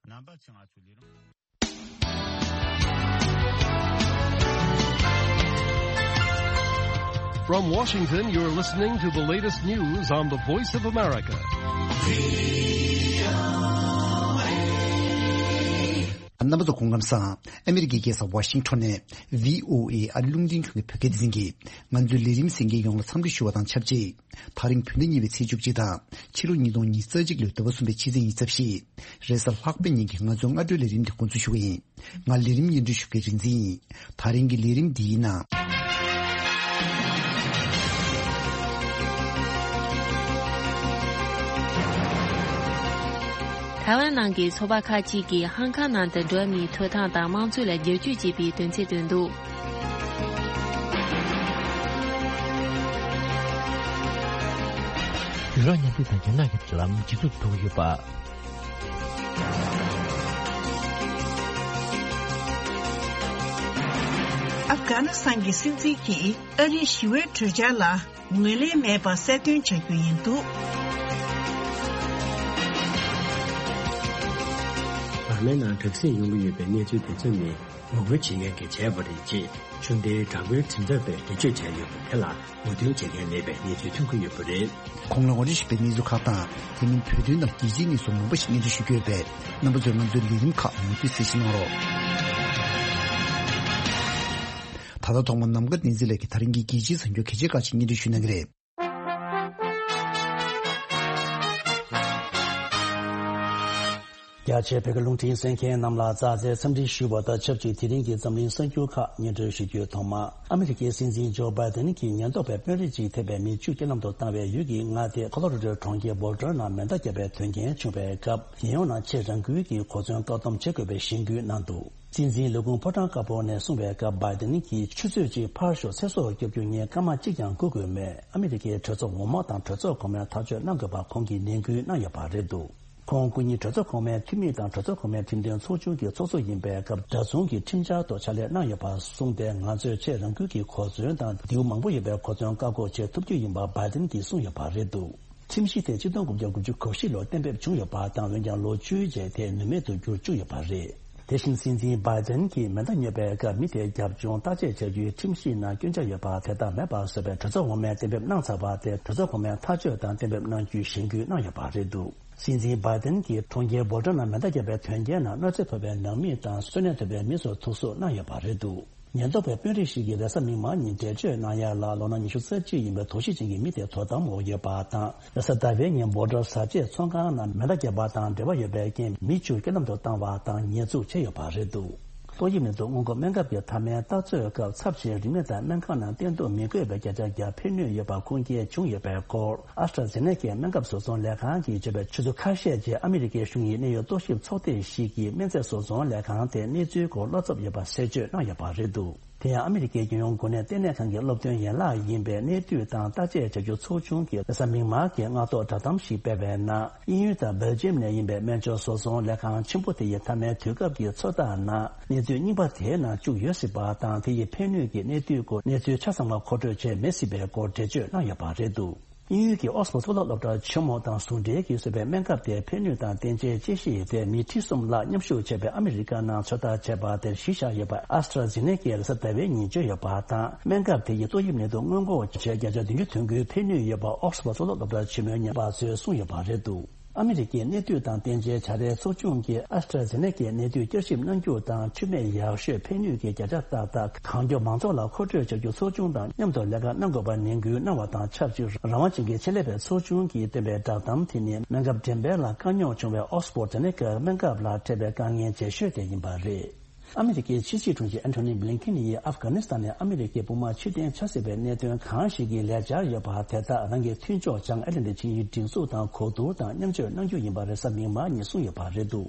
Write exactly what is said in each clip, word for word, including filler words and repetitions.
རྣམ་པ་ཚོས་ང་ཚོའི་ལས་རིམ། From Washington, you're listening to the latest news on the Voice of America. རྣམ་པ་ཚོ་སྐུ་ཁམས་བཟང་། ཨ་མི་རི་ཀའི་རྒྱལ་ས་ཝ་ཤིང་ཊོན་ནས་ཝི་ཨོ་ཨེ་ཨ་རི་རླུང་འཕྲིན་ཁང་གི་བོད་སྐད་སྡེ་ཚན་གྱིས་ང་ཚོའི་ལས་རིམ་གསན་མཁན་ཡོངས་ལ་འཚམས་འདྲི་ཞུ་བ་དང་ཆབས་ཅིག་ད་རིང་བོད་ཟླ་གཉིས་པའི་ཚེས་བཅུ་གཅིག་དང་ཕྱི་ལོ་ཉིས་སྟོང་ཉི་ཤུ་རྩ་གཅིག་ལོའི་ཟླ་བ་གསུམ་པའི་ཕྱི་ཚེས་ཉི་ཤུ་རྩ་བཞི། རེས་གཟའ་ལྷག་པའི་ཉིན་གྱི་ང་ཚོའི་སྔ་དྲོའི་ལས་རིམ་དེ་འགོ་འཛུགས་ཞུ་གི་ཡིན། ང་ལས་རིམ་སྙན་སྒྲོན་ཞུ་མཁན་རིག་འཛིན་ཡིན། ད་རིང་གི་ལས་རིམ་འདིའི་ནང་། ཐའེ་ཝན་ནང་གི་ཚོགས་པ་ཁག་ཅིག་གིས་ཧང་ཀང་ནང་དུ་འགྲོ་བ་མིའི་ཐོབ་ཐང་དང་དམངས་གཙོ་ལ་བསྒྱུར་བཅོས་བྱེད་པའི་དོན་ཚན་བཏོན་འདུག་ཡུ་རོབ་མཉམ་འབྲེལ་དང་རྒྱ་ནག་གི་འབྲེལ་ལམ་ཇེ་སྡུག་ཏུ་འགྲོ་གི་ཡོད་པ། ཨབ་གྷ་ནི་སི་ཐན་གྱི་སྲིད་འཛིན་གྱིས་ཨ་རིའི་ཞི་བའི་གྲོས་འཆར་ལ་ངོས་ལེན་མེད་པ་གསལ་སྟོན་བྱ་རྒྱུ་ཡིན་འདུག་བར་མའི་ནང་དྲག་ཟིང་ཡོང་གི་ཡོད་པའི་གནས་ཚུལ་དེ་ཚོ་ནི་ངོ་རྒོལ་བྱེད་མཁན་གྱིས་བྱས་པ་རེད་ཅེས་ཆུང་མཐའི་དྲག་པོའི་གྲུབ་མཐའ་པས་འགྲེལ་བརྗོད་བྱས་ཡོད་པ་དེ་ལ་ངོ་རྒོལ་བྱེད་མཁན་མེད་པའི་གནས་ཚུལ་ཐོན་གྱི་ཡོད་པ་རེད། གོང་ལ་ངོ་སྤྲོད་ཞུས་པའི་གནས་ཚུལ་ཁག་དང་དེ་མིན་བོད་དོན་དང་རྒྱལ་སྤྱིའི་གནས་ཚུལ་མང་པོ་ཞིག་སྙན་སྒྲོན་ཞུ་རྒྱུ་ཡོད་པས་རྣམ་པ་ཚོས་ང་ཚོའི་ལས་རིམ་ཁག་མུ་མཐུད་གསན་བཞེས་གནང་རོགས། ད་ལྟ་ཐོག་མར་ནམ་མཁའ་བསྟན་འཛིན་ལགས་ཀྱིས་ད་རིང་གི་རྒྱལ་སྤྱིའི་གསར་འགྱུར་གལ་ཆེ་ཁག་ཅིག་སྙན་སྒྲོན་ཞུ་གནང་གི་རེད། རྒྱ་ཆེའི་བོད་སྐད་རླུང་འཕྲིན་གསན་མཁན་རྣམས་ལ་ཙག་ཙིག་འཚམས་འདྲི་ཞུ་བ་དང་ཆབས་ཅིག་དེ་རིང་གི་འཛམ་གླིང་གསར་འགྱུར་ཁག་སྙན་སྒྲོན་ཞུ་རྒྱུའི་ཐོག་མ། ཨ་མི་རི་ཀའི་སྲིད་འཛིན་ཇོ་བྷའི་ཌེན་གྱིས་ཉེན་རྟོག་པས་དཔོན་རིགས་ཅིག་ཐེ་བའི་མི་བཅུ་རྐྱེན་ལམ་དུ་བཏང་བའི་ཡུལ་གྱི་མངའ་སྡེ་ཁོ་ལོ་ར་ཌོའི་གྲོང་ཁྱེར་བྷོལ་ཊར་ནང་མེ་མདའ་བརྒྱབ་པའི་དོན་རྐྱེན་བྱུང་བའི་སྐབས། རྒྱལ་ཡོངས་ནང་ཆེས་རང་འགུལ་གྱིས་གོ་མཚོན་བཀག་སྡོམ་བྱེད་དགོས་པའི་གཞེན་སྐུལ་གནང་འདུག་སྲིད་འཛིན་ལས་ཁུངས་ཕོ་བྲང་དཀར་པོ་ནས་གསུངས་པའི་སྐབས། བྷའི་ཌེན་གྱིས་ཆུ་ཚོད་གཅིག་ཕར་ཞོག་ཚེ་སྲོག་སྐྱོབ་རྒྱུ་ངས་སྐར་མ་གཅིག་ཀྱང་སྒུག་དགོས་མེད། ཨ་མི་རི་ཀའི་གྲོས་ཚོགས་འོག་མ་དང་གྲོས་ཚོགས་གོང་མས་ཐག་གཅོད་གནང་དགོས་པ་ཁོང་གིས་ནན་སྐུལ་གནང་ཡོད་པ་རེད་འདུག་ཁོང་སྐུ་ཉིད་གྲོས་ཚོགས་གོང་མའི་འཐུས་མི་དང་གྲོས་ཚོགས་གོང་མའི་ཁྲིམས་དོན་ཚོགས་ཆུང་གི་ཚོགས་གཙོ་ཡིན་པའི་སྐབས། འདྲ་མཚུངས་ཀྱི་ཁྲིམས་འཆར་ཐོག་ཕྱག་ལས་གནང་ཡོད་པར་གསུངས་ཏེ། ང་ཚོས་ཆེས་རང་འགུལ་གྱིས་གོ་མཚོན་དང་མདེའུ་མང་པོ་ཡོད་པའི་གོ་མཚོན་བཀག་འགོག་བྱེད་ཐུབ་རྒྱུ་ཡིན་པ་བྷའི་ཌེན་གྱིས་གསུངས་ཡོད་པ་རེད་འདུག་ཁྲིམས་གཞི་དེ་ཆིག་སྟོང་དགུ་བརྒྱ་དགུ་བཅུ་གོ་བཞི་ལོར་གཏན་འབེབས་བྱུང་ཡོད་པ་དང་། འོན་ཀྱང་ལོ་བཅུའི་རྗེས་དེ་ནུས་མེད་དུ་གྱུར་བཅུག་ཡོད་པ་རེད། དེ་བཞིན་སྲིད་འཛིན་བྷའི་ཌེན་གྱིས་མེ་མདའ་ཉོས་པའི་སྐབས། མི་དེའི་རྒྱབ་ལྗོངས་བརྟག་དཔྱད་བྱ་རྒྱུའི་ཁྲིམས་གཞི་ནང་སྐྱོན་ཆ་ཡོད་པ་དེ་དག་མེད་པར་བཟོ་བའི་གྲོས་ཚོགས་འོག་མས་གཏན་འབེབས་གནང་ཚར་བ་དེ། གྲོས་ཚོགས་གོང་མས་ཐག་གཅོད་དང་གཏན་འབེབས་གནང་རྒྱུའི་གཞེན་སྐུལ་གནང་ཡོད་པ་རེད་འདུག་སྲིད་འཛིན་བྷའི་ཌེན་གྱིས་གྲོང་ཁྱེར་བྷོལ་ཊར་ནང་མེ་མདའ་བརྒྱབ་པའི་དོན་རྐྱེན་ནང་གནོད་འཚེ་ཕོག་པའི་ནང་མི་དང་གསོན་གནས་ཐོབ་པའི་མི་ཚོར་ཐུགས་གཟོགས་གནང་ཡོད་པ་རེད་འདུག་ཉེན་རྟོག་པའི་དཔོན་རིགས་ཤིག་གིས་རེས་གཟའ་མིག་དམར་ཉིན་འགྲེལ་བརྗོད་གནང་ཡ་ལ། ལོ་ན་ཉི་ཤུ་རྩ་གཅིག་ཡིན་པའི་དོགས་གཞི་ཅན་གྱི་མི་དེ་དོ་དམ་འོག་ཡོད་པ་དང་། རེས་གཟའ་ཟླ་བའི་ཉིན་བྷོལ་ཊར་བཟའ་ཆས་ཚོང་ཁང་ནང་མེ་མདའ་བརྒྱབ་པ་དང་འབྲེལ་བ་ཡོད་པའི་རྐྱེན། མི་བཅུ་རྐྱེན་ལམ་དུ་བཏང་བ་དང་ཉེས་འཛུགས་བྱས་ཡོད་པ་རེད་འདུག་ཏོག་དབྱིབས་ནད་དུག་སྔོན་འགོག་སྨན་ཁབ་ཀྱི་མཐའ་མའི་བརྟག་དཔྱད་སྐབས། ཚབས་ཆེའི་རིམས་ནད་དང་སྨན་ཁང་ནང་བསྟེན་གཏུག་མི་དགོས་པའི་བརྒྱ་ཆ་བརྒྱ་ཕན་ནུས་ཡོད་པ་ཁུངས་སྐྱེལ་བྱུང་ཡོད་པའི་སྐོར། ཨ་སི་ཊ་ཛེ་ནེ་ཀའི་སྨན་ཁབ་བཟོ་ཚོང་ལས་ཁང་གིས་བརྗོད་པའི་ཆུ་ཚོད་ཁ་ཤས་རྗེས། ཨ་མི་རི་ཀའི་གཞུང་ཡི་གནད་ཡོད་རྟོག་ཞིབ་ཚོགས་སྡེ་ཞིག་གིས་སྨན་རྫས་བཟོ་ཚོང་ལས་ཁང་དེ་གནས་ཚུལ་སྐོར་བློ་འཚབ་ཡོད་པ་གསལ་བརྗོད་གནང་ཡོད་པ་རེད་འདུག་དེ་ཡང་ཨ་མི་རི་ཀའི་རྒྱལ་ཡོངས་འགོ་ནད་ལྟེ་གནས་ཁང་གི་སློབ་སྟོན་ཡན་ལག་ཡིན་པའི་གནས་དུས་དང་བརྟག་དཔྱད་བྱ་རྒྱུ་ཚོགས་ཆུང་གིས་རེས་གཟའ་མིག་དམར་གྱི་སྔ་ཐོག་བསྒྲགས་གཏམ་ཞིག་སྤེལ་བའི་ནང་། དབྱིན་ཡུལ་དང་སྦེལ་ཇི་ཡམ་ནས་ཡིན་པའི་སྨན་སྦྱོར་བཟོ་ཚོང་ལས་ཁང་ཆེན་པོ་དེ་ཡི་མཐའ་མའི་དུས་སྐབས་ཀྱི་ཚོད་ལྟ་ནང་། གནས་ཚུལ་རྙིང་པ་དེའི་ནང་བཅུག་ཡོད་སྲིད་པ་དང་། དེ་ཡི་ཕན་ནུས་ཀྱི་གནས་དུས་སྐོར་གནས་ཚུལ་ཆ་ཚང་བ་མཁོ་སྤྲོད་བྱས་མེད་སྲིད་པའི་སྐོར་འགྲེལ་བརྗོད་གནང་ཡོད་པ་རེད་འདུག་དབྱིན་ཡུལ་གྱི་ཨོག་སི་ཕོར་གཙུག་ལག་སློབ་གྲྭ་ཆེན་མོ་དང་ཟུང་འབྲེལ་གྱིས་བཟོས་པའི་སྨན་ཁབ་དེའི་ཕན་ནུས་དང་བསྟན་བྱའི་དཔྱད་གཞི་དེ་མི་ཁྲི་གསུམ་ལྷག་མཉམ་ཞུགས་བྱས་པའི་ཨ་མི་རི་ཀ་ནང་ཚོད་ལྟ་བྱས་པ་དེར་གཞི་བཞག་ཡོད་པ་ཨ་སི་ཊ་ཛེ་ནེ་ཀས་རེས་གཟའ་ཟླ་བའི་ཉིན་བརྗོད་ཡོད་པ་དང་། སྨན་ཁབ་དེ་ཡིས་ཏོག་དབྱིབས་ནད་དུག་སྔོན་འགོག་བྱེད་བརྒྱ་ཆ་བདུན་ཅུ་ཐོན་རྒྱུའི་ཕན་ནུས་ཡོད་པ་ཨོག་སི་ཕོར་གཙུག་ལག་སློབ་གྲྭ་ཆེན་མོའི་ཉམས་པ་ཚོས་གསུངས་ཡོད་པ་རེད་འདུག་ཨ་མི་རི་ཀའི་གནས་དུས་དང་བསྟན་བྱའི་བྱ་རའི་ཚོགས་ཆུང་གིས་ཨ་སི་ཊ་ཛེ་ནེ་ཀའི་གནས་དུས་བསྐྱར་ཞིབ་གནང་རྒྱུ་དང་། འཁྲུལ་མེད་ཡག་ཤོས་ཕན་ནུས་ཀྱི་བརྒྱ་ཆ་ཏག་ཏག་གང་མགྱོགས་མང་ཚོགས་ལ་མཁོ་སྤྲོད་བྱ་རྒྱུ་ཚོགས་ཆུང་དང་མཉམ་དུ་ལས་ཀ་གནང་དགོས་པ་ནན་སྐུལ་གནང་བ་དང་ཆབས་ཅིག་རང་དབང་ཅན་གྱི་ཆེད་ལས་པའི་ཚོགས་ཆུང་གིས་བཏོན་པའི་བསྒྲགས་གཏམ་དེ་ནི་སྨན་ཁབ་འགྲེམས་སྤེལ་ལ་དཀའ་རྙོག་བྱུང་བའི་ཨོག་སི་ཕོར་ཛེ་ནེ་ཀའི་སྨན་ཁབ་ལ་འཕྲད་པའི་དཀའ་ངལ་ཇེ་ཤོས་དེ་ཡིན་པ་རེད། ཨ་མི་རི་ཀའི་ཕྱི་སྲིད་དྲུང་ཆེ་ཨན་ཐོ་ནི་བྷི་ལིན་ཁིན་ཡིས་ཨབ་གྷ་ནི་སི་ཐན་ནས་ཨ་མི་རི་ཀའི་དཔུང་དམག་ཕྱིར་འཐེན་བྱ་སྲིད་པའི་གནད་དོན་གང་ཞིག་གི་ལས་འཆར་ཡོད་པ་དེ་དག་རང་གི་མཐུན་ཕྱོགས་བྱང་ཨེ་ཊ་ལན་ཊིག་ཆིངས་ཡིག་སྒྲིག་འཛུགས་དང་གོ་བསྡུར་དང་མཉམ་སྤྱོད་གནང་རྒྱུ་ཡིན་པ་རེས་གཟའ་མིག་དམར་ཉིན་གསུངས་ཡོད་པ་རེད་འདུག་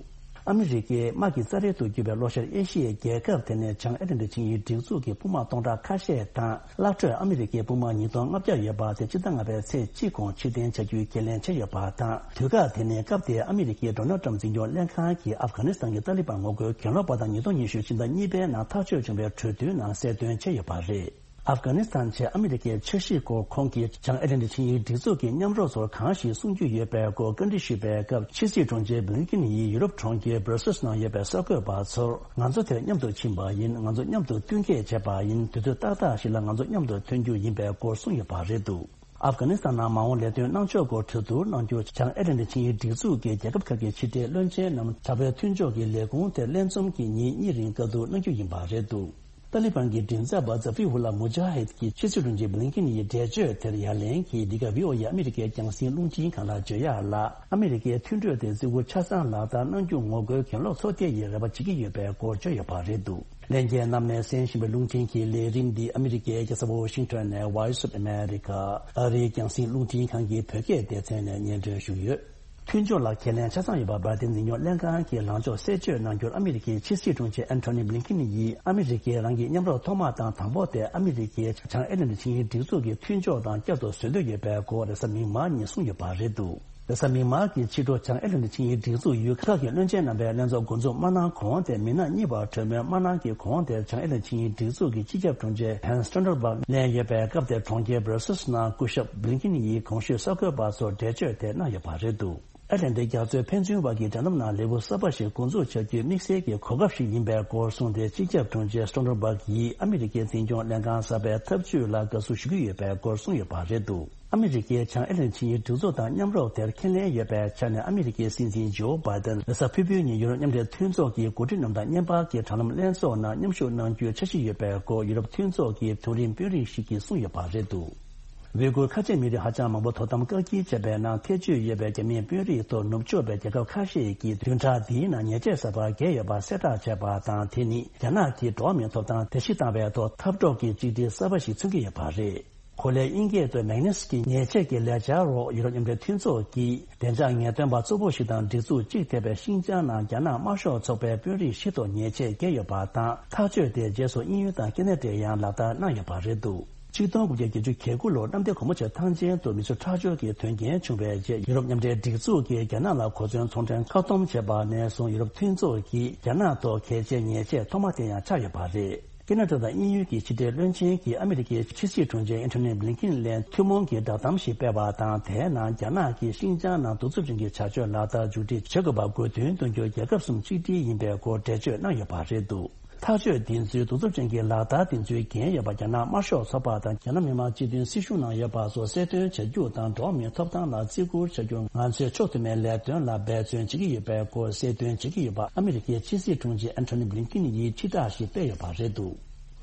ཨ་མི་རི་ཀའི་དམག་གི་རྩ་རལ་དུ་གྱུར་པའི་ལྷོ་ཤར་ཨེ་ཤི་ཡའི་རྒྱལ་ཁབ་དེ་ནས་བྱང་ཨེ་ཊ་ལན་ཊིག་ཆིངས་ཡིག་སྒྲིག་འཛུགས་ཀྱི་དཔུང་དམག་སྟོང་ཕྲག་ཁ་ཤས་དང་། གླ་སྤྲོད་ཨ་མི་རི་ཀའི་དཔུང་དམག་ཉིས་སྟོང་ལྔ་བརྒྱ་ཡོད་པ་དེ་སྤྱི་ཟླ་ལྔ་པའི་ཚེས་གཅིག་གོང་ཕྱིར་འཐེན་བྱ་རྒྱུའི་ཁས་ལེན་བྱས་ཡོད་པ་དང་། དུས་བཀག་དེ་ནི་སྐབས་དེའི་ཨ་མི་རི་ཀའི་ཌོ་ནལ་ཊམ་འཛིན་སྐྱོང་ལྷན་ཁང་གིས་ཨབ་གྷ་ནི་སི་ཐན་གྱི་ཏཱ་ལི་བན་ངོ་རྒོལ་གྱེན་ལོག་པ་དང་ཉིས་སྟོང་ཉི་ཤུ་ཕྱི་ཟླ་གཉིས་པའི་ནང་ཐག་གཅོད་བྱུང་བའི་གྲོས་མཐུན་ནང་གསལ་སྟོན་བྱས་ཡོད་པ་རེད། ཨབ་གྷ་ནི་སི་ཐན་ཆེད་ཨ་མི་རི་ཀའི་འཆར་གཞིའི་སྐོར་ཁོང་གིས་བྱང་ཨེ་ཊ་ལན་ཊིག་ཆིངས་ཡིག་སྒྲིག་འཛུགས་ཀྱི་མཉམ་རོགས་ཚོར་གང་ཞིག་གསུང་རྒྱུ་ཡོད་པའི་སྐོར་བཀའ་འདྲི་ཞུས་པའི་སྐབས། ཕྱི་སྲིད་དྲུང་ཆེ་བྷི་ལིན་ཀིན་ཡིས་ཡུ་རོབ་གྲོང་ཁྱེར་སྦྲ་སེལ་སི་ནང་ཡོད་པའི་གསར་འགོད་པ་ཚོར། ང་ཚོ་དེར་མཉམ་དུ་ཕྱིན་པ་ཡིན། ང་ཚོ་མཉམ་དུ་བསྟུན་མཁས་བྱས་པ་ཡིན། དུས་ཚོད་ཏག་ཏག་ཞིག་ལ་ང་ཚོ་མཉམ་དུ་ཐོན་རྒྱུ་ཡིན་པའི་སྐོར་གསུངས་ཡོད་པ་རེད་འདུག་ཨབ་གྷ་ནི་སི་ཐན་ནང་མ་འོངས་ལས་དོན་གནང་ཕྱོགས་སྐོར་གྲོས་བསྡུར་གནང་རྒྱུར། བྱང་ཨེ་ཊ་ལན་ཊིག་ཆིངས་ཡིག་སྒྲིག་འཛུགས་ཀྱི་རྒྱལ་ཁབ་ཁག་གི་ཕྱི་འབྲེལ་བློན་ཆེན་རྣམས་དྲག་པོའི་མཐུན་ཕྱོགས་ཀྱི་ལས་ཁུངས་དེར་ལྷན་འཛོམས་ཀྱི་ཉིན་གཉིས་རིང་བཀའ་བསྡུར་གནང་རྒྱུ་ཡིན་པ་རེད་འདུག་ཏཱ་ལི་བན་གྱི་མགྲིན་ཚབ་པ་ཛ་ཧྥི་རི་ཧུ་ལ་མུ་ཇཱ་ཧིད་ཀྱིས་ཕྱི་སྲིད་དྲུང་ཆེ་བྷི་ལིན་ཀིན་ཡི་འགྲེལ་བརྗོད་དེར་ཡ་ལན་གྱིས། འདི་ག་ཝི་ཨོ་ཨེ་ཨ་མི་རི་ཀའི་རྒྱང་སྲིང་རླུང་འཕྲིན་ཁང་ལ་བརྗོད་ཡག་ལ། ཨ་མི་རི་ཀའི་མཐུན་གྲོས་དེ་བརྩི་བཀུར་ཆ་ཚང་ལག་བསྟར་གནང་རྒྱུ་ངོ་རྒོལ་གྱེན་ལོག་ཚོགས་སྡེ་ཡིས་རེ་བ་བྱེད་ཀྱི་ཡོད་པའི་སྐོར་བརྗོད་ཡོད་པ་རེད་འདུག་ལྷན་རྒྱས་རྣམས་ནས་གསན་བཞིན་པའི་རླུང་འཕྲིན་གྱི་ལས་རིམ་འདི་ཨ་མི་རི་ཀའི་རྒྱལ་ས་ཝ་ཤིང་ཊོན་ནས་Voice of America ཨ་རིའི་རྒྱང་སྲིང་རླུང་འཕྲིན་ཁང་གི་བོད་སྐད་སྡེ་ཚན་ནས་སྙན་སྒྲོན་ཞུས་ཡོད། མཐུན་ཕྱོགས་ལ་ཁས་ལེན་ཆ་ཚང་ཡོད་པ་འབར་མདེལ་འཛིན་སྐྱོང་ལྷན་ཁང་གི་ལངས་ཕྱོགས་གསལ་བརྗོད་གནང་རྒྱུར། ཨ་མི་རི་ཀའི་ཕྱི་སྲིད་དྲུང་ཆེ་ཨན་ཐོ་ནི་བྷི་ལིན་ཀིན་ཡིས། ཨ་མི་རི་ཀའི་རང་གི་མཉམ་རོགས་ཐོག་མ་དང་དང་པོ་དེ་ཨ་མི་རི་ཀའི་བྱང་ཨེ་ཊ་ལན་ཊིག་ཆིངས་ཡིག་སྒྲིག་འཛུགས་ཀྱི་མཐུན་ཕྱོགས་དང་བསྐྱར་དུ་བཟོ་འདོད་ཡོད་པའི་སྐོར་རེས་གཟའ་མིག་དམར་ཉིན་གསུངས་ཡོད་པ་རེད་འདུག་རེས་གཟའ་མིག་དམར་གྱི་ཕྱི་དྲོ། བྱང་ཨེ་ཊ་ལན་ཊིག་ཆིངས་ཡིག་སྒྲིག་འཛུགས་ཡུལ་ཁག་གི་བློན་ཆེན་རྣམ་པས་ལྷན་ཚོགས་འགོ་འཛུགས་མ་གནང་གོང་དེ། མི་སྣ་གཉིས་བར་གྲོས་མོལ་མ་གནང་གི་གོང་དེར། བྱང་ཨེ་ཊ་ལན་ཊིག་ཆིངས་ཡིག་སྒྲིག་འཛུགས་ཀྱི་སྤྱི་ཁྱབ་དྲུང་ཆེ་ཧན་སི་སྟོལ་ཊེན་བྷག་ལན་ཡོད་པའི་སྐབས་དེར། གྲོང་ཁྱེར་སྦྲ་སེལ་སི་ནང་སྐུ་ཞབས་བྷི་ལིན་ཀིན་ཡིས་གོང་ཞུས་གསར་འགོད་པ་ཚོར་འགྲེལ་བརྗོད་དེ་གནང་ཡོད་པ་རེད་འདུག་ཨེ་ཊ་ལན་ཊིག་རྒྱ་མཚོའི་ཕན་ཚུན་བར་གྱི་འབྲེལ་ལམ་ནང་ལེའུ་གསར་པ་ཞིག་འགོ་འཛུགས་བྱ་རྒྱུའི་དམིགས་བསལ་གྱི་གོ་སྐབས་ཤིག་ཡིན་པའི་སྐོར་གསུངས་ཏེ། སྤྱི་ཁྱབ་དྲུང་ཆེ་སྟོལ་ཊེན་བྷག་ཡིས་ཨ་མི་རི་ཀའི་འཛིན་སྐྱོང་ལྷན་ཁང་གསར་པའི་ཐབས་ཇུས་ལ་དགའ་བསུ་ཞུ་གི་ཡོད་པའི་སྐོར་གསུངས་ཡོད་པ་རེད་འདུག་ཨ་མི་རི་ཀས་བྱང་ཨེ་ཊ་ལན་ཊིག་ཆིངས་ཡིག་སྒྲིག་འཛུགས་དང་མཉམ་རོགས་དེར་ཁས་ལེན་ཡོད་པའི་ཆ་ནས། ཨ་མི་རི་ཀའི་སྲིད་འཛིན་ཇོ་བྷའི་ཏན་རེས་གཟའ་ཕུར་བུའི་ཉིན་ཡུ་རོབ་མཉམ་འབྲེལ་མཐུན་ཚོགས་ཀྱི་འགོ་ཁྲིད་རྣམས་དང་བརྙན་པར་གྱི་དྲ་ལམ་ལྷན་ཚོགས་ནང་མཉམ་ཞུགས་གནང་རྒྱུའི་འཆར་གཞི་ཡོད་པའི་སྐོར་ཡུ་རོབ་མཐུན་ཚོགས་ཀྱི་མཐོ་རིམ་དཔོན་རིགས་ཤིག་གིས་གསུངས་ཡོད་པ་རེད་འདུག་ཝི་གུར་ཁ་ཆེ་མི་རིགས་ཧ་ཅང་མང་པོ་དོ་དམ་བཀག་སྐྱིལ་བྱས་པའི་ནང་ཐེ་བྱུས་ཡོད་པའི་རྒྱ་མིའི་དཔོན་རིགས་ཐོག་ནུབ་ཕྱོགས་པའི་རྒྱལ་ཁབ་ཁ་ཤས་ཀྱིས་བདུན་ཕྲག་འདིའི་ནང་ཉེས་ཆད་གསར་པ་འགེལ་ཡོད་པ་གསལ་བསྒྲགས་བྱས་པ་དང་། དེ་ནི་རྒྱ་ནག་གིས་འགྲོ་བ་མིའི་ཐོབ་ཐང་བརྡལ་བཤིག་བཏང་བའི་ཐོག་འཐབ་གྲོགས་ཀྱི་གཅིག་སྒྲིལ་གསར་པ་ཞིག་མཚོན་གྱི་ཡོད་པ་རེད། གོ་ལའི་དབྱིན་སྐད་དུ་མེག་ནེ་སི་ཀི་ཉེས་ཆད་ཀྱི་ལས་འཆར་འོག་ཡུ་རོབ་མཉམ་འབྲེལ་མཐུན་ཚོགས་ཀྱིས་བདེ་འཇགས་ངེས་སྟོན་པ་གཙོ་བོ་ཞིག་དང་སྒྲིག་འཛུགས་གཅིག་ཐེ་བའི་ཤིན་ཅང་ནང་རྒྱ་ནག་དམར་ཤོག་ཚོགས་པའི་དཔོན་རིགས་བཞི་ཐོག་ཉེས་ཆད་བཀལ་ཡོད་པ་དང་། ཐག་གཅོད་དེའི་རྗེས་སུ་དབྱིན་ཡུལ་དང་ཁེ་ན་ཌས་ཡང་ལག་བསྟར་གནང་ཡོད་པ་རེད་འདུག་ཆིག་སྟོང་དགུ་བརྒྱ་བརྒྱད་ཅུ་གྱ་དགུ་ལོར་གནམ་བདེ་སྒོ་མོ་ཆེ་ཐང་ཆེན་དུ་མི་ཚོ་ཁྲག་སྦྱོར་གྱི་དོན་རྐྱེན་བྱུང་བའི་རྗེས། ཡུ་རོབ་མཉམ་འབྲེལ་སྒྲིག་འཛུགས་ཀྱིས་རྒྱ་ནག་ལ་གོ་མཚོན་ཚོང་འབྲེལ་བཀག་སྡོམ་བྱས་པ་ནས་བཟུང་། ཡུ་རོབ་མཐུན་ཚོགས་ཀྱིས་རྒྱ་ནག་ཐོག་གལ་ཆེའི་ཉེས་ཆད་ཐོག་མ་དེ་ཡང་ཆགས་ཡོད་པ་རེད། ཁེ་ན་ཌ་དང་དབྱིན་ཡུལ་གྱི་ཕྱི་འབྲེལ་བློན་ཆེན་གྱིས་ཨ་མི་རི་ཀའི་ཕྱི་སྲིད་དྲུང་ཆེ་ཨན་ཐོ་ནི་བྷི་ལིན་ཀིན་ལ་ཐུན་མོང་གི་བསྒྲགས་གཏམ་ཞིག་སྤེལ་བ་དང་། དེའི་ནང་རྒྱ་ནག་གིས་ཤིན་ཅང་ནང་གདུག་རྩུབ་ཅན་གྱི་བྱ་སྤྱོད་ལག་བསྟར་མཇུག་སྒྲིལ་བྱེད་དགོས་པ་དགོས་འདུན་འདོན་རྒྱུར་རྒྱལ་ཁབ་གསུམ་གཅིག་སྒྲིལ་ཡིན་པའི་སྐོར་འགྲེལ་བརྗོད་གནང་ཡོད་པ་རེད་འདུག་ཐག་གཅོད་འདི་ཚོའི་གདུག་རྩུབ་ཅན་གྱི་ལག་བསྟར་འདི་ཚོའི་འགན་ཡོད་པ་རྒྱ་ནག་དམར་ཤོག་ཚོགས་པ་དང་རྒྱ་ནག་མི་དམངས་སྤྱི་མཐུན་སྲིད་གཞུང་ནང་ཡོད་པ་སོགས་གསལ་སྟོན་བྱ་རྒྱུ་དང་། འགྲོ་བ་མིའི་ཐོབ་ཐང་ལ་བརྩི་བཀུར་བྱ་རྒྱུར་ང་ཚོས་ཕྱོགས་མཐུན་མའི་ལས་དོན་ལ་འབད་བརྩོན་བྱེད་ཀྱི་ཡོད་པའི་སྐོར་གསལ་སྟོན་བྱེད་ཀྱི་ཡོད་པ་ཨ་མི་རི་ཀའི་ཕྱི་སྲིད་དྲུང་ཆེ་ཨན་ཐོ་ནི་བྷི་ལིན་ཀིན་ཡིས་ཕྱིར་བསྒྲགས་ཤིག་སྤེལ་ཡོད་པ་རེད་འདུག་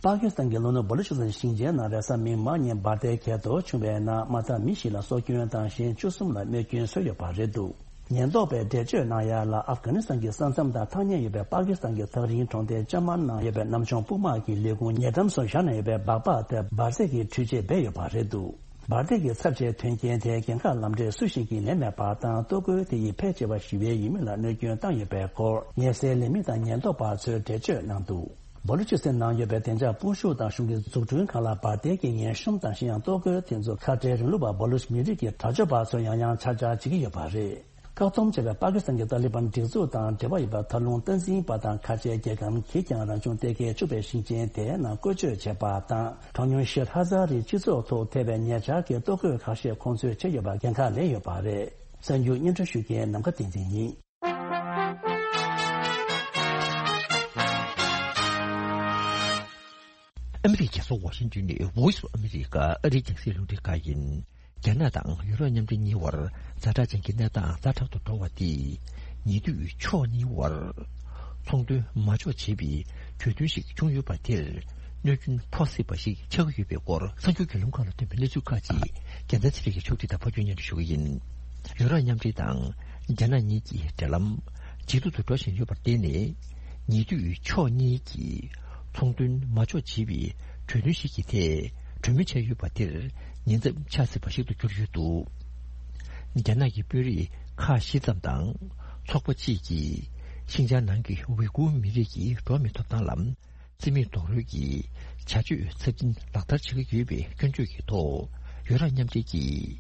པ་ཀི་སི་ཐན་གྱི་ལྷོ་ནུབ་བ་ལུ་ཆི་སི་ཐན་ཞིང་ཆེན་ནང་རེས་གཟའ་མིག་དམར་ཉིན་འབར་མདེལ་གྱེན་ལོག་བྱུང་བའི་ནང་མ་མཐའ་མི་བཞི་ལ་སྲོག་སྐྱོན་དང་གཞན་བཅུ་གསུམ་ལ་རྨས་སྐྱོན་བཟོས་ཡོད་པ་རེད་འདུག་ཉེན་རྟོག་པས་འགྲེལ་བརྗོད་གནང་ཡ་ལ། ཨབ་གྷ་ནི་སི་ཐན་གྱི་ས་མཚམས་དང་ཐག་ཉེ་ཡོད་པའི་པ་ཀི་སི་ཐན་གྱི་ཐག་རིང་གྲོང་རྡལ་ཅ་མན་ནང་ཡོད་པའི་ནམ་བྱུང་དཔུང་དམག་གི་ལས་ཁུངས་ཉེ་འགྲམ་སུ་བཞག་ནས་ཡོད་པའི་སྦག་སྦག་དེར་འབར་རྫས་ཀྱི་འཕྲུལ་ཆས་སྦས་ཡོད་པ་རེད་འདུག་འབར་མདེལ་གྱི་ཚབས་ཆེའི་དོན་རྐྱེན་དེའི་འགན་ཁག་ལམ་འབྲས་སུ་ཞིག་གིས་ལེན་མེད་པ་དང་། གཏོར་རྒོལ་དེ་ཡིས་ཕལ་ཆེ་བ་ཞི་བའི་ཡུལ་མི་ལ་གནོད་སྐྱོན་བཏང་ཡོད་པའི་སྐོར་ཉེ་སའི་ལས་མི་དང་ཉེན་རྟོག་པ་ཚོས་འགྲེལ་བརྗོད་གནང་འདུག་བ་ལུ་ཅི་སི་ཐན་ནང་ཡོད་པའི་བདེ་འཇགས་དཔུང་ཤུགས་དང་གཞུང་གི་འཛུགས་སྐྲུན་ཁག་ལ་འབར་མདེལ་གྱི་ངན་གཤོམ་དང་། གཞན་ཡང་གཏོར་རྒོལ་དེ་ཚོ་ཁ་བྲལ་རིང་ལུགས་པ་བ་ལུ་ཅི་མི་རིགས་ཀྱི་དྲག་སྤྱོད་པ་ཚོས་ཡང་ཡང་ཆག་ཆག་བྱེད་ཀྱི་ཡོད་པ་རེད། བཀག་སྡོམ་བྱས་པའི་པ་ཀི་སི་ཐན་གྱི་ཏཱ་ལི་བན་སྒྲིག་འཛུགས་དང་འབྲེལ་བ་ཡོད་པའི་མཐའ་ལྷུང་སྟངས་འཛིན་པ་དང་ཁ་ཆེའི་རྒྱལ་ཁམས་ཀྱིས་ཀྱང་རང་བྱུང་གཏེར་ཁའི་ཕྱུག་པའི་ཞིང་ཆེན་དེའི་ནང་བཀོལ་སྤྱོད་བྱས་པ་དང་། གྲངས་ཉུང་ཤར་ཧ་ཛ་རིའི་སྤྱི་ཚོགས་ཐོག་ཐེབས་པའི་ཉེ་ཆར་གྱི་གཏོར་རྒོལ་ཁ་ཤས་ཁོང་ཚོས་བྱས་ཡོད་པར་འགན་ཁག་ལེན་ཡོད་པ་རེད། གསར་འགྱུར་སྙན་སྒྲོན་ཞུ་མཁན་ནམ་མཁའ་བསྟན་འཛིན་ཡིན། ཨ་མི་རི་ཀའི་རྒྱལ་ས་ཝ་ཤིང་ཏོན་ནས་Voice of America ཨ་རིའི་རྒྱང་སྲིང་རླུང་འཕྲིན་ཁང་ཡིན། རྒྱ་ནག་དང་ཡུ་རོབ་མཉམ་འབྲེལ་གཉིས་བར་ཛ་དྲག་ཅན་གྱི་གནས་སྟངས་ཛ་དྲག་ཏུ་འགྲོ་བ་དེས་ཉེ་དུས་ཕྱོགས་གཉིས་བར་ཚོང་དོན་མ་འཇོག་བྱེད་པའི་གྲོས་མཐུན་ཞིག་བྱུང་ཡོད་པ་དེར་གནོད་སྐྱོན་ཕོག་སྲིད་པ་ཞིག་ཆགས་ཀྱི་ཡོད་པའི་སྐོར་གསར་འགྱུར་བརྒྱུད་ལམ་ཁག་ལ་ཐོན་པའི་གནས་ཚུལ་ཁག་ཅིག་རྒྱལ་མཚན་ཚེ་རིང་གིས་ཕྱོགས་སྒྲིག་དང་ཕབ་སྒྱུར་སྙན་སྒྲོན་ཞུ་གི་ཡིན། ཡུ་རོབ་མཉམ་འབྲེལ་དང་རྒྱ་ནག་གཉིས་ཀྱི་འབྲེལ་ལམ་ཇེ་སྡུག་ཏུ་འགྲོ་བཞིན་ཡོད་པར་བརྟེན་ནས། ཉེ་དུས་ཕྱོགས་གཉིས་ཀྱིས་ཚོང་དོན་མ་འཇོག་བྱེད་པའི་གྲོས་མཐུན་ཞིག་གི་ཐད་གྲོས་མོལ་བྱས་ཡོད་པ་དེར་ཉེན་ཚབས་ཆགས་སྲིད་པ་ཞིག་ཏུ་གྱུར་ཡོད་འདུག་རྒྱ་ནག་གི་དཔོན་རིགས་ཁག་བཞི་ཙམ་དང་ཚོགས་པ་གཅིག་གིས་ཤིན་ཅང་ནང་གི་ཝི་གུར་མི་རིགས་ཀྱི་འགྲོ་བ་མིའི་ཐོབ་ཐང་ལ། རྩིས་མེད་རྡོག་རོལ་གྱི་བྱ་སྤྱོད་ཚབས་ཆེན་ལག་བསྟར་བྱེད་ཀྱི་ཡོད་པའི་སྐྱོན་བརྗོད་ཀྱི་ཐོག་ཡུ་རོབ་མཉམ་འབྲེལ་གྱིས་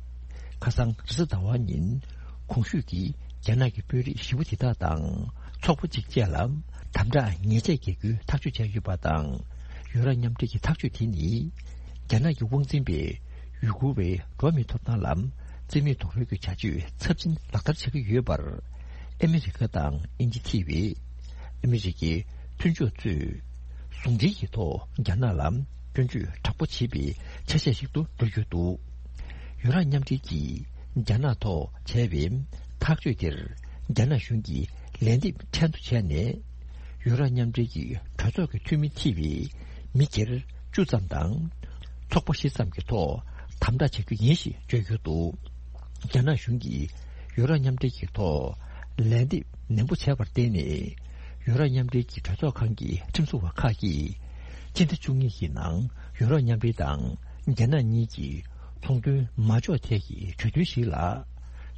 ཁ་སང་རེས་གཟའ་ཟླ་བ་ཉིན་གོང་ཞུས་ཀྱི་རྒྱ་ནག་གི་དཔོན་རིགས་བཞི་པོ་དེ་དག་དང་ཚོགས་པ་གཅིག་བཅས་ལ་དམ་དྲག་ཉེས་ཆད་འགེལ་རྒྱུའི་ཐག་གཅོད་བྱས་ཡོད་པ་དང་། ཡུ་རོབ་མཉམ་འབྲེལ་གྱི་ཐག་གཅོད་དེ་ནི་ རྒྱ་ནག་གི་དབང་འཛིན་པས་ཡུ་གུར་བའི་འགྲོ་བ་མིའི་ཐོབ་ཐང་ལ་རྩིས་མེད་རྡོག་རོལ་གྱི་བྱ་སྤྱོད་ཚབས་ཆེན་ལག་བསྟར་བྱེད་ཀྱི་ཡོད་པར། ཨ་མི་རི་ཀ་དང་དབྱིན་ཇི་ཐེ་བའི་ཨ་མི་རི་ཀའི་མཐུན་ཕྱོགས་ཚོས་ཟུང་འབྲེལ་གྱི་ཐོག་རྒྱ་ནག་ལ་སྐྱོན་བརྗོད་དྲག་པོ་བྱེད་པའི་ཆ་ཤས་ཤིག་ཏུ་འགྲོ་རྒྱུ་འདུག་ཡུ་རོབ་མཉམ་འབྲེལ་གྱིས་རྒྱ་ནག་ཐོག་བྱས་པའི་ཐག་གཅོད་དེར་རྒྱ་ནག་གཞུང་གིས་ལན་འདེབས་ཕྲན་དུ་བྱས་ནས། ཡུ་རོབ་མཉམ་འབྲེལ་གྱི་གྲོས་ཚོགས་ཀྱི་འཐུས་མི་ཐེ་བའི་མི་སྒེར་བཅུ་ཙམ་དང་། ཚོགས་པ་བཞི་ཙམ་གྱི་ཐོག་དམ་དྲག་བྱ་རྒྱུ་ཡིན་ཞེས་བརྗོད་ཡོད་འདུག་རྒྱ་ནག་གཞུང་གིས་ཡུ་རོབ་མཉམ་འབྲེལ་གྱི་ཐོག་ལན་འདེབས་ནན་པོ་བྱས་པར་བརྟེན་ནས། ཡུ་རོབ་མཉམ་འབྲེལ་གྱི་གྲོས་ཚོགས་ཁང་གི་ཁྲིམས་བཟོ་བ་ཁག་གིས་སྤྱི་ཟླ་བཅུ་གཉིས་ཀྱི་ནང་ཡུ་རོབ་མཉམ་འབྲེལ་དང་རྒྱ་ནག་གཉིས་ཀྱི་ཚོང་དོན་མ་འཇོག་ཐད་ཀྱི་གྲོས་མཐུན་ཞིག་ལ།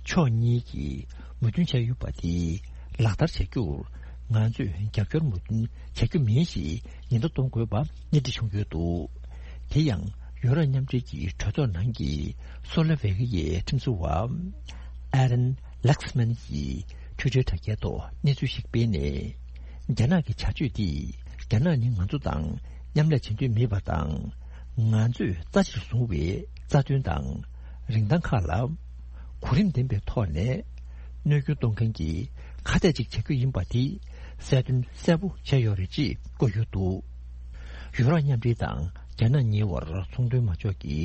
ཕྱོགས་གཉིས་ཀྱིས་མོས་མཐུན་བྱས་ཡོད་པ་དེ་ལག་བསྟར་བྱ་རྒྱུར་ང་ཚོས་རྒྱབ་སྐྱོར་མོས་མཐུན་བྱ་རྒྱུ་མིན་ཞེས་ཉེན་བརྡ་གཏོང་དགོས་པ་སྣེ་ཁྲིད་བྱུང་ཡོད་འདུག་དེ་ཡང་ཡུ་རོབ་མཉམ་འབྲེལ་གྱི་གྲོས་ཚོགས་ནང་གི་སོ་ལེ་ཝེ་ཀི་ཡའི་ཁྲིམས་བཟོ་བ་ཨ་རན་ལགས་མན་གྱིས་ཊུའི་ཊར་དྲ་རྒྱའི་ཐོག་གནས་ཚུལ་ཞིག་སྤེལ་ནས། རྒྱ་ནག་གི་བྱ་སྤྱོད་འདིས་རྒྱ་ནག་ནི་ང་ཚོ་དང་མཉམ་ལས་བྱེད་འདོད་མེད་པ་དང་། ང་ཚོས་རྩ་ཆེར་བཟུང་བའི་རྩ་དོན་དང་རིན་ཐང་ཁག་ལ་གོ་རིམ་ལྡན་པའི་ཐོག་ནས་གནོད་སྐྱོན་གཏོང་མཁན་གྱི་ཁ་གཏད་ཅིག་བྱ་རྒྱུ་ཡིན་པ་དེ་གསལ་སྟོན་གསལ་པོ་བྱས་ཡོད་རེད་ཅེས་བཀོད་ཡོད་འདུག་ཡུ་རོབ་མཉམ་འབྲེལ་དང་རྒྱ་ནག་གཉིས་བར་ཚོང་དོན་མ་འཇོག་གི་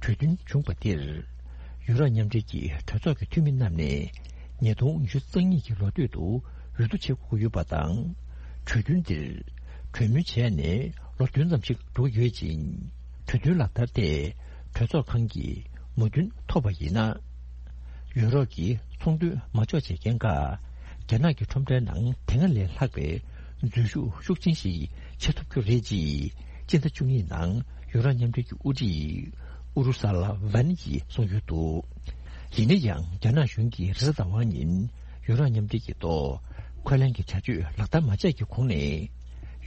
གྲོས་མཐུན་བྱུང་པ་དེར། ཡུ་རོབ་མཉམ་འབྲེལ་གྱི་གྲོས་ཚོགས་ཀྱི་འཐུས་མི་རྣམས་ནས་ཉིས་སྟོང་ཉི་ཤུ་རྩ་གཉིས་ཀྱི་ལོ་སྟོད་དུ་འོས་བསྡུ་བྱེད་དགོས་ཀྱི་ཡོད་པ་དང་། གྲོས་མཐུན་འདིར་གྲོས་མོལ་བྱས་ནས་ལོ་བདུན་ཙམ་ཞིག་འགྲོ་གི་ཡོད་ཅིང་། གྲོས་མཐུན་ལག་བསྟར་ཐད་གྲོས་ཚོགས་ཁང་གི་མོས་མཐུན་ཐོབ་པ་ཡིན་ན། ཡུ་རོབ་ཀྱི་ཚོང་དོན་མ་འཇོག་བྱེད་མཁན་ཁག་རྒྱ་ནག་གི་ཁྲོམ་རའི་ནང་དེ་སྔ་ལས་ལྷག་པའི་འཛུལ་ཞུགས་ཤུགས་ཆེན་ཞིག་བྱེད་ཐུབ་རྒྱུ་རེད་ཅེས་སྤྱི་ཟླ་བཅུ་གཉིས་ནང་ཡུ་རོབ་མཉམ་འབྲེལ་གྱི་དབུ་ཁྲིད་ཨུ་རུ་ས་ལ་ཝན་གྱིས་གསུངས་ཡོད་འདུག་ཡིན་ན་ཡང་རྒྱ་ནག་གཞུང་གིས་རེས་གཟའ་ཟླ་བ་ཉིན་ཡུ་རོབ་མཉམ་འབྲེལ་གྱི་ཐོག་འཁོན་ལན་གྱི་བྱ་སྤྱོད་ལག་བསྟར་མ་བྱས་ཀྱི་གོང་ནས།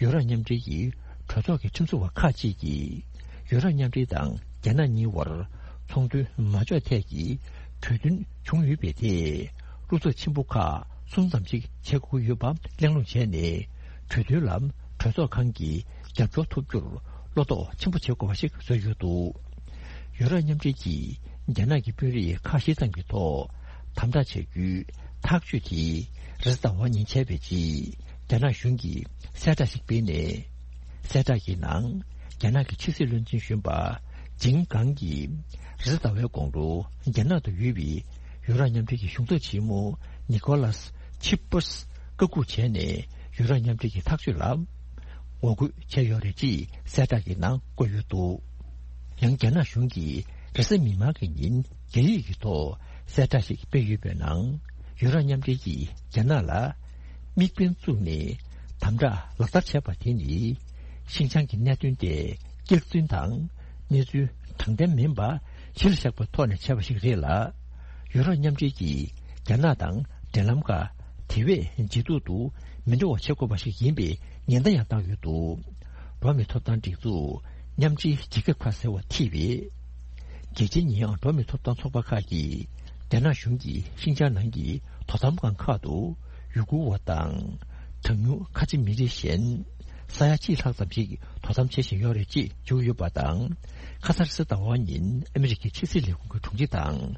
ཡུ་རོབ་མཉམ་འབྲེལ་གྱི་གྲོས་ཚོགས་ཀྱི་ཁྲིམས་བཟོ་བ་ཁག་ཅིག་གིས་ཡུ་རོབ་མཉམ་འབྲེལ་དང་རྒྱ་ནག་གཉིས་བར་ཚོང་དོན་མ་འཇོག་ཐད་ཀྱི་གྲོས་མཐུན་བྱུང་ཡོད་པའི་ཐད། བློ་འཚབ་ཆེན་པོ་ཁག་གསུམ་ཙམ་ཞིག་བྱེད་དགོས་ཀྱི་ཡོད་པ་གླེང་སློང་བྱས་ནས། གྲོས་མཐུན་ལ་གྲོས་ཚོགས་ཁང་གི་རྒྱབ་སྐྱོར་ཐོབ་རྒྱུར་བློ་དོགས་ཆེན་པོ་བྱེད་དགོས་པ་ཞིག་བཟོས་ཡོད་འདུག་ཡུ་རོབ་མཉམ་འབྲེལ་གྱིས་རྒྱ་ནག་གི་དཔོན་རིགས་ཁག་བཞི་ཙམ་གྱི་ཐོག་དམ་དྲག་བྱ་རྒྱུའི་ཐག་གཅོད་དེ་རེས་གཟའ་ཟླ་བ་ཉིན་བྱས་པའི་རྗེས། རྒྱ་ནག་གཞུང་གིས་གསལ་བསྒྲགས་ཤིག་སྤེལ་ནས། གསལ་བསྒྲགས་ཀྱི་ནང་། རྒྱ་ནག་གི་ཕྱི་སྲིད་བློན་ཆེན་གཞོན་པ་ཇིང་གང་གིས་རེས་གཟའ་ཟླ་བའི་དགོང་དྲོ་རྒྱ་ནག་ཏུ་ཡོད་པའི་ཡུ་རོབ་མཉམ་འབྲེལ་གྱི་གཞུང་ཚབ་ཆེན་མོ་ནི་ཀོ་ལཱས་ཆིབ་པར་བཀའ་འགུག་བྱས་ནས། ཡུ་རོབ་མཉམ་འབྲེལ་གྱི་ཐག་གཅོད་ལ་ངོ་རྒོལ་བྱས་ཡོད་རེད་ཅེས་གསལ་བསྒྲགས་ཀྱི་ནང་བཀོད་ཡོད་འདུག་ཡང་རྒྱ་ནག་གཞུང་གིས་རེས་གཟའ་མིག་དམར་གྱི་ཉིན་རྒྱ་ཡིག་གི་ཐོག་གསལ་བསྒྲགས་ཤིག་སྤེལ་ཡོད་པའི་ནང་། ཡུ་རོབ་མཉམ་འབྲེལ་གྱིས་རྒྱ་ནག་ལ་དམིགས་འབེན་བཙུགས་ནས་དམ་དྲག་ལག་བསྟར་བྱས་པ་དེ་ནི། ཤིན་ཅང་གི་གནད་དོན་དེ་སྐྱག་རྫུན་དང་གནས་ཚུལ་དྲང་བདེན་མིན་པ་གཞིར་བཞག་པའི་ཐོག་ནས་བྱས་པ་ཞིག་རེད་ལ། ཡུ་རོབ་མཉམ་འབྲེལ་གྱིས་རྒྱ་ནག་དང་འབྲེལ་ལམ་ཁག་དེ་བས་ཇེ་སྡུག་ཏུ་མི་འགྲོ་བ་བྱེད་དགོས་པ་ཞིག་ཡིན་པའི་ཉེན་བརྡ་ཡང་བཏང་ཡོད་འདུག་འགྲོ་བ་མིའི་ཐོབ་ཐང་སྒྲིག་འཛུགས་མཉམ་འབྲེལ་རྒྱལ་ཁབ་ཁག་ཟེར་བ་ཐེ་བའི་རྒྱལ་སྤྱིའི་ཉེས་ཡངས་འགྲོ་བ་མིའི་ཐོབ་ཐང་ཚོགས་པ་ཁག་གིས་རྒྱ་ནག་གཞུང་གིས་ཤིན་ཅང་ནང་གི་དོ་དམ་ཁང་ཁག་ཏུ་ཡུ་གུར་བ་དང་། གྲངས་ཉུང་ཁ་ཆེ་མི་རིགས་གཞན་ས་ཡ་གཅིག་ལྷག་ཙམ་ཞིག་དོ་དམ་བྱེད་བཞིན་ཡོད་རེད་ཅེས་བརྗོད་ཡོད་པ་དང་། ཁ་སང་རེས་གཟའ་ཟླ་བ་ཉིན་ཨ་མི་རི་ཀའི་ཕྱི་སྲིད་ལས་ཁུངས་ཀྱི་དྲུང་ཆེ་དང་།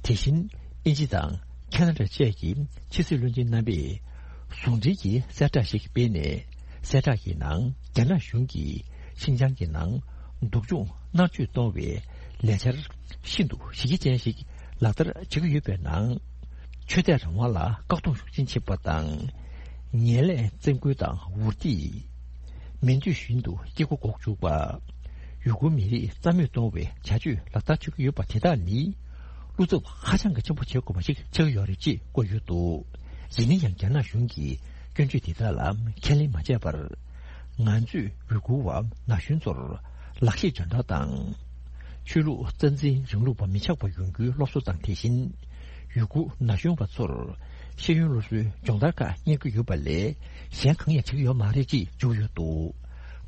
དེ་བཞིན་དབྱིན་ཇི་དང་ཁ་ན་ཌ་བཅས་ཀྱི་ཕྱི་སྲིད་བློན་ཆེན་རྣམ་པས་ཟུང་འབྲེལ་གྱིས་གསལ་བསྒྲགས་ཤིག་སྤེལ་ནས། གསལ་བསྒྲགས་ཀྱི་ནང་རྒྱ་ནག་གཞུང་གིས་ཤིན་ཅང་གི་ནང་སྡུག་སྦྱོང་མནར་གཅོད་གཏོང་བའི་ལས་འཆར་ཤིན་ཏུ་གཞི་རྒྱ་ཅན་ཞིག་ལག་བསྟར་བྱེད་ཀྱི་ཡོད་པའི་ནང་། ཆོས་དད་རང་དབང་ལ་བཀག་སྡོམ་ཤུགས་ཆེན་བྱེད་པ་དང་། ངན་ལྷད་བཙན་རྒོལ་དང་འུར་སྡེ། མི་འདོད་བཞིན་དུ་སྐྱེ་སྒོ་འགོག་བཅུག་པ། ཡུ་གུར་མི་རིགས་རྩ་མེད་གཏོང་བའི་བྱ་སྤྱོད་ལག་བསྟར་བྱེད་ཀྱི་ཡོད་པ་དེ་དག་ནི། བློ་འཚབ་ཧ་ཅང་གི་ཆེན་པོ་བྱེད་དགོས་པ་ཞིག་ཆགས་ཀྱི་ཡོད་རེད་ཅེས་བཀོད་ཡོད་འདུག་ཡིན་ན་ཡང་རྒྱ་ནག་གཞུང་གིས་སྐྱོན་བརྗོད་དེ་དག་ལ་ཁས་ལེན་མ་བྱས་པར། ང་ཚོས་ཡུ་གུར་བ་ན་གཞོན་ཚོར་ལག་ཤེས་སྦྱོང་བརྡར་དང་། ཆོས་ལུགས་རྩ་འཛིན་རིང་ལུགས་པ་མི་ཆགས་པ་ཡོང་རྒྱུའི་སློབ་གསོ་དང་། དེ་བཞིན་ཡུ་གུར་ན་གཞོན་པ་ཚོར་ཤེས་ཡོན་སློབ་གསོའི་སྦྱོང་བརྡར་ཁག་གཉེར་གྱི་ཡོད་པ་ལས་གཞན་གང་ཡང་བྱེད་ཀྱི་ཡོད་མ་རེད་ཅེས་བརྗོད་ཡོད་འདུག་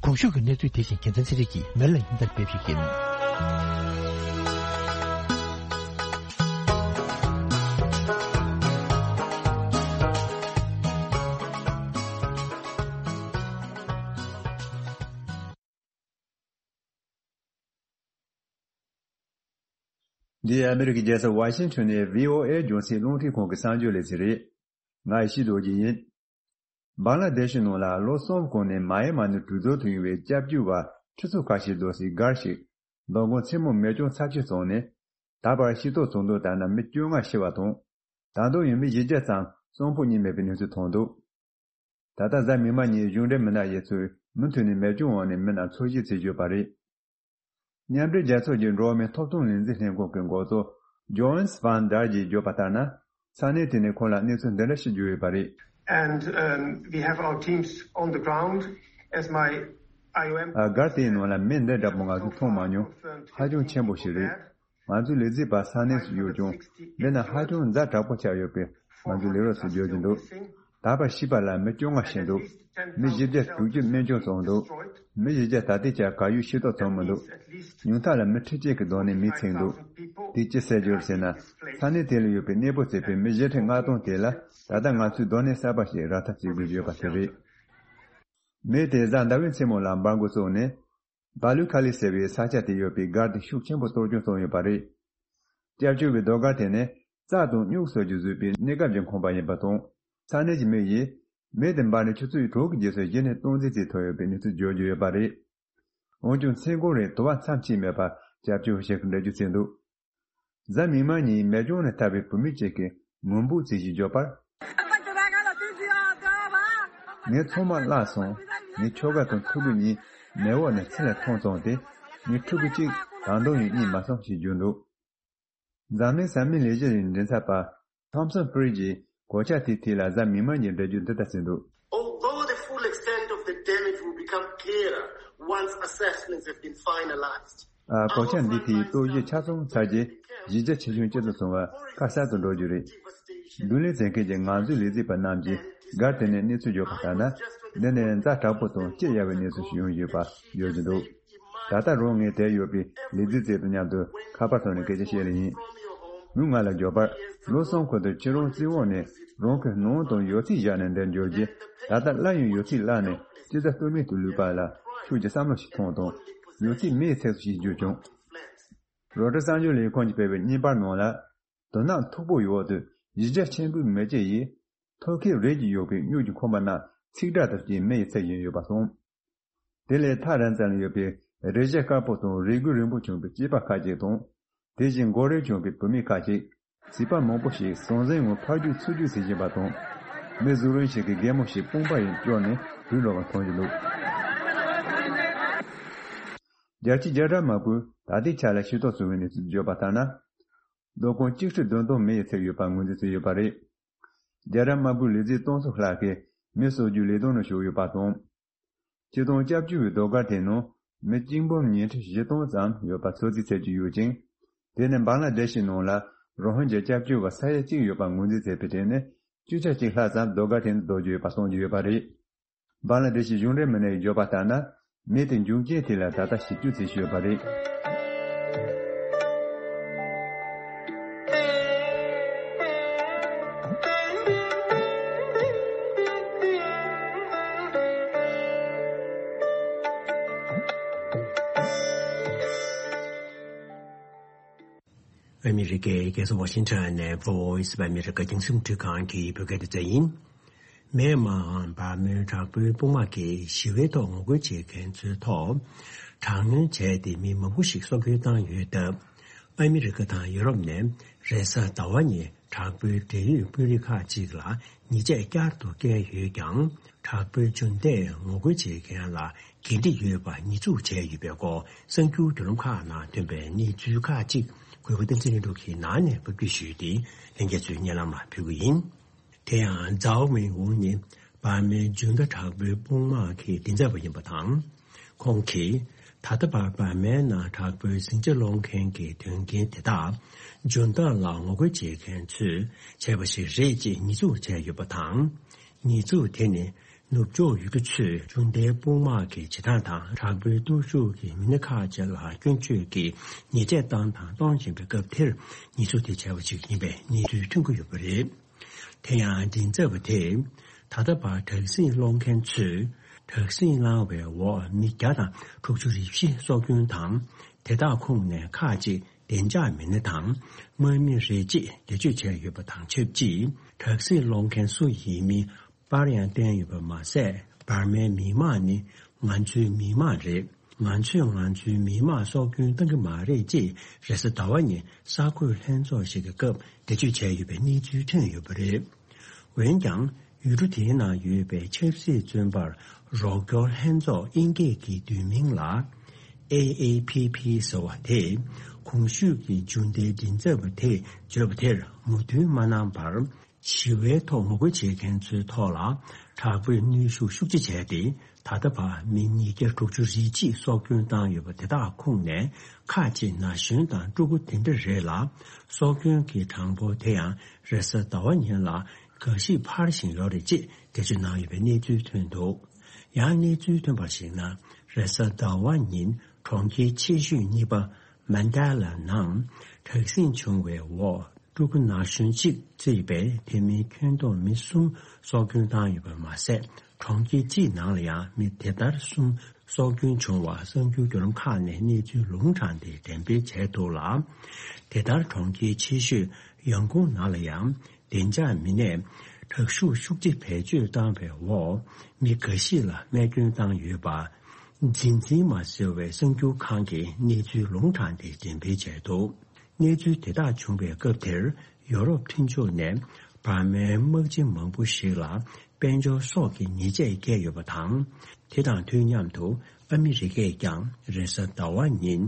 གོང་ཞུས་ཀྱི་གནས་ཚུལ་དེ་བཞིན་རྒྱལ་མཚན་ཚེ་རིང་གིས་མེ་ལ་ཡིན་ལྟར་སྤེལ་བ་ཞིག་ཡིན། འདི་ཨ་མི་རི་ཀའི་རྒྱལ་ས་ཝ་ཤིང་ཊོན་ནས་བྷི་ཨོ་ཨེ་རྒྱང་སྲིང་རླུང་འཕྲིན་ཁང་གི་གསར་འགྱུར་ལས་ཚན་རེད། ང་ཡེ་ཤེས་རྡོ་རྗེ་ཡིན། བང་ལ་དེ་ཤི་ནང་ལ་ལོ་གསུམ་གོང་ནས་མ་ཡ་མ་ནས་གྲོས་བསྡུར་དུ་ཡོང་བའི་སྐྱབས་བཅོལ་བ་ཁྲི་ཚོ་ཁ་ཤས་བསྡོམས་སའི་སྒར་ཞིག་མདང་དགོང་མཚན་མོ་མེ་སྐྱོན་ཚབས་ཆེ་སོང་ནས། ད་བར་ཤེས་རྟོགས་བྱུང་དོན་ལྟར་ན་མི་བཅོ་ལྔ་ཤི་བ་དང་། ད་དུང་ཡང་མི་བཞི་བརྒྱ་ཙམ་གསོན་པོ་རྙེད་མེད་པའི་གནས་ཚུལ་ཐོན་འདུག་ད་ལྟ་གཟའ་མིག་དམར་ཉིན་གཞུང་འབྲེལ་མི་སྣ་ཡིན་ཚུལ་མུ་མཐུད་ནས་མེ་སྐྱོན་འོག་ནས་མི་རྣམས་འཚོ་བཞེས་བྱེད་བཞིན་ཡོད་པ་རེད། མཉམ་འབྲེལ་རྒྱལ་ཚོགས་ཀྱི་འགྲོ་བ་མིའི་ཐོབ་ཐང་ལས་འཛིན་ལྷན་ཁང་གི་འགོ་གཙོ་ཇོན་སི་ཕན་དར་གྱིས་བརྗོད་པ་ལྟར་ན། ས་གནས་དེ་ནས་ཁོང་ལ་གནས་ཚུལ་འདི་འདྲ་ཞིག་བརྗོད་ཡོད་པ་རེད། And, um, we have our teams on the ground, as my I O M. ཨ། སྒར་དེའི་ནང་ལ་མི་འདི་འདྲ་པོ་ང་ཚོས་མཐོང་མ་མྱོང་། ཧ་ཅང་ཆེན་པོ་ཞིག་རེད། ང་ཚོའི་ལས་བྱེད་པ་ས་གནས་སུ་ཡོད་ཀྱང་། འདི་ན་ཧ་ཅང་ཛ་དྲག་པོ་ཆགས་ཡོད་པས་ང་ཚོས་ལས་རོགས་སུ་བརྗོད་ཀྱི་འདུག་ད་བར་ཤི་བ་ལ་མི་བཅོ་ལྔ་ཤི་འདུག་མི་བཞི་བརྒྱ་དྲུག་ཅུ་རྨས་སྐྱོན་བྱུང་འདུག་མི་བཞི་བརྒྱ་ད་ལྟའི་ཆར་གར་ཡོད་ཤེས་རྟོགས་བྱུང་མི་འདུག་ཉུང་མཐའ་ལ་མི་ཁྲི་གཅིག་གི་སྡོད་གནས་མེད་ཚིག་འདུག་དེ་ཅི་ཟེར་རྒྱུ་རེད་ཟེར་ན། ས་གནས་དེ་ལ་ཡོད་པའི་གནས་སྤོ་བྱས་པའི་མི་བཞི་ཁྲི་ལྔ་སྟོང་དེ་ལ་ད་ལྟ་ང་ཚོས་སྡོད་གནས་གསར་པ་ཞིག་རག་ཐབས་བྱེད་དགོས་ཡོད་པ་དེ་རེད། མི་དེ་གཟའ་ཟླ་བའི་མཚན་མོ་ལ་འབར་མགོ་བཙུགས་ནས། བ་ལུ་ཁ་ལི་ཟེར་བའི་ས་ཆ་དེ་ཡོད་པའི་སྒར་དེ་ཤུགས་ཆེན་པོ་གཏོར་སྐྱོན་བྱུང་ཡོད་པ་རེད། སྐྱབས་བཅོལ་བའི་ཟློས་གར་དེ་ནི་རྩྭ་དང་སྨྱུག་སོགས་ཀྱིས་བཟོས་པའི་གནས་སྐབས་ཀྱི་ཁང་པ་ཡིན་པ་དང་། ས་གནས་ཀྱི་མི་ཡིས་མི་དེ་འབར་ནས་ཆུ་ཚོད་དྲུག་གི་རྗེས་སུ་གཞི་ནས་སྟངས་འཛིན་བྱེད་ཐུབ་ཡོད་པའི་གནས་ཚུལ་བརྗོད་ཀྱི་ཡོད་པ་རེད། འོན་ཀྱང་མཚན་གུང་རིང་དུ་བ་མཚམས་ཆད་མེད་པར་སྐྱབས་བཅོལ་བ་ཞིག་གིས་འགྲེལ་བརྗོད་བྱས་འདུག་གཟའ་མིག་དམར་ཉིན་མེ་སྐྱོན་ནས་ཐར་བའི་བུད་མེད་ཅིག་གིས་ངུ་འབོད་བྱས་ཤིང་བརྗོད་པར། ངས་ཚང་མ་བརླགས་སོང་། ངའི་ཁྱོ་ག་དང་ཕྲུ་གུ་གཉིས་མེ་འོག་ནས་ཚུར་ལ་ཐོན་སོང་སྟེ། ངའི་ཕྲུ་གུ་གཅིག་ད་དུང་ཡང་རྙེད་མ་སོང་ཞེས་བརྗོད་འདུག་འཛམ་གླིང་ས་མིག་ལས་གཞི་ཡི་མགྲིན་ཚབ་པ་ཐོམ་སོན་ཕི་རི་ཇིས་གོད་ཆག་དེའི་ཐད་ལ་གཟའ་མིག་དམར་ཉིན་འགྲེལ་བརྗོད་འདི་ལྟར་བྱས་འདུག Although the full extent of the damage will become clearer once assessments have been finalized, ཨ། གོད་ཆག་འདིའི་ཐད་རྟོག་ཞིབ་ཆ་ཚང་ཚར་རྗེས་གཞི་རྒྱ་ཆེ་ཆུང་ཇི་ཙམ་སོང་བ་ཁ་གསལ་དུ་འགྲོ་རྒྱུ་རེད། བདུད་ལས་འཛིན་མཁན་གྱི་ང་ཚོའི་ལས་བྱེད་པ་རྣམས་ཀྱིས་སྒར་དེ་ནས་གནས་ཚུལ་བརྗོད་པ་ལྟར་ན། འདི་ནི་ཛ་དྲག་པོ་དང་སྐྱི་གཡའ་བའི་གནས་ཚུལ་ཞིག་ཡོང་ཡོད་པ་བརྗོད་ཀྱི་འདུག་ད་ལྟ་རང་ངས་དེར་ཡོད་པའི་ལས་བྱེད་ཚོ་དང་མཉམ་དུ་ཁ་པར་ཐོག་ནས་སྐད་ཆ་བཤད་ལེ་ཡིན། མོས་ང་ལ་བརྗོད་པར། ལོ་གསུམ་གོང་དུ་ཁྱེད་རང་བཙོན་འོག་ནས་རང་གི་ནང་དང་ཡོད་ཚད་བཞག་ནས་འདིར་འབྱོར་རྗེས། ད་ལྟ་སླར་ཡང་ཡོད་ཚད་བརླགས་ནས་སྐྱི་ཛ་སྟོད་སྨད་དུ་ལུས་པ་ལ་ཁྱོད་ཀྱིས་བསམ་བློ་ཞིག་ཐོངས་དང་། ཡོད་ཚད་མེ་ཡིས་ཚིག་སོང་ཞེས་བརྗོད་བྱུང་། རོའི་ཊར་གསར་འགྱུར་ལས་ཁང་གིས་སྤེལ་བའི་བརྙན་པར་ནང་ལ། དོ་སྣང་མཐུག་པོའི་འོག་ཏུ་གཞི་རྒྱ་ཆེན་པོའི་མེ་ལྕེ་ཡིས་ཐོལ་ཁེབས་རིལ་གྱིས་གཡོགས་པའི་སྨྱུག་གི་ཁང་པ་རྣམས་ཚིག་སྒྲ་དང་བཅས་མེ་ཡིས་ཚིག་བཞིན་ཡོད་པ་གསུངས། དེ་ལས་ཐག་རིང་ཙམ་ལ་ཡོད་པའི་རས་གཞི་དཀར་པོ་དང་རས་གོས་རིང་པོ་གྱོན་པའི་སྐྱེས་པ་ཁ་ཅིག་དང་། དེ་བཞིན་མགོ་རིལ་གྱོན་པའི་བུད་མེད་ཁ་ཅིག་བྱིས་པ་མང་པོ་ཞིག་ཟང་ཟིང་ངང་ཕར་རྒྱུག་ཚུར་རྒྱུག་བྱེད་བཞིན་པ་དང་། མི་གཟུགས་རིང་ཞིག་གིས་རྒན་མོ་ཞིག་དཔུང་པ་ཡིས་བསྐྱོར་ནས་བུད་འགྲོ་བ་མཐོང་རྒྱུ་འདུག་རྒྱལ་སྤྱིའི་རྒྱལ་སྒྲ་དམག་པོས་ད་ལྟའི་ཆ་ལ་ཤེས་རྟོགས་བྱུང་བའི་གནས་ཚུལ་བརྗོད་པ་ལྟར་ན། སྡོད་ཁང་གཅིག་ཁྲི་བདུན་སྟོང་མེ་ཡིས་ཚིག་ཡོད་པ་ངོས་འཛིན་བྱས་ཡོད་པ་རེད། རྒྱལ་སྒྲ་དམག་པོའི་ལས་བྱེད་སྟོང་ཚོ་ལྷག་གིས་མེ་གསོ་རྒྱུའི་ལས་དོན་ནང་ཞུགས་ཡོད་པ་དང་། སྤྱིར་བཏང་སྐྱབས་བཅོལ་བའི་ཟློས་གར་དེའི་ནང་མི་གཅིག་འབུམ་ཉིས་ཁྲི་བཞི་སྟོང་ཙམ་ཡོད་པ་ཚོད་རྩིས་བྱེད་ཀྱི་ཡོད་ཅིང་། དེ་ནི་བང་ལ་དེ་ཤི་ནང་ལ་རོ་ཧིན་ཇཱ་སྐྱབས་བཅོལ་བ་ས་ཡ་གཅིག་ཡོད་པ་ངོས་འཛིན་བྱས་པའི་གྲས་ནས་བཅུ་ཆ་གཅིག་ལྷག་ཙམ་ཟློས་གར་དེ་ནང་སྡོད་ཀྱི་ཡོད་པ་གསུང་གི་ཡོད་པ་རེད། བང་ལ་དེ་ཤི་གཞུང་འབྲེལ་མི་སྣ་ཡིས་བརྗོད་པ་ལྟར་ན། མེ་དེ་འབྱུང་རྐྱེན་དེ་ལ་ད་ལྟ་ཞིབ་འཇུག་བྱེད་བཞིན་ཡོད་པ་རེད། ཨ་མི་རི་ཀའི་རྒྱལ་ས་ཝ་ཤིང་ཊོན་ནས་Voice of America རྒྱང་སྲིང་རླུང་འཕྲིན་ཁང་གི་བོད་སྐད་སྡེ་ཚན་ཡིན། མེན་མཱར་འམ་འབར་མའི་དྲག་པོའི་དཔུང་དམག་གིས་ཞི་བའི་ཐོག་ངོ་རྒོལ་བྱེད་མཁན་ཚོའི་ཐོག་དྲག་གནོན་བྱས་ཏེ་མི་མང་པོ་ཞིག་སྲོག་སྐྱོན་བཏང་ཡོད་སྟབས། ཨ་མི་རི་ཀ་དང་ཡུ་རོབ་ནས་རེས་གཟའ་ཟླ་བ་ཉིན་དྲག་པོའི་འབྲེལ་ཡོད་དཔོན་རིགས་ཁག་ཅིག་ལ་ཉེས་ཆད་བསྐྱར་དུ་བཀལ་ཡོད་ཀྱང་། དྲག་པོའི་འཇོན་ཐང་ངོ་རྒོལ་བྱེད་མཁན་ལ་འགན་འཁྲི་ཡོད་པ་ཉེས་འཛུགས་བྱས་ཡོད་པའི་སྐོར་གསར་འགྱུར་བརྒྱུད་ལམ་ཁག་ནང་ཐོན་པའི་གནས་ཚུལ་ཁག་ཅིག་གུས་པ་བསྟན་འཛིན་ལྷུན་གྲུབ་ཀྱིས་ནང་ནས་ཕབ་སྒྱུར་ཞུས་ཏེ་ལྷན་རྒྱས་ཚོའི་སྙན་ལམ་ལ་ཕུལ་གྱི་ཡིན། དེ་ཡང་ཛའོ་མིང་ཝུང་ནི་འབར་མའི་འཇུན་ཏ་དྲག་པོའི་དཔུང་དམག་གི་མགྲིན་ཚབ་པ་ཡིན་པ་དང་། ཁོང་གིས་ད་ལྟ་བར་འབར་མའི་ནང་དྲག་པོའི་ཟིང་ཆ་སློང་མཁན་གྱི་དོན་རྐྱེན་དེ་དག་འཇུན་ཏ་ལ་ངོ་རྒོལ་བྱེད་མཁན་ཚོས་བྱས་པ་ཞིག་རེད་ཅེས་ཉེས་འཛུགས་བྱས་ཡོད་པ་དང་། ཉེས་འཛུགས་དེ་ནི་ནུབ་ཕྱོགས་ཡུལ་གྲུ་ཚོས་འཇུན་ཏའི་དཔུང་དམག་གི་བྱེད་སྟངས་དང་དྲག་པོའི་སྟོབས་ཤུགས་ཀྱིས་མི་སྣ་ཁག་ཅིག་ལ་སྐྱོན་བརྗོད་ཀྱིས་ཉེས་ཆད་བཏང་དང་གཏོང་བཞིན་པའི་སྐབས་དེར་ཉེས་འཛུགས་དེ་བྱས་པ་ཞིག་ཡིན་པའི་གནས་ཚུལ་ཐོན་གྱི་ཡོད་པ་རེད། དེ་ཡང་མགྲིན་ཚབ་པ་དེས་ད་ལྟ་བར་དྲག་ཟིང་སློང་མཁན་ཚོས་དྲག་ཟིང་བསླངས་བའི་འོག་མི་བརྒྱ་དང་དྲུག་ཅུ་རེ་བཞི་སྲོག་སྐྱོན་དང་། དེ་དག་ཁོངས་ནས་ཁག་ཅིག་ བདེ་འཇགས་མི་སྣ་དང་དམག་མི་རེད་ཅེས་འགྲེལ་བརྗོད་བྱས་ཡོད་པ་དང་ཆབས་ཅིག་དྲག་ཟིང་སློང་མཁན་སུ་ཡིན་མིན་པར་ཡང་བསྟན་ཡོད་པ་མ་ཟད། འབར་མའི་མི་དམངས་ནི་ང་ཚོའི་མི་དམངས་རེད། ང་ཚོས་ང་ཚོའི་མི་དམངས་སྲོག་སྐྱོན་བཏང་གི་མ་རེད་ཅེས་རེས་གཟའ་ཟླ་བ་ཉིན་གསར་འགོད་ལྷན་ཚོགས་ཤིག་གི་སྐབས་འགྲེལ་བརྗོད་བྱས་ཡོད་པའི་གནས་ཚུལ་ཐོན་ཡོད་པ་རེད། འོན་ཀྱང་། ཡུལ་གྲུ་དེའི་ནང་ཡོད་པའི་ཆབ་སྲིད་བཙོན་པར་རོགས་སྐྱོར་ལྷན་ཚོགས་དབྱིན་སྐད་ཀྱི་བསྡུས་མིང་ལ། ཨེ་ཨེ་ཕི་ཕི་ཟེར་བ་དེས། གོང་ཞུས་ཀྱི་རྒྱུན་ལྡན་མགྲིན་ཚབ་པ་དེས་བརྗོད་པ་དེར་མོས་མཐུན་མ་གནང་བར། ཞི་བའི་ཐོག་ངོ་རྒོལ་བྱེད་མཁན་ཚོའི་ཐོག་ལ་དྲག་པོའི་གནོན་ཤུགས་ཤུགས་ཆེ་བྱས་ཏེ། ད་ལྟ་བར་མི་ཉིས་བརྒྱ་དྲུག་ཅུ་རེ་གཅིག་སྲོག་སྐྱོན་བཏང་ཡོད་པ་དེ་དག་ཁོངས་ནས་ཁག་ཅིག་ན་གཞོན་དང་ཕྲུ་གུ་དེ་འདྲ་རེད་ལ། སྲོག་སྐྱོན་གྱི་གྲངས་འབོར་དེ་ཡང་རེས་གཟའ་ཟླ་བ་ཉིན་ལ་འགའ་ཞིག་འཕར་བཞིན་ཡོད་རེད་ཅེས་འགྲེལ་བརྗོད་གནང་ཡོད་པའི་གནས་ཚུལ་ཐོན་འདུག་ཡང་གནས་ཚུལ་ཐོན་པར་གཞིགས་ན། རེས་གཟའ་ཟླ་བ་ཉིན་གྲོང་ཁྱེར་ཆེ་ཤོས་གཉིས་པ་མན་ཌ་ལ་ནང་དྲག་ཟིང་བྱུང་བའི་འོག་ཕྲུ་གུ་ན་གཞོན་གཅིག་བརྩིས་པའི་དེ་མིན་ཁྱོན་བསྡོམས་མི་གསུམ་སྲོག་སྐྱོན་བཏང་ཡོད་པ་མ་ཟད། གྲོང་ཁྱེར་གཅིག་ནང་ལ་ཡང་མི་དེ་ལྟར་གསུམ་སྲོག་སྐྱོན་བྱུང་བ་གསར་འགྱུར་བརྒྱུད་ལམ་ཁག་ནས་གནས་ཚུལ་ལུང་དྲངས་ཏེ་འགྲེམས་སྤེལ་བྱས་འདུག་ལ། དེ་ལྟར་གྲོང་ཁྱེར་ཆེ་ཤོས་ཡང་ཀོང་ནང་ལ་ཡང་བདེ་འཇགས་མི་སྣས་དྲག་ཤུགས་ཤུགས་ཆེ་བེད་སྤྱོད་བཏང་བའི་འོག་མི་འགའ་ཞིག་ལ་རྨས་སྐྱོན་བཏང་ཡོད་པ། འཛིན་འཛིན་མ་ཟེར་བའི་གསར་འགྱུར་ཁང་གིས་གནས་ཚུལ་ལུང་དྲངས་ཏེ་འགྲེམས་སྤེལ་བྱས་འདུག་གནས་ཚུལ་དེ་དག་བྱུང་བའི་སྐབས་དེར་ཡོ་རོབ་མཐུན་ཕྱོགས་ནས་འབར་མའི་དམག་སྤྱི་མང་པོ་ཞིག་ལ་དཔལ་འབྱོར་སོགས་ཀྱི་ཉེས་ཆད་བཀལ་ཡོད་པ་དང་། དེ་དང་དུས་མཉམ་དུ་ཨ་མི་རི་ཀས་ཀྱང་རེས་གཟའ་ཟླ་བ་ཉིན་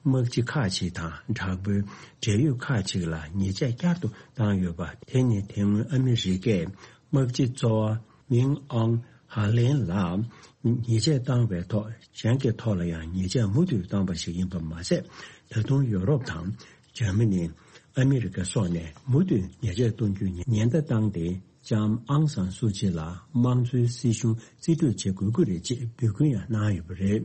དམག་སྤྱི་ཁག་ཅིག་དང་དྲག་པོའི་འབྲེལ་ཡོད་ཁག་ཅིག་ལ་ཉེས་ཆད་བསྐྱར་དུ་བཏང་ཡོད་པ། དེ་ནི་དེ་སྔོན་ཨ་མི་རི་ཀས་དམག་སྤྱི་གཙོ་བ་མིང་ཨང་ཧ་ལེན་ལ་ཉེས་ཆད་བཏང་བའི་ཐོག་གཞན་གྱི་ཐོག་ལ་ཡང་ཉེས་ཆད་མུ་མཐུད་བཏང་པ་ཞིག་ཡིན་པ་མ་ཟད། ད་དུང་ཡོ་རོབ་དང་འཇར་མ་ནི། ཨ་མི་རི་ཀ་སོགས་ནས་མུ་མཐུད་ཉེས་ཆད་གཏོང་རྒྱུའི་ཉེན་བརྡ་བཏང་སྟེ། ལྕམ་ཨང་སང་སུ་ཅི་ལ་དམངས་གཙོའི་སྲིད་གཞུང་རྩིས་སྤྲོད་བྱེད་དགོས་ཀྱི་རེད་ཅེས་འབོད་སྐུལ་ཡང་གནང་ཡོད་པ་རེད།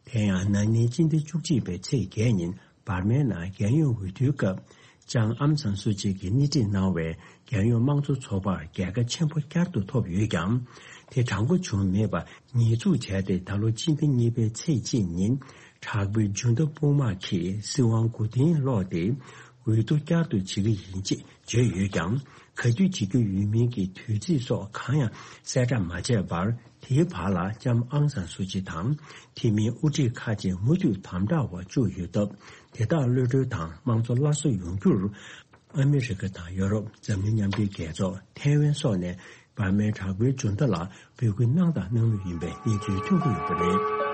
དེ་ཡང་ན་ནིང་སྤྱི་ཟླ་བཅུ་གཅིག་པའི་ཚེས་བརྒྱད་ཉིན་འབར་མའི་ནང་རྒྱལ་ཡོངས་འོས་བསྡུའི་སྐབས། ལྕམ་ཨང་སང་སུ་ཅི་གིས་སྣེ་ཁྲིད་གནང་བའི་རྒྱལ་ཡོངས་དམངས་གཙོ་ཚོགས་པར་རྒྱལ་ཁ་ཆེན་པོ་བསྐྱར་དུ་ཐོབ་ཡོད་ཀྱང་། དེ་དྲང་པོ་བྱུང་མེད་པ་ཉེས་འཛུགས་བྱས་ཏེ། ད་ལོ་སྤྱི་ཟླ་གཉིས་པའི་ཚེས་གཅིག་ཉིན་དྲག་པོའི་འཇུང་བདག་དཔུང་དམག་གིས་སྲིད་དབང་མགོ་རྟིང་སློག་སྟེ། འོས་བསྡུ་བསྐྱར་དུ་བྱེད་ཀྱི་ཡིན་ཅེས་བརྗོད་ཡོད་ཀྱང་། ག་དུས་བྱེད་རྒྱུ་ཡོད་མིན་གྱི་དུས་ཚིགས་སོགས་གང་ཡང་གསལ་བསྒྲགས་མ་བྱས་པར། དེའི་བར་ལ་ལྕམ་ཨང་སང་སུ་ཅི་དང་དེ་མིན་དབུ་ཁྲིད་ཁག་ཅིག་མུ་མཐུད་དམ་དྲག་འོག་བཅུག་ཡོད་སྟབས། དེ་དག་གློད་གྲོལ་དང་དམངས་གཙོ་སླར་གསོ་ཡོང་རྒྱུར། ཨ་མི་རི་ཀ་དང་ཡོ་རོབ། འཛམ་གླིང་མཉམ་འབྲེལ་རྒྱལ་ཚོགས། ཐའེ་ཝན་སོགས་ནས་འབར་མའི་དྲག་པོའི་འཇུང་བདག་ལ་འབོད་སྐུལ་གནང་དང་གནང་མུས་ཡིན་པའི་གནས་ཚུལ་ཐོན་གྱི་ཡོད་པ་རེད།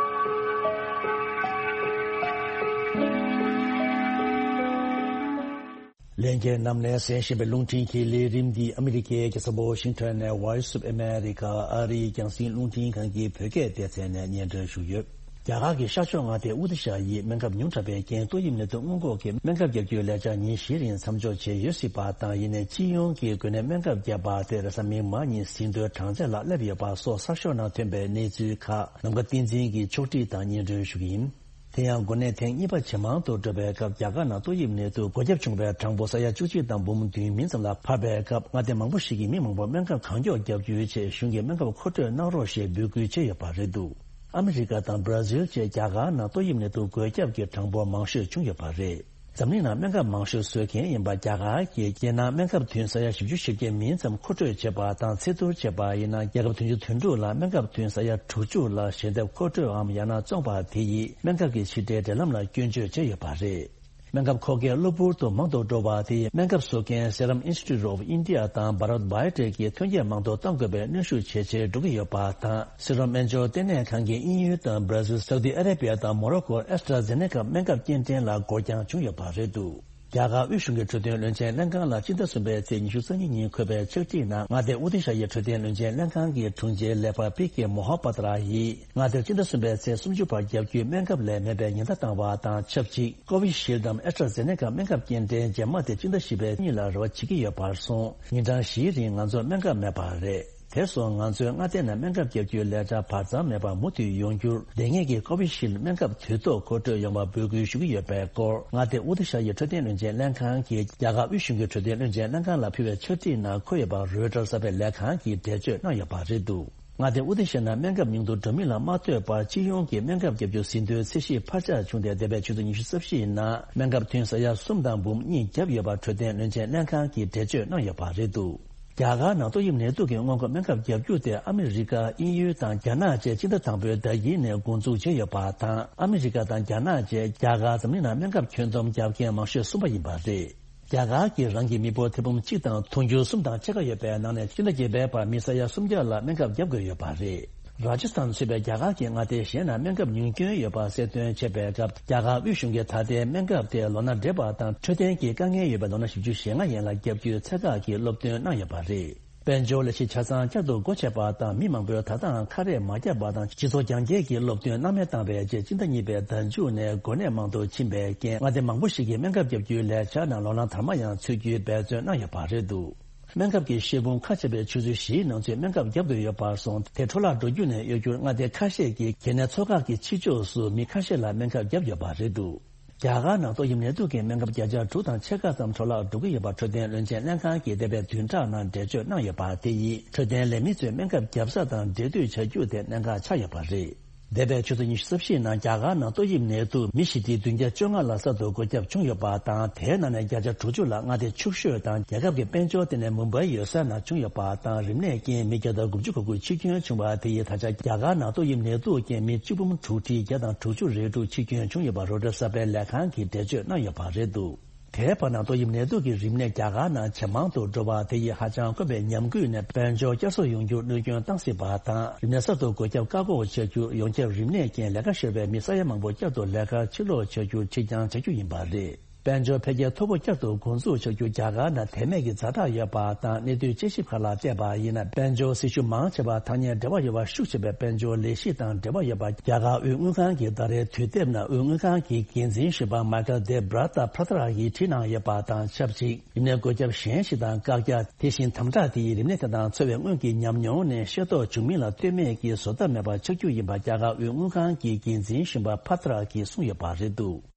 ལྷན་རྒྱས་རྣམས་ནས་གསན་བཞིན་པའི་རླུང་འཕྲིན་གྱི་ལས་རིམ་འདི་ཨ་མི་རི་ཀའི་རྒྱལ་ས་ཝ་ཤིང་ཊོན་ནས་Voice of America ཨ་རིའི་རྒྱང་སྲིང་རླུང་འཕྲིན་ཁང་གི་བོད་སྐད་སྡེ་ཚན་ནས་སྙན་སྒྲོན་ཞུས་ཡོད། རྒྱ་གར་གྱི་ཤར་ཕྱོགས་མངའ་སྡེ་ཨོ་ཏི་ཤ་ཡིས་སྨན་ཁབ་ཉུང་དྲགས་པའི་རྐྱེན་ཏོག་དབྱིབས་ནད་དུག་སྔོན་འགོག་གི་སྨན་ཁབ་བརྒྱབ་རྒྱུའི་ལས་འཆར་ཉིན་བཞིའི་རིང་མཚམས་འཇོག་བྱས་ཡོད་སྲིད་པ་དང་། ཡིན་ནའི་སྤྱི་ཡོངས་ཀྱི་འགོས་ནད་སྨན་ཁབ་བརྒྱབ་པ་དེ་རེས་གཟའ་མིག་དམར་ཉིན་ཟིན་ཐོའི་གྲངས་ཚད་ལ་སླེབས་ཡོད་པ་སོགས་གསར་ཤོག་ནང་ཐོན་པའི་གནས་ཚུལ་ཁག་ནམ་མཁའ་བསྟན་འཛིན་གྱིས་ཕྱོགས་སྒྲིག་དང་སྙན་སྒྲོན་ཞུ་གི་ཡིན། དེ་ཡང་འགོས་ནད་ཐེངས་གཉིས་པ་ཇེ་མང་དུ་འགྲོ་བའི་སྐབས། རྒྱ་གར་ནང་ཏོག་དབྱིབས་ནད་དུག་འགོས་ཁྱབ་བྱུང་བའི་གྲངས་འབོར་ས་ཡ་བཅུ་གཅིག་དང་འབུམ་བདུན་མིན་ཙམ་ལ་འཕར་བའི་སྐབས། མངའ་སྡེ་མང་པོ་ཞིག་གིས་མི་མང་པོར་སྨན་ཁབ་གང་མགྱོགས་བརྒྱབ་རྒྱུའི་ཆེད་གཞུང་གིས་སྨན་ཁབ་མཁོ་སྤྲོད་གནང་རོགས་ཞེས་འབོད་སྐུལ་བྱས་ཡོད་པ་རེད་འདུག་ཨ་མི་རི་ཀ་དང་བྷ་ར་ཟིལ་བཅས་རྒྱ་གར་ནང་ཏོག་དབྱིབས་ནད་དུག་འགོས་ཁྱབ་ཀྱི་གྲངས་འབོར་མང་ཤོས་བྱུང་ཡོད་པ་རེད། འཛམ་གླིང་ནང་སྨན་ཁབ་མང་ཤོས་བཟོ་མཁན་ཡིན་པ་རྒྱ་གར་གྱིས་རྒྱལ་ནང་སྨན་ཁབ་ཐུན་ས་ཡ་བཞི་བཅུ་ཞེ་བརྒྱད་མིན་ཙམ་མཁོ་སྤྲོད་བྱས་པ་དང་། ཚད་བསྡུར་བྱས་པ་ཡིན་ན། རྒྱལ་ཁབ་བདུན་ཅུ་དོན་དྲུག་ལ་སྨན་ཁབ་ཐུན་ས་ཡ་དྲུག་ཅུ་ལ་ཞལ་འདེབས་མཁོ་སྤྲོད་འམ་ཡང་ན་བཙོངས་པ་དེ་ཡིས་སྨན་ཁབ་ཀྱི་ཕྱི་འབྲེལ་འབྲེལ་ལམ་ལ་སྐྱོན་བརྗོད་བྱས་ཡོད་པ་རེད། སྨན་ཁབ་མཁོ་གལ་གློ་བུར་དུ་མང་དུ་འགྲོ་བ་དེ་ཡིས་སྨན་ཁབ་བཟོ་མཁན་Serum Institute of India དང་Bharat Biotech གིས་ཐོན་སྐྱེད་མང་དུ་གཏོང་དགོས་པའི་གནོན་ཤུགས་ཇེ་ཆེར་འགྲོ་གི་ཡོད་པ་དང་། Serum དབྱིན་ཇིའི་ལྟེ་གནས་ཁང་གིས་དབྱིན་ཡུལ་དང་བྷ་ར་ཟིལ། སའུ་དི་ཨ་རེ་བྷི་ཡ་དང་མོ་རོ་ཀོར་AstraZeneca སྨན་ཁབ་སྐྱེལ་འདྲེན་ལ་འགོར་འགྱངས་བྱུང་ཡོད་པ་རེད་འདུག་རྒྱ་གར་དབུས་གཞུང་གི་འཕྲོད་བསྟེན་བློན་ཆེན་ལྷན་ཁང་ལ་སྤྱི་ཟླ་གསུམ་པའི་ཚེས་ཉི་ཤུ་རྩ་གཉིས་ཉིན་འཁོད་པའི་ཕྱག་བྲིས་ནང་། མངའ་སྡེ་ཨོ་ཏི་ཤ་ཡི་འཕྲོད་བསྟེན་བློན་ཆེན་ལྷན་ཁང་གི་དྲུང་ཆེ་ལས་འཕར་པི་ཀེ་མོ་ཧ་པ་ཏྲ་ཡིས། མངའ་སྡེར་སྤྱི་ཟླ་གསུམ་པའི་ཚེས་སུམ་ཅུ་བར་བརྒྱབ་རྒྱུའི་སྨན་ཁབ་ལས་མེད་པའི་ཉེན་བརྡ་བཏང་བ་དང་ཆབས་ཅིག Covishield དམ་AstraZeneca སྨན་ཁབ་སྐྱེལ་འདྲེན་རྗེས་མ་དེ་སྤྱི་ཟླ་བཞི་པའི་གཉིས་ལ་རེ་བ་བྱེད་ཀྱི་ཡོད་པར་སོང་། ཉིན་གྲངས་བཞིའི་རིང་ང་ཚོར་སྨན་ཁབ་མེད་པ་རེད། དེར་སོང་ང་ཚོའི་མངའ་སྡེ་ནས་སྨན་ཁབ་བརྒྱབ་རྒྱུའི་ལས་འཆར་བར་མཚམས་མེད་པར་མུ་མཐུད་ཡོང་རྒྱུར། ལྡང་ངེས་ཀྱི་Covishield སྨན་ཁབ་དུས་ཐོག་མཁོ་སྤྲོད་ཡོང་བར་འབོད་སྐུལ་ཞུ་གི་ཡོད་པའི་སྐོར། མངའ་སྡེ་ཨོ་ཏི་ཤ་ཡི་འཕྲོད་བསྟེན་བློན་ཆེན་ལྷན་ཁང་གིས་རྒྱ་གར་དབུས་གཞུང་གི་འཕྲོད་བསྟེན་བློན་ཆེན་ལྷན་ཁང་ལ་ཕུལ་བའི་ཕྱག་བྲིས་ནང་འཁོད་ཡོད་པ་Reuters གསར་པའི་ལས་ཁང་གིས་འགྲེལ་བརྗོད་གནང་ཡོད་པ་རེད་འདུག་མངའ་སྡེ་ཨུ་ཏི་ཤ་ན་སྨན་ཁབ་ཉུང་དུ་འགྲོ་མིན་ལ་མ་ལྟོས་པར་སྤྱི་ཡོངས་ཀྱི་སྨན་ཁབ་བརྒྱབ་རྒྱུ་ཟིན་ཐོའི་ཚད་གཞི་འཕར་ཆག་བྱུང་སྟེ། འདས་པའི་ཆུ་ཚོད་ཉི་ཤུ་རྩ་བཞིའི་ནང་སྨན་ཁབ་ཐུན་ས་ཡ་གསུམ་དང་འབུམ་གཉིས་བརྒྱབ་ཡོད་པ་འཕྲོད་བསྟེན་བློན་ཆེན་ལྷན་ཁང་གིས་འགྲེལ་བརྗོད་གནང་ཡོད་པ་རེད་འདུག་རྒྱ་གར་ནང་ཏོག་དབྱིབས་ནད་དུག་གི་སྔོན་འགོག་སྨན་ཁབ་བརྒྱབ་རྒྱུ་དེ་ཨ་མི་རི་ཀ། དབྱིན་ཡུལ་དང་རྒྱ་ནག་བཅས་སྤྱི་ཟླ་དང་པོའི་ཟླ་དཀྱིལ་ནས་འགོ་འཛུགས་བྱས་ཡོད་པ་དང་། ཨ་མི་རི་ཀ་དང་རྒྱ་ནག་བཅས་རྒྱ་གར་འཛམ་གླིང་ནང་སྨན་ཁབ་ཁྱོན་བསྡོམས་རྒྱག་མཁན་མང་ཤོས་གསུམ་པ་ཡིན་པ་རེད། རྒྱ་གར་གྱིས་རང་གི་མི་འབོར་ཐེར་འབུམ་གཅིག་དང་དུང་ཕྱུར་གསུམ་དང་ཕྱེད་ཀ་ཡོད་པའི་ནང་ནས་སྤྱི་ཟླ་བརྒྱད་པའི་བར་མི་ས་ཡ་སུམ་བརྒྱ་ལ་སྨན་ཁབ་བརྒྱབ་དགོས་ཡོད་པ་རེད། རཱ་ཇི་སྟན་ཚུད་པའི་རྒྱ་གར་གྱི་མངའ་སྡེ་གཞན་ན་སྨན་ཁབ་ཉུང་སྐྱོན་ཡོད་པ་གསལ་སྟོན་བྱས་པའི་སྐབས། རྒྱ་གར་དབུས་གཞུང་གིས་ད་ལྟའི་སྨན་ཁབ་དེ་ལོ་ན་བགྲེས་པ་དང་འཕྲོད་བསྟེན་གྱི་དཀའ་ངལ་ཡོད་པའི་ལོ་ན་བཞི་བཅུ་ཞེ་ལྔ་ཡན་ལ་བརྒྱབ་རྒྱུའི་ཚད་བཀག་གི་སློབ་སྟོན་གནང་ཡོད་པ་རེད། དཔལ་འབྱོར་ལས་གཞི་ཆ་ཚང་བསྐྱར་དུ་སྒོ་ཕྱེ་བ་དང་། མི་མང་པོས་ད་ལྟའང་ཁ་རས་མ་བརྒྱབ་པ་དང་། སྤྱི་ཚོགས་རྒྱང་བཀྱེད་ཀྱི་སློབ་སྟོན་སྣང་མེད་བཏང་བའི་རྗེས། སྤྱི་ཟླ་གཉིས་པའི་ཟླ་མཇུག་ནས་འགོས་ནད་མང་དུ་ཕྱིན་པའི་རྐྱེན། མངའ་སྡེ་མང་པོ་ཞིག་གིས་སྨན་ཁབ་བརྒྱབ་རྒྱུའི་ལས་འཆར་ནང་ལོ་ན་དར་མ་ཡང་ཚུད་རྒྱུའི་འབད་བརྩོན་གནང་ཡོད་པ་རེད་འདུག་སྨན་ཁབ་ཀྱི་ཤེལ་ཕུང་ཁ་ཕྱེ་བའི་ཆུ་ཚོད་བཞིའི་ནང་ཚུད་སྨན་ཁབ་བརྒྱབ་དགོས་ཡོད་པར་སོང་། དེ་འཕྲོ་བརླག་འགྲོ་རྒྱུ་ནས་གཡོལ་རྒྱུར་མངའ་སྡེ་ཁ་ཤས་ཀྱིས་གལ་གནད་ཚོགས་ཁག་གི་ཕྱི་ཕྱོགས་སུ་མི་ཁ་ཤས་ལ་སྨན་ཁབ་བརྒྱབ་ཡོད་པ་རེད་འདུག་རྒྱ་གར་ནང་ཏོག་དབྱིབས་ནད་དུག་གི་སྨན་ཁབ་བརྒྱ་ཆ་དྲུག་དང་ཕྱེད་ཀ་ཙམ་འཕྲོ་བརླག་འགྲོ་གི་ཡོད་པ་འཕྲོད་བསྟེན་བློན་ཆེན་ལྷན་ཁང་གིས་འདས་པའི་བདུན་ཕྲག་ནང་འགྲེལ་བརྗོད་གནང་ཡོད་པ། དེ་ཡིས་འཕྲོད་བསྟེན་ལས་མི་ཚོས་སྨན་ཁབ་བརྒྱབ་ས་དང་འབྲེལ་མཐུད་བྱ་རྒྱུ་དེ་གནད་འགག་ཆགས་ཡོད་པ་རེད། འདས་པའི་ཆུ་ཚོད་ཉི་ཤུ་རྩ་བཞིའི་ནང་རྒྱ་གར་ནང་ཏོག་དབྱིབས་ནད་དུག་མི་ཞི་བདེ་བདུན་བརྒྱ་བཅོ་ལྔ་ལ་གསར་དུ་འགོས་ཁྱབ་བྱུང་ཡོད་པ་དང་། དེའི་ནང་ནས་བརྒྱ་ཆ་དྲུག་ཅུ་ལ་མངའ་སྡེ་ཕྱུག་ཤོས་དང་རྒྱལ་ཁབ་ཀྱི་དཔལ་འབྱོར་ལྟེ་གནས་མུམ་བྷའི་ཡོད་ས་ནང་བྱུང་ཡོད་པ་དང་། རིམས་ནད་རྐྱེན་མི་བརྒྱ་དང་དགུ་བཅུ་གོ་དགུ་འཆི་སྐྱོན་བྱུང་བ། དེ་ཡིས་ད་ཆ་རྒྱ་གར་ནང་ཏོག་དབྱིབས་ནད་དུག་རྐྱེན་མི་བཅུ་འབུམ་དྲུག་ཁྲི་བརྒྱ་དང་དྲུག་ཅུ་རེ་དྲུག་འཆི་སྐྱོན་བྱུང་ཡོད་པ་རོའི་ཊར་གསར་པའི་ལས་ཁང་གིས་འགྲེལ་བརྗོད་གནང་ཡོད་པ་རེད་འདུག་དེའི་བར་ན་ཏོག་དབྱིབས་ནད་དུག་གི་རིམས་ནད་རྒྱ་གར་ནང་ཇེ་མང་དུ་འགྲོ་བ། དེ་ཡིས་ཧ་ཅང་དཀོན་པའི་ཉམས་རྒུད་ནས་དཔལ་འབྱོར་བསྐྱར་གསོ་ཡོང་རྒྱུར་གནོད་སྐྱོན་བཏང་སྲིད་པ་དང་། རིམས་ནད་གསར་དུ་འགོས་ཁྱབ་བཀག་འགོག་བྱ་རྒྱུར་ཡོངས་ཁྱབ་རིམས་ནད་རྐྱེན་ལས་ཀ་ཤོར་བའི་མི་ས་ཡ་མང་པོ་བསྐྱར་དུ་ལས་ཀར་ཕྱིར་ལོག་བྱ་རྒྱུར་ཕྱིར་འགྱངས་བྱ་རྒྱུ་ཡིན་པ་རེད། དཔལ་འབྱོར་འཕེལ་རྒྱས་མཐོ་པོ་བསྐྱར་དུ་འགོ་འཛུགས་བྱ་རྒྱུ་རྒྱ་གར་ནང་དེ་མེད་ཀྱི་ཛ་དྲག་ཡོད་པ་དང་། གནས་ཚུལ་དཔྱད་ཞིབ་ཁག་ལ་བལྟས་པ་ཡིན་ན། དཔལ་འབྱོར་སྲི་ཞུ་མང་ཆེ་བ་ཐག་ཉེ་འབྲེལ་བ་ཡོད་པ། ཤུགས་ཆེ་བའི་དཔལ་འབྱོར་ལས་གཞི་དང་འབྲེལ་བ་ཡོད་པ། རྒྱ་གར་དབུས་དངུལ་ཁང་གི་ཟླ་རེའི་དུས་དེབ་ནང་དབུས་དངུལ་ཁང་གི་འགན་འཛིན་གཞོན་པ་མཱི་ཀལ་དེབ་ར་ཏ་བྷ་ཏྲ་ཡིས་བྲིས་གནང་ཡོད་པ་དང་ཆབས་ཅིག་རིམས་ནད་འགོས་ཁྱབ་གཞན་ཞིག་དང་བཀག་རྒྱ། དེ་བཞིན་དམ་དྲག་དེ་ཡིས་རིམས་ནད་དེ་དང་འཚོ་བའི་སྔོན་གྱི་ཉམས་མྱོང་ནས་ཤེས་རྟོགས་བྱུང་མིན་ལ་ལྟོས་མེད་ཀྱིས་བཟོ་ལྟ་མེད་པར་ཆགས་རྒྱུ་ཡིན་པ་རྒྱ་གར་དབུས་དངུལ་ཁང་གི་འགན་འཛིན་གཞོན་པ་བྷ་ཏྲ་གིས་གསུངས་ཡོད་པ་རེད་འདུག་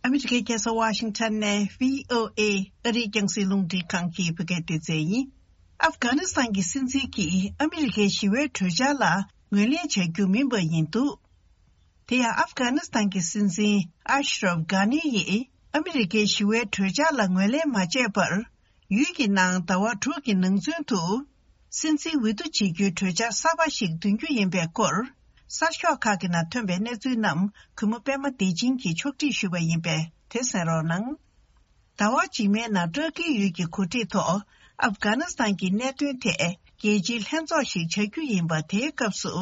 ཨ་མི་རི་ཀའི་རྒྱལ་ས་ཝ་ཤིང་ཊོན་ནས་བྷི་ཨོ་ཨེ་ཨ་རིའི་རྒྱང་སྲིང་རླུང་འཕྲིན་ཁང་གི་བོད་སྐད་སྡེ་ཚན་ཡིན། ཨབ་གྷ་ནི་སི་ཐན་གྱི་སྲིད་འཛིན་གྱིས་ཨ་མི་རི་ཀའི་ཞི་བའི་གྲོས་འཆར་ལ་ངོས་ལེན་བྱ་རྒྱུ་མིན་པ་ཡིན་འདུག་དེ་ཡང་ཨབ་གྷ་ནི་སི་ཐན་གྱི་སྲིད་འཛིན་ཨ་ཤ་རབ་གྷ་ནི་ཡིས་ཨ་མི་རི་ཀའི་ཞི་བའི་གྲོས་འཆར་ལ་ངོས་ལེན་མ་བྱས་པར། ཡུལ་གྱི་ནང་ཟླ་བ་དྲུག་གི་ནང་ཚུན་དུ། སྲིད་འཛིན་འོས་བསྡུ་བྱེད་རྒྱུའི་གྲོས་འཆར་གསར་པ་ཞིག་འདོན་རྒྱུ་ཡིན་པའི་སྐོར། གསར་ཤོག་ཁག་གི་ནང་ཐོན་པའི་གནས་ཚུལ་རྣམས་གུས་མོ་པད་མ་བདེ་ཆེན་གྱིས་ཕྱོགས་སྒྲིག་ཞུས་པ་ཡིན་པས་དེ་གསན་རོགས་གནང་། ཟླ་བ་རྗེས་མའི་ནང་ཏུར་ཀིའི་ཡུལ་གྱི་གོ་སྒྲིག་ཐོག་ཨབ་གྷ་ནི་སི་ཐན་གྱི་གནད་དོན་ཐད་རྒྱལ་སྤྱིའི་ལྷན་ཚོགས་ཤིག་བྱ་རྒྱུ་ཡིན་པ། དེའི་སྐབས་སུ་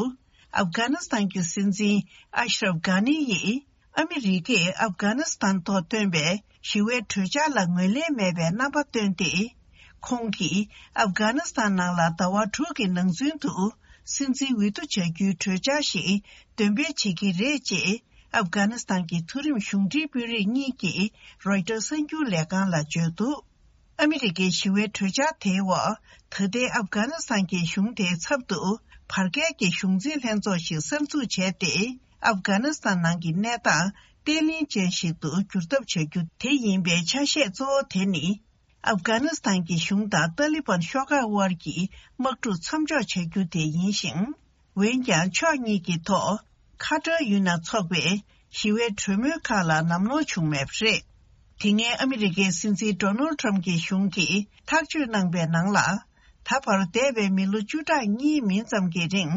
ཨབ་གྷ་ནི་སི་ཐན་གྱི་སྲིད་འཛིན་ཨ་ཤ་རབ་གྷ་ནི་ཡིས་ཨ་མི་རི་ཀས་ཨབ་གྷ་ནི་སི་ཐན་ཐོག་བཏོན་པའི་ཞི་བའི་གྲོས་འཆར་ལ་ངོས་ལེན་མེད་པའི་རྣམ་པ་བཏོན་ཏེ། ཁོང་གིས་ཨབ་གྷ་ནི་སི་ཐན་ནང་ལ་ཟླ་བ་དྲུག་གི་ནང་ཚུན་དུ་སྲིད་འཛིན་འོས་བསྡུ་བྱ་རྒྱུའི་གྲོས་འཆར་ཞིག་འདོན་སྤེལ་བྱེད་ཀྱི་རེད་ཅེས། ཨབ་གྷ་ནི་སི་ཐན་གྱི་མཐོ་རིམ་གཞུང་འབྲེལ་དཔོན་རིགས་གཉིས་ཀྱིས་རོའི་ཊར་གསར་འགྱུར་ལས་ཁང་ལ་བརྗོད་འདུག་ཨ་མི་རི་ཀའི་ཞི་བའི་གྲོས་འཆར་དེའི་འོག་ད་ལྟའི་ཨབ་གྷ་ནི་སི་ཐན་གྱི་གཞུང་དེའི་ཚབ་ཏུ་བར་བརྒལ་གྱི་གཞུང་འཛིན་ལྷན་ཚོགས་ཤིག་གསར་འཛུགས་བྱས་ཏེ། ཨབ་གྷ་ནི་སི་ཐན་ནང་གི་གནས་སྟངས་བརྟན་ལྷིང་ཅན་ཞིག་ཏུ་འགྱུར་ཐབས་བྱ་རྒྱུ་དེ་ཡིན་པའི་ཆ་ཤས་གཙོ་བོ་དེ་ནི། ཨབ་གྷ་ནི་སི་ཐན་གྱི་གཞུང་དང་ཏཱ་ལི་བན་ཤོག་ཁག་དབར་གྱི་དམག་འཁྲུག་མཚམས་འཇོག་བྱ་རྒྱུ་དེ་ཡིན་ཞིང་། འོན་ཀྱང་ཕྱོགས་གཉིས་ཀྱི་ཐོག་ཁ་བྲལ་ཡུལ་ནང་འཚོགས་པའི་ཞི་བའི་གྲོས་མོལ་ཁག་ལ་ལམ་ལྷོང་བྱུང་མེད་པ་རེད། དེ་སྔའི་ཨ་མི་རི་ཀའི་སྲིད་འཛིན་ཌོ་ནལ་ཊམ་གྱི་གཞུང་གིས་ཐག་གཅོད་གནང་པའི་ནང་ལ། ད་བར་འདས་པའི་མི་ལོ་བཅུ་ཕྲག་གཉིས་མིན་ཙམ་གྱི་རིང་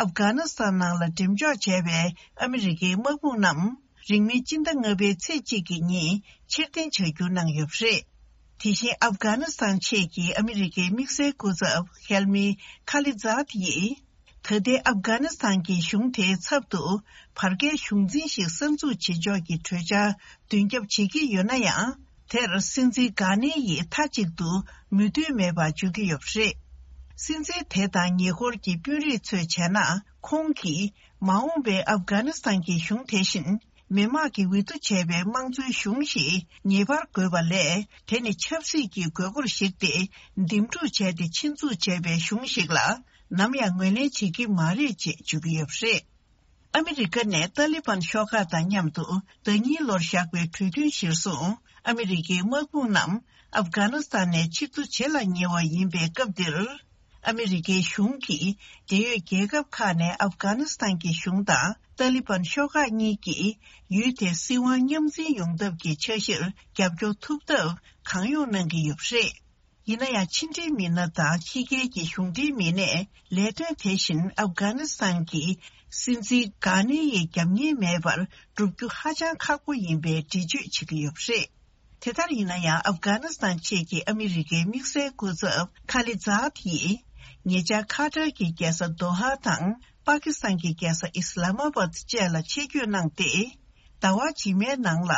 ཨབ་གྷ་ནི་སི་ཐན་ནང་ལ་འགྲེམས་འཇོག་བྱས་པའི་ཨ་མི་རི་ཀའི་དམག་དཔུང་རྣམས། རིང་མིན་སྤྱི་ཟླ་ལྔ་པའི་ཚེས་གཅིག་གི་ཉིན་ཕྱིར་འཐེན་བྱ་རྒྱུ་གནང་ཡོད་པ་རེད། དེ་བཞིན་ཨབ་གྷ་ནི་སི་ཐན་ཆེད་ཀྱི་ཨ་མི་རི་ཀའི་དམིགས་བསལ་སྐུ་ཚབ་ཧེལ་མི་ཁ་ལི་ཛཱད་ཡིས། ད་ལྟའི་ཨབ་གྷ་ནི་སི་ཐན་གྱི་གཞུང་དེའི་ཚབ་ཏུ་བར་བརྒལ་གཞུང་འཛིན་ཞིག་གསར་འཛུགས་བྱེད་ཕྱོགས་ཀྱི་གྲོས་འཆར་མདུན་རྒྱབ་བྱེད་ཀྱི་ཡོད་ན་ཡང་། དེར་སྲིད་འཛིན་གྷ་ནི་ཡིས་མཐའ་གཅིག་ཏུ་མོས་མཐུན་མེད་པར་བརྗོད་ཀྱི་ཡོད་པ་རེད། སྲིད་འཛིན་དེ་དང་ཉེ་འཁོར་གྱི་དཔོན་རིགས་ཚོས་བྱས་ན། ཁོང་གིས་མ་འོངས་པའི་ཨབ་གྷ་ནི་སི་ཐན་གྱི་གཞུང་དེ་བཞིན། མི་དམངས་ཀྱིས་འོས་བསྡུ་བྱས་པའི་དམངས་གཙོའི་གཞུང་ཞིག་ངེས་པར་དགོས་པ་ལས། དེ་ནི་ཆབ་སྲིད་ཀྱི་དགོས་མཁོར་གཞིགས་ཏེ། འདེམས་སྒྲུག་བྱས་ཏེ་ཆེད་འཛུགས་བྱས་པའི་གཞུང་ཞིག་ལ། ནམ་ཡང་ངོས་ལེན་བྱེད་ཀྱི་མ་རེད་ཅེས་བརྗོད་ཀྱི་ཡོད་པ་རེད། ཨ་མི་རི་ཀ་ནས་ཏཱ་ལི་བན་ཤོག་ཁག་དང་མཉམ་དུ་ཟླ་གཉིས་ལོར་བཞག་པའི་གྲོས་མཐུན་གཞིར་བཟུང་། ཨ་མི་རི་ཀའི་དམག་དཔུང་རྣམས་ཨབ་གྷ་ནི་སི་ཐན་ནས་ཕྱིར་ཚུར་བྱེད་ལ་ཉེ་བ་ཡིན་པའི་སྐབས་འདིར། ཨ་མི་རི་ཀའི་གཞུང་གིས་འབྲེལ་ཡོད་རྒྱལ་ཁབ་ཁག་ནས་ཨབ་གྷ་ནི་སི་ཐན་གྱི་གཞུང་དང་ཏཱ་ལི་བན་ཤོག་ཁག་གཉིས་ཀྱིས་ཡུལ་དེའི་སྲིད་དབང་མཉམ་འཛིན་ཡོང་ཐབས་ཀྱི་འཆར་གཞིར་རྒྱབ་སྐྱོར་ཐུབ་ཐབས་གང་ཡོང་གནང་གི་ཡོད་པ་རེད། ཡིན་ན་ཡང་ཕྱི་འབྲེལ་མི་སྣ་དང་ཕྱི་རྒྱལ་གྱི་གཞུང་འབྲེལ་མི་སྣས་ལས་དོན་དེ་བཞིན་ཨབ་གྷ་ནི་སི་ཐན་གྱི་སྲིད་འཛིན་གྷ་ནི་ཡིས་རྒྱབ་གཉེར་མེད་པར་བསྒྲུབ་རྒྱུ་ཧ་ཅང་ཁག་པོ་ཡིན་པའི་འགྲེལ་བརྗོད་བྱེད་ཀྱི་ཡོད་པ་རེད། དེ་ལྟར་ཡིན་ན་ཡང་ཨབ་གྷ་ནི་སི་ཐན་ཆེད་ཀྱི་ཨ་མི་རི་ཀའི་དམིགས་བསལ་སྐུ་ཚབ་ཁ་ལི་ཛཱད་ཡིས་ཉེ་ཆར་ཁ་ཏར་གྱི་རྒྱལ་ས་དོ་ཧ་དང་པ་ཀི་སི་ཐན་གྱི་རྒྱལ་ས་ཨི་སི་ལ་མ་བཱད་བཅས་ལ་ཆེད་བསྐྱོད་གནང་སྟེ། ཟླ་བ་རྗེས་མའི་ནང་ལ།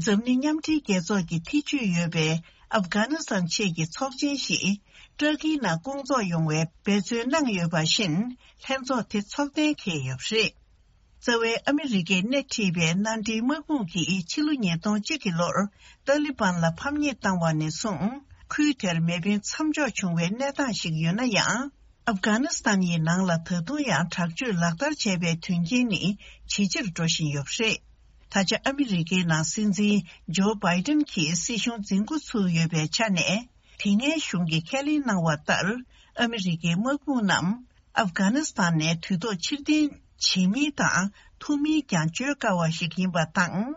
འཛམ་གླིང་མཉམ་འབྲེལ་རྒྱལ་ཚོགས་ཀྱི་ཐེ་བྱུས་ཡོད་པའི་ཨབ་གྷ་ནི་སི་ཐན་ཆེད་ཀྱི་ཚོགས་ཆེན་ཞིག་ཏུར་ཀིའི་ནང་སྐོང་ཚོགས་ཡོང་བའི་འབད་བརྩོན་གནང་ཡོད་པ་བཞིན། ལྷན་ཚོགས་དེ་ཚོགས་གཏན་འཁེལ་ཡོད་པ་རེད། རྩ་བའི་ཨ་མི་རི་ཀས་སྣེ་ཁྲིད་པའི་མནའ་འབྲེལ་དམག་དཔུང་གིས་ཕྱི་ལོ་ཉིས་སྟོང་གཅིག་གི་ལོར་ཏཱ་ལི་བན་ལ་ཕམ་ཉེས་བཏང་བ་ནས་བཟུང་། ཁུལ་དེར་མེ་འཕེན་མཚམས་འཇོག་བྱུང་བའི་གནས་སྟངས་ཤིག་ཡོད་ན་ཡང་། ཨབ་གྷ་ནི་སི་ཐན་ཡི་ནང་ལ་ད་དུང་ཡང་དྲག་སྤྱོད་ལག་བསྟར་བྱས་པའི་དོན་རྐྱེན་ནི་ཇེ་ཆེར་འགྲོ་བཞིན་ཡོད་པ་རེད། ད་ཆ་ཨ་མི་རི་ཀའི་ནང་སྲིད་འཛིན་ཇོ་བྷའི་ཏན་གྱིས་སྲིད་གཞུང་འཛིན་འགོ་ཚུགས་ཡོད་པའི་ཆ་ནས། དེ་སྔའི་གཞུང་གིས་ཁས་ལེན་གནང་བ་ལྟར། ཨ་མི་རི་ཀའི་དམག་དཔུང་རྣམས་ཨབ་གྷ་ནི་སི་ཐན་ནས་དུས་ཐོག་ཕྱིར་འཐེན་བྱེད་མིན་དང་ཐུབ་མིན་ཀྱང་བརྗོད་དཀའ་བ་ཞིག་ཡིན་པ་དང་།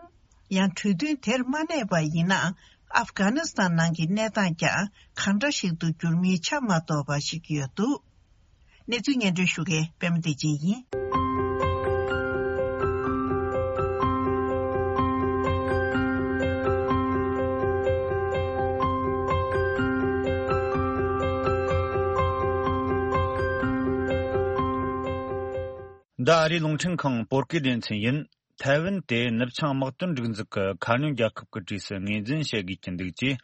ཡང་གྲོས་མཐུན་དེར་མ་གནས་པ་ཡིན་ན། ཨབ་གྷ་ནི་སི་ཐན་ནང་གི་གནས་སྟངས་ཀྱང་གང་འདྲ་ཞིག་ཏུ་འགྱུར་མིན་ཆ་མ་རྟོགས་པ་ཞིག་ཡོད་འདུག། གནས་ཚུལ་སྙན་སྒྲོན་ཞུ་མཁན་པད་མ་བདེ་ཆེན་ཡིན། འདི་ཨ་རིའི་རླུང་འཕྲིན་ཁང་བོད་སྐད་སྡེ་ཚན་ཡིན། ཐའེ་ཝན་དེ་ནུབ་བྱང་དམག་དོན་སྒྲིག་འཛུགས་ཀྱི་ཁ་སྣོན་རྒྱལ་ཁབ་ཀྱི་གྲས་སུ་ངོས་འཛིན་བྱེད་དགོས་ཀྱི་འདུག་ཅེས།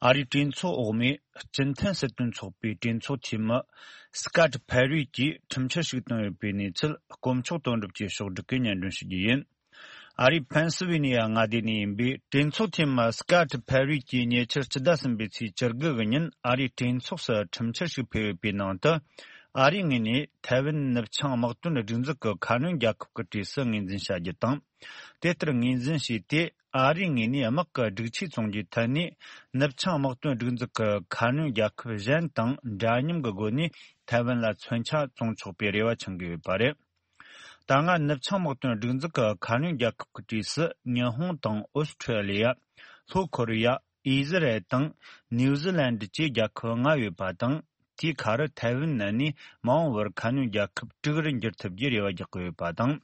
ཨ་རིའི་གྲོས་ཚོགས་འོག་མའི་སྤྱི་མཐུན་སྲིད་དོན་ཚོགས་པའི་གྲོས་ཚོགས་འཐུས་མི་སི་ཀཱ་ཏི་ཕེ་རུས་ཀྱིས་ཁྲིམས་འཆར་ཞིག་བཏོན་ཡོད་པའི་གནས་ཚུལ། དཀོན་མཆོག་དོན་གྲུབ་ཀྱིས་ཕྱོགས་བསྒྲིགས་ཀྱིས་སྙན་སྒྲོན་ཞུ་རྒྱུ་ཡིན། ཨ་རིའི་ཕེན་སི་ཝེ་ནི་ཡ་མངའ་སྡེ་ནས་ཡིན་པའི་གྲོས་ཚོགས་འཐུས་མི་སི་ཀཱ་ཏི་ཕེ་རུས་ཀྱིས་ཉེ་ཆར་སྤྱི་ཟླ་གསུམ་པའི་ཚེས་བཅུ་དགུ་གི་ཉིན་ཨ་རིའི་གྲོས་ཚོགས་སུ་ཁྲིམས་འཆར་ཞིག་ཕུལ་ཡོད་པའི་ནང་དུ། ཨ་རིའི་ངོས་ནས་ཐའེ་ཝན་ནུབ་བྱང་དམག་དོན་སྒྲིག་འཛུགས་ཀྱི་ཁ་སྣོན་རྒྱལ་ཁབ་ཀྱི་གྲས་སུ་ངོས་འཛིན་བྱ་རྒྱུ་དང་། དེ་ལྟར་ངོས་འཛིན་བྱས་ཏེ། ཨ་རིའི་ངོས་ནས་དམག་གི་སྒྲིག་ཆས་བཙོང་རྒྱུའི་ཐད་ནས་ནུབ་བྱང་དམག་དོན་སྒྲིག་འཛུགས་ཀྱི་ཁ་སྣོན་རྒྱལ་ཁབ་གཞན་དང་འདྲ་མཉམ་གྱི་སྒོ་ནས་ཐའེ་ཝན་ལ་མཚོན་ཆ་བཙོང་ཆོག་པའི་རེ་བ་འཆང་གི་ཡོད་པ་རེད། ད་སྔ་ནུབ་བྱང་དམག་དོན་སྒྲིག་འཛུགས་ཀྱི་ཁ་སྣོན་རྒྱལ་ཁབ་ཀྱི་གྲས་སུ་ཉི་ཧོང་དང་ཨོ་སི་ཁྲེ་ལི་ཡ། ལྷོ་ཁོ་རི་ཡ། ཨི་ཟི་རལ་དང་ནིའུ་ཟི་ལན་ཌི་བཅས་རྒྱལ་ཁབ་ལྔ་ཡོད་པ་དང་། དེའི་ཁར་ཐའེ་ཝན་ནི་མ་འོངས་པར་ཁ་སྣོན་རྒྱལ་ཁབ་དྲུག་རུ་འགྱུར་ཐུབ་རྒྱུའི་རེ་བ་རྒྱག་གི་ཡོད་པ་དང་།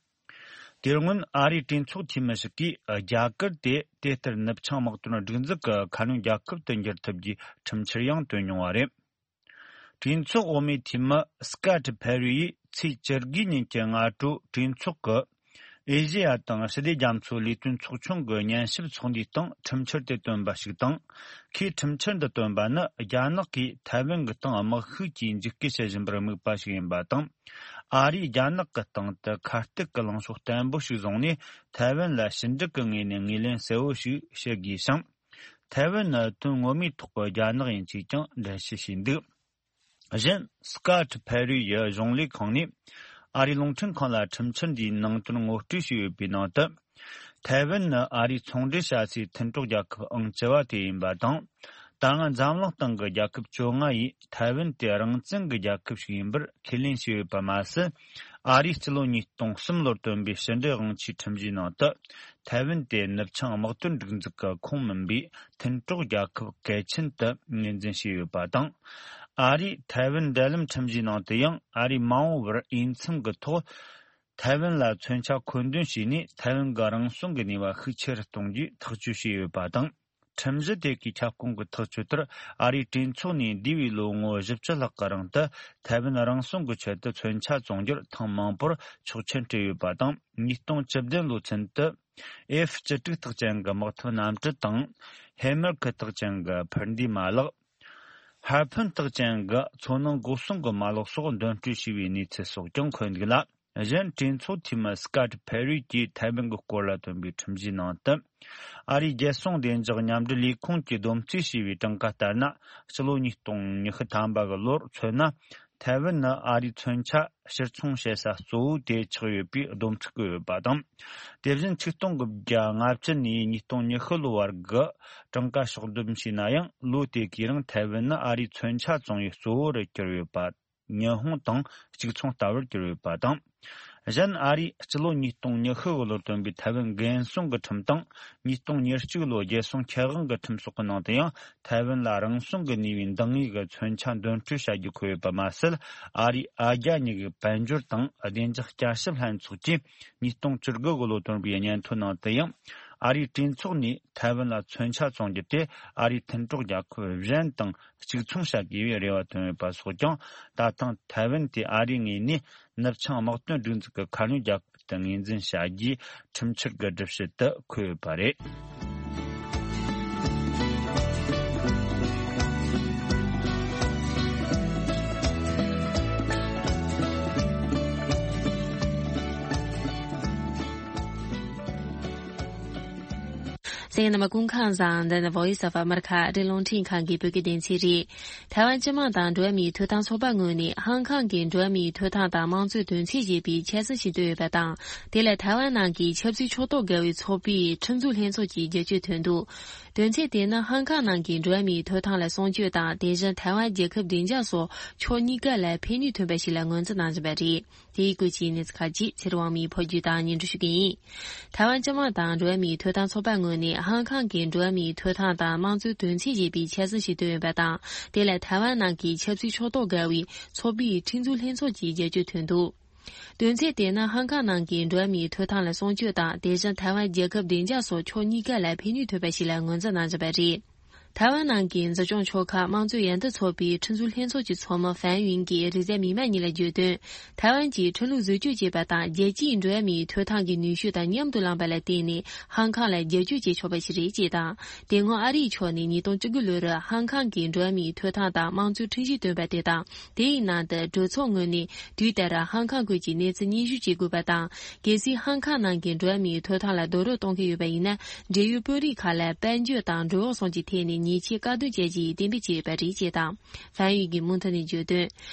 དེ་སྔོན་ཨ་རིའི་གྲོས་ཚོགས་འཐུས་མི་ཞིག་གིས་རྒྱ་གར་དེ་དེ་ལྟར་ནུབ་བྱང་དམག་དོན་སྒྲིག་འཛུགས་ཀྱི་ཁ་སྣོན་རྒྱལ་ཁབ་ཏུ་འགྱུར་ཐུབ་རྒྱུའི་ཁྲིམས་འཆར་ཡང་བཏོན་མྱོང་བ་རེད། གྲོས་ཚོགས་འོག་མའི་འཐུས་མི་སི་ཀཱ་ཏི་ཕེ་རུ་ཡིས་ཚེས་བཅུ་དགུའི་ཉིན་གྱི་སྔ་དྲོ་གྲོས་ཚོགས་ཀྱི་ཨེ་ཤེ་ཡ་དང་ཞི་བདེ་རྒྱ་མཚོའི་ལས་དོན་ཚོགས་ཆུང་གི་ཉན་ཞིབ་ཚོགས་འདུའི་སྟེང་ཁྲིམས་འཆར་དེ་བཏོན་པ་ཞིག་དང་། ཁོས་ཁྲིམས་འཆར་འདི་བཏོན་པ་ནི་རྒྱ་ནག་གིས་ཐའེ་ཝན་གྱི་སྟེང་དམག་ཤུགས་ཀྱིས་འཇིགས་སྐུལ་བྱེད་བཞིན་པར་དམིགས་པ་ཞིག་ཡིན་པ་དང་། ཨ་རིས་རྒྱ་ནག་གི་སྟེང་དུ་ཁ་གཏད་ཀྱི་ལངས་ཕྱོགས་བརྟན་པོ་ཞིག་བཟུང་ནས་ཐའེ་ཝན་ལ་ཞི་འགྲིག་གི་ངོས་ནས་ངོས་ལེན་གསལ་བོ་ཞིག་བྱེད་དགོས་ཤིང་། ཐའེ་ཝན་ནི་དོན་ངོ་མའི་ཐོག་གི་རྒྱ་ནག་ཡིན་ཅེས་ཀྱང་འགྲེལ་བཤད་བྱས་འདུག། གཞན། སི་ཀཱ་ཏི་ཕེ་རུ་ཡི་གཞུང་ལས་ཁང་ནས་ཨ་རིའི་རླུང་འཕྲིན་ཁང་ལ་ཁྲིམས་འཆར་འདིའི་ནང་དོན་ངོ་སྤྲོད་བྱས་ཡོད་པའི་ནང་དུ། ཐའེ་ཝན་ནི་ཨ་རིའི་ཚོང་འབྲེལ་བྱ་སའི་མཐུན་གྲོགས་རྒྱལ་ཁབ་ཨང་བཅུ་བ་དེ་ཡིན་པ་དང་། ད་སྔ་འཛམ་གླིང་སྟེང་གི་རྒྱལ་ཁབ་བཅོ་ལྔ་ཡིས་ཐའེ་ཝན་དེ་རང་བཙན་གྱི་རྒྱལ་ཁབ་ཞིག་ཡིན་པར་ཁས་ལེན་བྱས་ཡོད་པ་མ་ཟད། ཨ་རིས་སྤྱི་ལོ་ཉིས་སྟོང་གསུམ་ལོར་བཏོན་པའི་ཕྱི་འབྲེལ་དབང་ཆའི་ཁྲིམས་གཞིའི་ནང་དུ། ཐའེ་ཝན་དེ་ནུབ་བྱང་དམག་དོན་སྒྲིག་འཛུགས་ཀྱི་ཁོངས་མིན་པའི་མཐུན་གྲོགས་རྒྱལ་ཁབ་གལ་ཆེན་དུ་ངོས་འཛིན་བྱས་ཡོད་པ་དང་། ཨ་རིས་ཐའེ་ཝན་འབྲེལ་ལམ་ཁྲིམས་གཞིའི་ནང་དུ་ཡང་ཨ་རིས་མ་འོངས་པར་འོས་འཚམ་གྱི་ཐོག་ཐའེ་ཝན་ལ་མཚོན་ཆ་མཁོ་འདོན་བྱས་ནས་ཐའེ་ཝན་གྱི་རང་སྲུང་གི་ནུས་པ་ཤུགས་ཆེ་རུ་གཏོང་རྒྱུའི་ཐག་གཅོད་བྱས་ཡོད་པ་དང་། ཁྲིམས་གཞི་དེ་གའི་ཁྱབ་ཁོངས་ཀྱི་ཐག་གཅོད་ལྟར་ཨ་རིའི་གྲོས་ཚོགས་ནས་འདས་པའི་ལོ་ངོ་བཞི་བཅུ་ལྷག་གི་རིང་དུ་ཐའེ་ཝན་རང་སྲུང་གི་ཆེད་དུ་མཚོན་ཆ་བཙོང་རྒྱུར་ཐེངས་མང་པོར་ཆོག་མཆན་སྤྲད་ཡོད་པ་དང་། ཉིས་སྟོང་བཅུ་བདུན་ལོ་ཚུན་དུ་ཨེཕ་བཅུ་དྲུག་རྟགས་ཅན་གྱི་དམག་འཐབ་གནམ་གྲུ་དང་། ཧེ་མར་ཁི་རྟགས་ཅན་གྱི་འཕུར་མདེལ་མ་ལག་ཧར་ཕུན་རྟགས་ཅན་གྱི་མཚོ་ནང་འགོག་སྲུང་གི་མ་ལག་སོགས་འདོན་སྤྲོད་བྱས་པའི་གནས་ཚུལ་སོགས་ཀྱང་འཁོད་འདུག་ལ། གཞན་གྲོས་ཚོགས་འཐུས་མི་སི་ཀཱ་ཏི་ཕེ་རུས་ཀྱིས་ཐའེ་ཝན་གྱི་སྐོར་ལ་བཏོན་པའི་ཁྲིམས་གཞིའི་ནང་དུ། ཨ་རིའི་རྒྱལ་སྲུང་བདེ་འཇགས་མཉམ་འབྲེལ་ལས་ཁུངས་ཀྱིས་བསྡོམས་རྩིས་བྱས་པའི་གྲངས་ཀ་ལྟར་ན། ཕྱི་ལོ་ཉིས་སྟོང་ཉི་ཤུ་ཐམ་པ་གི་ལོར་མཚོན་ན། ཐའེ་ཝན་ནི་ཨ་རིའི་མཚོན་ཆ་ཕྱིར་ཚོང་བྱེད་ས་གཙོ་བོའི་དེད་ཆགས་ཡོད་པའི་སྡོམ་ཁྲིམས་བཀོད་ཡོད་པ་དང་། དེ་བཞིན་ཆིག་སྟོང་དགུ་བརྒྱ་ལྔ་བཅུ་ནས་ཉིས་སྟོང་ཉི་ཤུ་ལོ་བར་གྱི་གྲངས་ཀ་ཕྱོགས་བསྡོམས་བྱས་ན་ཡང་ལོ་དེ་གའི་རིང་ཐའེ་ཝན་ནི་ཨ་རིའི་མཚོན་ཆ་བཙོང་བའི་གཙོ་བོ་རུ་གྱུར་ཡོད་པ། ཉི་ཧོང་དང་གཅིག་མཚུངས་ལྟ་བུར་གྱུར་ཡོད་པ་དང་། གཞན་ཨ་རིས་སྤྱི་ལོ་ཉིས་སྟོང་ཉི་ཤུ་ལོར་བཏོན་པའི་ཐའེ་ཝན་འགན་སྲུང་གི་ཁྲིམས་དང་། ཉིས་སྟོང་ཉེར་གཅིག་ལོའི་རྒྱལ་སྲུང་ཁེ་དབང་གི་ཁྲིམས་སོགས་ཀྱི་ནང་དུ་ཡང་ཐའེ་ཝན་ལ་རང་སྲུང་གི་ནུས་པའི་འདང་ངེས་ཀྱི་མཚོན་ཆ་འདོན་སྤྲོད་བྱ་རྒྱུ་འཁོད་ཡོད་པ་མ་ཟད། ཨ་རིས་ཨ་རྒྱ་གཉིས་ཀྱི་དཔལ་འབྱོར་དང་བདེ་འཇགས་བསྐྱར་ཞིབ་ལྷན་ཚོགས་ཀྱིས་ཉིས་སྟོང་བཅུ་དགུ་ལོར་བཏོན་པའི་སྙན་ཐོ་ནང་དུ་ཡང་། ཨ་རིའི་གྲོས་ཚོགས་ནས་ཐའེ་ཝན་ལ་མཚོན་ཆ་བཙོང་རྒྱུ་དེ་ཨ་རིའི་མཐུན་གྲོགས་རྒྱལ་ཁབ་གཞན་དང་གཅིག་མཚུངས་བྱ་དགོས་པའི་རེ་བ་བཏོན་ཡོད་པ་སོགས་ཀྱང་། ད་ཐེངས་ཐའེ་ཝན་དེ་ཨ་རིའི་ངོས་ནས་ནུབ་བྱང་དམག་དོན་སྒྲིག་འཛུགས་ཀྱི་ཁ་སྣོན་རྒྱལ་ཁབ་ཏུ་ངོས་འཛིན་བྱ་རྒྱུའི་ཁྲིམས་འཆར་གྱི་སྒྲུབ་བྱེད་དུ་འཁོད་ཡོད་པ་རེད། གསན་མཁན་རྣམ་པ་སྐུ་ཁམས་བཟང་། འདི་ནི་Voice of America ཨ་རིའི་རླུང་འཕྲིན་ཁང་གི་བོད་སྐད་སྡེ་ཚན་རེད། ཐའེ་ཝན་སྤྱི་དམངས་དང་འགྲོ་བ་མིའི་ཐོབ་ཐང་ཚོགས་པ་ངོས་ནས་ཧང་ཀང་གི་འགྲོ་བ་མིའི་ཐོབ་ཐང་དང་དམངས་གཙོའི་དོན་ཚན་ཞེས་པའི་འཆར་ཟིན་ཞིག་བཏོན་ཡོད་པ་དང་། དེ་ལ་ཐའེ་ཝན་ནང་གི་ཆབ་སྲིད་ཕྱོགས་གཏོགས་འགལ་བའི་ཚོགས་པའི་ཁྲིམས་འཛུགས་ལྷན་ཚོགས་ཀྱིས་བསྒྱུར་བཅོས་བཏོན་འདུག་དོན་ཚན་དེ་ནི་ཧང་ཀང་ནང་གི་འགྲོ་བ་མིའི་ཐོབ་ཐང་ལ་སྲུང་སྐྱོབ་དང་། དེ་བཞིན་ཐའེ་ཝན་རྒྱལ་ཁབ་བདེ་འཇགས་སོགས་ཕྱོགས་གཉིས་ཀ་ལ་ཕན་ནུས་ཐོན་པ་ཞིག་ལ་ངོས་འཛིན་གནང་བཞིན་པ་རེད། དེའི་སྐོར་གྱི་གནས་ཚུལ་ཁག་ཅིག་ཚེ་རིང་དབང་མོས་ཕབ་སྒྱུར་དང་སྙན་སྒྲོན་ཞུ་གི་ཡིན། ཐའེ་ཝན་སྤྱི་དམངས་དང་འགྲོ་བ་མིའི་ཐོབ་ཐང་ཚོགས་པ་ངོས་ནས་ཧང་ཀང་གི་འགྲོ་བ་མིའི་ཐོབ་ཐང་དང་དམངས་གཙོའི་དོན་ཚན་ཞེས་པའི་འཆར་ཟིན་ཞིག་བཏོན་ཡོད་པ་དང་། དེ་ལ་ཐའེ་ཝན་ནང་གི་ཆབ་སྲིད་ཕྱོགས་གཏོགས་འགལ་བའི་ཚོགས་པའི་ཁྲིམས་འཛུགས་ལྷན་ཚོགས་ཀྱིས་བསྒྱུར་བཅོས་བཏོན་འདུག་དོན་ཚན་དེ་ནི་ཧང་ཀང་ནང་གི་འགྲོ་བ་མིའི་ཐོབ་ཐང་ལ་སྲུང་སྐྱོབ་དང་། དེ་བཞིན་ཐའེ་ཝན་རྒྱལ་ཁབ་བདེ་འཇགས་སོགས་ཕྱོགས་གཉིས་ཀ་ལ་ཕན་ནུས་ཐོན་པ་ཞིག་ལ་ངོས་འཛིན་གནང་བཞིན་པ་རེད། ཐའེ་ཝན་ནང་གི་འཛིན་སྐྱོང་ཆོལ་ཁ་དམངས་གཙོའི་ཡར་ཐོན་ཚོགས་པའི་ཁྲིམས་བཟོ་ལྷན་ཚོགས་ཀྱི་ཚོགས་མི་ཧྥན་ཡུན་གྱིས་རེས་གཟའ་མིག་དམར་ཉིན་ལ་བརྗོད་དོན། ཐའེ་ཝན་གྱིས་ཁྲིམས་ལུགས་བཟོ་བཅོས་བྱས་པ་དང་། རྒྱལ་སྤྱིའི་འགྲོ་བ་མིའི་ཐོབ་ཐང་གི་ནུས་ཤུགས་དང་མཉམ་དུ་བླངས་པ་ལ་བརྟེན་ནས་ཧང་ཀང་ལ་བསྒྱུར་བཅོས་བྱེད་ཆོག་པ་ཞིག་རེད་ཅེས་དང་། དེ་སྔོན་ཨ་རིའི་ཕྱོགས་ནས་ཉིས་སྟོང་བཅུ་དགུ་ལོར་ཧང་ཀང་གི་འགྲོ་བ་མིའི་ཐོབ་ཐང་དང་དམངས་གཙོའི་ཁྲིམས་གཞི་བཏོན་པ་དེ་དང་། དེའི་ནང་དུ་གྲོས་ཚོགས་ངོས་ནས་དུས་ལྟར་ཧང་ཀང་སྐོར་གྱི་གནས་ཚུལ་སྙན་ཞུ་བྱེད་དགོས་པ་དང་། གལ་སྲིད་ཧང་ཀང་ནང་གི་འགྲོ་བ་མིའི་ཐོབ་ཐང་ལ་རྡོག་རོལ་གཏོང་གི་ཡོད་པ་ཡིན་ན། འབྲེལ་ཡོད་དཔོན་རིགས་ཁག་ལ་དཔལ་འབྱོར་དང་འགྲོ་འོང་སོགས་ཀྱི་ཐད་ནས་ཉེས་ཆད་བཀག་སྡོམ་བྱ་རྒྱུའི་གཏན་འབེབས་བྱས་ཡོད་པ་རེད་ཅེས་དང་། ཧྥན་ཡུས་ཀྱིས་མུ་མཐུད་ནས་བརྗོད་དོན།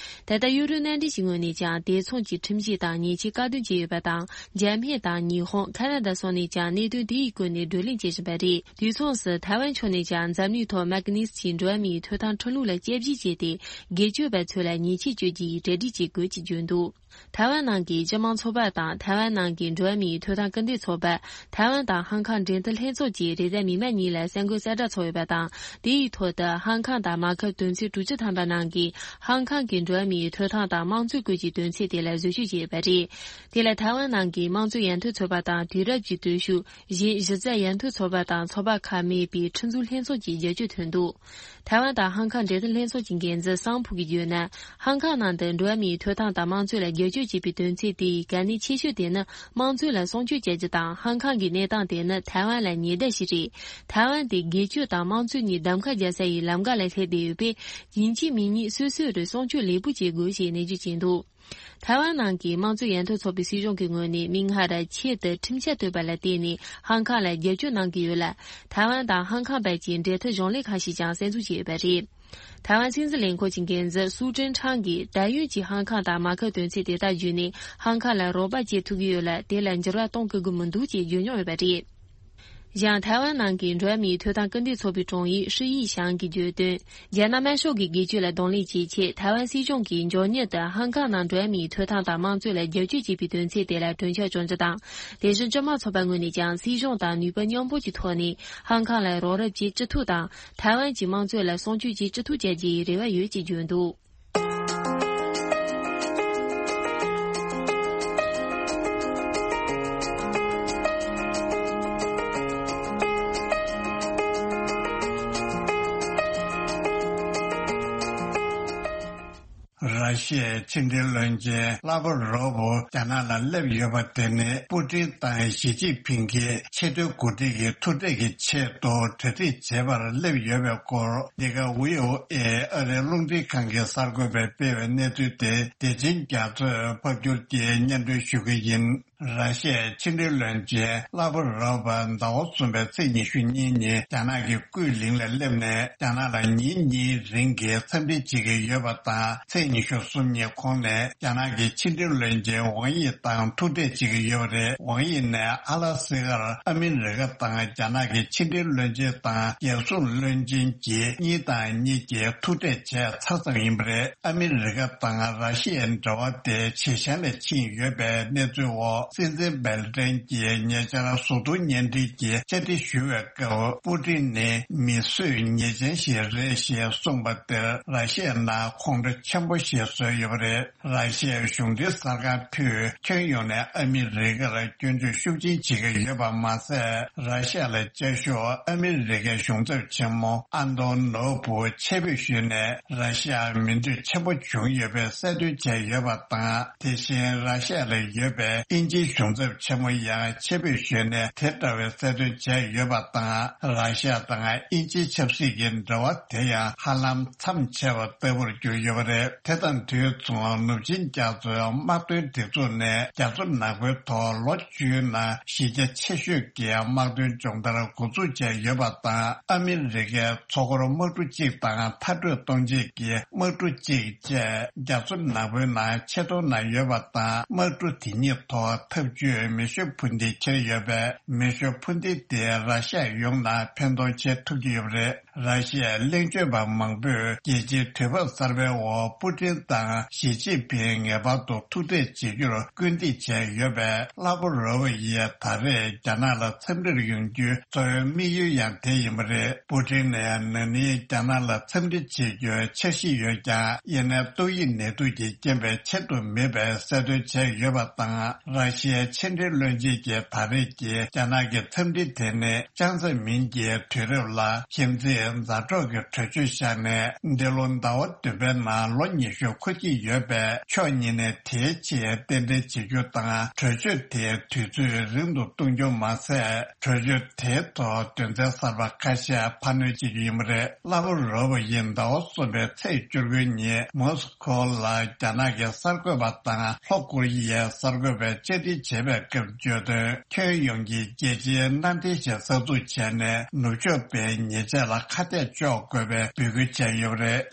ད་ལྟ་ཡུ་རོབ་མནའ་འབྲེལ་གྱི་ངོས་ནས་ཀྱང་དེ་མཚུངས་ཀྱི་ཁྲིམས་གཞི་དང་ཉེས་ཆད་བཀག་སྡོམ་བྱས་ཡོད་པ་དང་། འཇར་མན་དང་ཉི་ཧོང་། ཁ་ན་ཌ་སོགས་ནས་ཀྱང་གནད་དོན་དེ་ཡི་སྐོར་ནས་བགྲོ་གླེང་བྱེད་བཞིན་པ་རེད། དུས་མཚུངས་སུ་ཐའེ་ཝན་ཕྱོགས་ནས་ཀྱང་འཛམ་གླིང་ཐོག་མེག་ནི་སི་ཀི་འགྲོ་བ་མིའི་ཐོབ་ཐང་ཁྲིམས་ལུགས་ལ་དཔྱད་ཞིབ་བྱས་ཏེ། སྒེར་གཅོད་པ་ཚོ་ལ་ཉེས་ཆད་གཅོད་རྒྱུའི་གྲ་སྒྲིག་བྱེད་དགོས་ཅེས་བརྗོད་འདུག་ཐའེ་ཝན་ནང་གི་སྤྱི་དམངས་ཚོགས་པ་དང་ཐའེ་ཝན་ནང་གི་འགྲོ་བ་མིའི་ཐོབ་ཐང་སྐུལ་འདེད་ཚོགས་པ། ཐའེ་ཝན་དང་ཧང་ཀང་འབྲེལ་མཐུད་ལྷན་ཚོགས་ཀྱིས་རེས་གཟའ་མིག་དམར་ཉིན་ལ་གསར་འགོད་གསལ་བསྒྲགས་ཚོགས་ཡོད་པ་དང་། དེའི་ཐོག་ཏུ་ཧང་ཀང་དང་མ་ཁབ་དོན་ཚན་དྲུག་ཅུ་ཐམ་པ་ནང་གི་ཧང་ཀང་གི་འགྲོ་བ་མིའི་ཐོབ་ཐང་དང་དམངས་གཙོའི་སྐོར་གྱི་དོན་ཚན་དེ་ལ་བཟོ་བཅོས་བྱས་ཡོད་པ་རེད། དེ་ལ་ཐའེ་ཝན་ནང་གི་དམངས་གཙོའི་ཡར་ཐོན་ཚོགས་པ་དང་དུས་རབས་ཀྱི་སྟོབས་ཤུགས་གཞན་གཞི་རྩ་ཡར་ཐོན་ཚོགས་པ་དང་ཚོགས་པ་ཁག་མེད་པའི་ཁྲིམས་བཟོ་ལྷན་ཚོགས་ཀྱིས་བསྒྱུར་བཅོས་ཐོན་འདུག་ཐའེ་ཝན་དང་ཧང་ཀང་འབྲེལ་མཐུད་ལྷན་ཚོགས་ཀྱི་འགན་འཛིན་སང་ཕུ་གིས་བརྗོད་ན། ཧང་ཀང་ནང་དུ་འགྲོ་བ་མིའི་ཐོབ་ཐང་དང་དམངས་གཙོ་ལ་བསྒྱུར་བཅོས་བྱེད་པའི་དོན་ཚན་དེའི་གལ་གནད་ཆེ་ཤོས་དེ་ནི་དམངས་གཙོ་ལ་སྲུང་སྐྱོབ་བྱ་རྒྱུ་དང་། ཧང་ཀང་གི་གནས་སྟངས་དེ་ནི་ཐའེ་ཝན་ལ་ཉེ་བརྡ་ཞིག་རེད། ཐའེ་ཝན་དེ་སྒེར་གཅོད་དང་དམངས་གཙོ་གཉིས་གདམ་ག་རྒྱག་ས་ཡི་ལམ་ཁ་ལ་སླེབས་བསྡད་ཡོད་པས། ཡིན་གཅིག་མིན་གཉིས་སོ་སོ་རུ་སྲུང་སྐྱོབ་ལེགས་པོ་བྱེད་དགོས་ཞེས་ནན་བརྗོད་བྱས་འདུག་ཐའེ་ཝན་ནང་གི་དམངས་གཙོ་ཡར་ཐོན་ཚོགས་པའི་སྲིད་གཞུང་གི་ངོས་ནས་མིག་སྔར་ཆེད་དུ་ཁྲིམས་འཆར་བཏོན་པ་ལ་བརྟེན་ནས་ཧང་ཀང་ལ་བསྒྱུར་བཅོས་གནང་གི་ཡོད་ལ། ཐའེ་ཝན་དང་ཧང་ཀང་བར་གྱི་འབྲེལ་མཐུད་གཞུང་ལས་ཁང་ཞིག་ཀྱང་གསར་འཛུགས་བྱས་ཡོད་པ་རེད། ཐའེ་ཝན་སྲིད་འཛིན་ལས་ཁུངས་ཀྱི་འགན་འཛིན་སུའུ་ཀྲེན་ཁྲང་གིས། ད་ཡོད་ཀྱི་ཧང་ཀང་དང་མ་ཁབ་དོན་ཚན་དེ་དག་བརྒྱུད་ནས་ཧང་ཀང་ལ་རོགས་པ་བྱེད་ཐུབ་ཀྱི་ཡོད་ལ། དེ་ལ་འགྱུར་བ་གཏོང་དགོས་ཀྱི་མི་འདུག་ཅེས་བརྗོད་མྱོང་ཡོད་པ་རེད། གཞན་ཐའེ་ཝན་ནང་གི་འགྲོ་བ་མིའི་ཐོབ་ཐང་སྐུལ་འདེད་ཚོགས་པའི་དྲུང་ཡིག་ཧྲི་ཡི་ཞང་གིས་བརྗོད་དོན། རྒྱ་ནག་དམར་ཤོག་གི་སྒེར་གཅོད་ལ་གདོང་ལེན་བྱེད་ཆེད་ཐའེ་ཝན་སྲིད་གཞུང་གིས་མགྱོགས་མྱུར་དུ་ཧང་ཀང་ནང་འགྲོ་བ་མིའི་ཐོབ་ཐང་དང་དམངས་གཙོ་ལ་བསྒྱུར་བཅོས་བྱེད་པའི་དོན་ཚན་དེ་ལ་གྲོས་འཆར་བྱུང་རྒྱུ་དང་། དེ་བཞིན་སྤྱི་དམངས་ཚོགས་པ་ངོས་ནས་ཀྱང་སྲིད་གཞུང་དང་ནུས་པ་མཉམ་སྤུངས་ཀྱི་ཐོག་ནས་ཧང་ཀང་ལ་རོགས་རམ་བྱེད་ཅི་ཐུབ་དང་། ཐའེ་ཝན་གྱི་དམངས་གཙོ་ལ་སྲུང་སྐྱོབ་བྱེད་ཅི་ཐུབ་བྱ་རྒྱུའི་རེ་བ་ཡོད་ཅེས་བརྗོད་འདུག་ར་ཤི་ཡའི་ཕྱི་འབྲེལ་བློན་ཆེན་ལ་ཝ་རོབ་རྒྱ་ནག་ལ་སླེབས་ཡོད་པ་དེ་ནི་པུ་ཏིན་དང་ཞི་ཅིན་ཕིང་གིས་ཆེས་མཐོའི་འགོ་ཁྲིད་ཀྱི་ཐུག་འཕྲད་ཀྱི་ཆེད་དུ་གྲ་སྒྲིག་བྱེད་པར་སླེབས་ཡོད་པའི་སྐོར། འདི་ག་ཝི་ཨོ་ཨེ་ཨ་རིའི་རླུང་འཕྲིན་ཁང་གི་གསར་འགོད་པས་སྤེལ་བའི་གནས་ཚུལ་དེ་བདེ་ཆེན་རྒྱ་མཚོས་ཕབ་སྒྱུར་གྱིས་སྙན་སྒྲོན་ཞུ་གི་ཡིན། ར་ཤི་ཡའི་ཕྱི་འབྲེལ་བློན་ཆེན་ལ་ཝ་རོབ་ཟླ་བ་གསུམ་པའི་ཚེས་ཉི་ཤུ་གཉིས་ཉིན་རྒྱ་ནག་གི་ཀུའེ་ལིང་ལ་སླེབས་ནས། རྒྱ་ནག་ལ་ཉིན་གཉིས་རིང་གི་འཚམས་འདྲི་བྱེད་ཀྱི་ཡོད་པ་དང་། ཚེས་ཉི་ཤུ་ གསུམ་གཉིས་གོང་ནས་རྒྱ་ནག་གི་ཕྱི་འབྲེལ་བློན་ཆེན་ཝང་དབྱི་དང་ཐུག་འཕྲད་བྱེད་ཀྱི་ཡོད་པ་རེད། ཝང་དབྱི་ནས་ཨ་ལ་སི་ཀར་ཨ་མི་རི་ཀ་དང་རྒྱ་ནག་གི་ཕྱི་འབྲེལ་བློན་ཆེན་དང་རྒྱལ་སྲུང་བློན་ཆེན་གྱིས་གཉིས་དང་གཉིས་ཀྱིས་ཐུག་འཕྲད་བྱས་ཚར་ཙམ་ཡིན་པ་རེད། ཨ་མི་རི་ཀ་དང་ར་ཤི་ཡའི་འབྲེལ་བ་དེ་ཇེ་ཞན་ལ་ཕྱིན་ཡོད་པའི་གནས་ཚུལ་འོག་སྲིད་འཛིན་སྦེལ་ཏྲན་གྱིས་ཉེ་ཆར་གཟུགས་མཐོང་བརྙན་འཕྲིན་གྱི་བཅར་འདྲི་ཞུ་བའི་སྐབས། པུ་ཏིན་ནི་མི་གསོད་ཉེས་ཅན་ཞིག་རེད་ཞེས་གསུངས་པ་དེར་ར་ཤི་ཡའི་ནང་ཁོང་ཁྲོ་ཆེན་པོ་ཞིག་བཟོས་ཡོད་པ་རེད། ར་ཤི་ཡའི་གཞུང་འབྲེལ་གསར་ཁང་ཕུད་ཁྱོན་ཡོངས་ནས་ཨ་མི་རི་ཀར་སྐྱོན་བརྗོད་ཤུགས་ཆེན་བྱེད་ཀྱི་ཡོད་པ་མ་ཟད། ར་ཤི་ཡ་ལ་བཅའ་བཞུགས་ཨ་མི་རི་ཀའི་གཞུང་ཚབ་ཆེན་མོ་ཨན་ཏོ་ནོ་བུ་ཆེད་ཕེབས་ཞུས་ནས་ར་ཤི་ཡར་མི་འདོད་ཆེན་པོ་བྱུང་ཡོད་པའི་གསལ་སྟོན་བྱས་ཡོད་པ་དང་། དེ་བཞིན་ར་ཤི་ཡ་ལ་ཡོད་པའི་དབྱིན་ཇིའི་གཞུང་ཚབ་ཆེན་མོ་ཡང་ཆེད་ཕེབས་ཞུས་ནས་དེ་འདྲ་བའི་གསལ་སྟོན་བྱས་ཡོད་པ་དང་། ར་ཤི་ཡ་དང་དབྱིན་ཇིའི་ཆབ་སྲིད་ཀྱི་འབྲེལ་བ་དེ་ཡང་ཧ་ལམ་མཚམས་ཆད་པ་ལྟ་བུར་གྱུར་ཡོད་པ་རེད། དེ་དང་དུས་མཚུངས་ནུབ་ཆིངས་རྒྱ་མཚོའི་དམག་དོན་སྒྲིག་འཛུགས་ནས་རྒྱ་མཚོ་ནག་པོའི་ཐོག་ལོ་བཅུའི་ནང་གཞི་རྒྱ་ཆེ་ཤོས་ཀྱི་དམག་དོན་སྦྱོང་བརྡར་འགོ་འཛུགས་བྱས་ཡོད་པ་དང་། ཨ་མི་རི་ཀའི་མཚོ་སྐོར་དམག་གྲུ་གཅིག་དང་མཐའ་སྐྲོད་གཏོང་བྱེད་ཀྱི་དམག་གྲུ་གཅིག་བཅས་རྒྱ་མཚོ་ནག་པོའི་ནང་ཆེད་གཏོང་གནང་ཡོད་པ་དང་། དམག་གྲུ་དེ་གཉིས་ཐོག་འཐབ་ཇུས་མེ་ཤུགས་འཕུར་མདེལ་འཁྱེར་ཡོད་པས། མེ་ཤུགས་འཕུར་མདེལ་དེས་ར་ཤ་ཡ་ཡོངས་ལ་ཕན་ཐོགས་བྱེད་ཐུབ་ཀྱི་ཡོད་པ་རེད། ར་ཤི་ཡའི་གླེང་བརྗོད་པ་མང་པོས་རྒྱལ་སྤྱིའི་དུས་བབ་གསར་པའི་འོག་པུ་ཏིན་དང་ཞི་ཅིན་ཕིང་ངེས་པར་དུ་ཐུག་འཕྲད་བྱེད་རྒྱུར་སྐུལ་འདེད་བྱས་ཡོད་པས། ལྷ་བོ་རོ་བོ་ཡིས་ད་རེས་རྒྱ་ནག་ལ་འཚམས་འདྲིར་ཡོང་རྒྱུའི་གཙོ་བོའི་དམིགས་ཡུལ་ཡང་དེ་ཡིན་པ་རེད། པུ་ཏིན་ནས་ན་ནིང་རྒྱ་ནག་ལ་འཚམས་འདྲི་བྱེད་རྒྱུའི་འཆར་གཞི་ཡོད་ཀྱང་། དབྱིན་ལན་ཏོག་དབྱིབས་ནད་དུག་གི་རྐྱེན་པས་བྱེད་དུ་མེད་པའི་གསལ་སྟོན་བྱས་ཡོད་པ་དང་། ར་ཤི་ཡའི་ཕྱི་འབྲེལ་བློན་ཆེན་གྱིས་ད་རེས་ཀྱི་རྒྱ་ནག་གི་འཚམས་འདྲི་དེ་ནི་ཅང་ཙེ་མིན་གྱི་དུས་རབས་ལ་གཞི་འཛིན་མཛའ་གྲོགས་ཀྱི་གྲོས་ཆོད་བཞག་ནས། འདི་ལོ་ཟླ་བ་བདུན་པའི་ནང་ལོ་ཉི་ཤུ་འཁོར་གྱི་ཡོད་པས། ཕྱོགས་གཉིས་ནས་དེའི་ཆེད་རྟེན་འབྲེལ་བྱེད་རྒྱུ་དང་། གྲོས་ཆོད་དེའི་དུས་ཚོད་རིང་དུ་གཏོང་རྒྱུ་མ་ཟད། གྲོས་ཆོད་དེའི་ཐོག་དོན་ཚན་གསར་པ་ཁ་ཤས་ཕར་སྣོན་བྱེད་རྒྱུ་ཡིན་པ་རེད། ལྷ་བོ་རོ་བོ་ཡིས་ཟླ་བ་གསུམ་པའི་ཚེས་བཅུ་དགུ་ཉིན་མོ་སི་ཁོ་ལ་རྒྱ་ནག་གི་གསར་འགོད་པ་དང་ལྷོ་ཀོ་རི་ཡའི་གསར་འགོད་པས་བཅར་འདྲི་བྱས་པའི་སྐབས་བརྗོད་དོན། ཁྱོན་ཡོངས་ཀྱི་རྒྱལ་སྤྱིའི་མནའ་འབྲེལ་ཞིག་གསར་འཛུགས་བྱས་ནས། ནུབ་ཕྱོགས་པའི་ཉེས་ཆད་ལ་ཁ་གཏད་གཅོག་དགོས་པའི་འབོད་སྐུལ་བྱས་ཡོད་པ་རེད།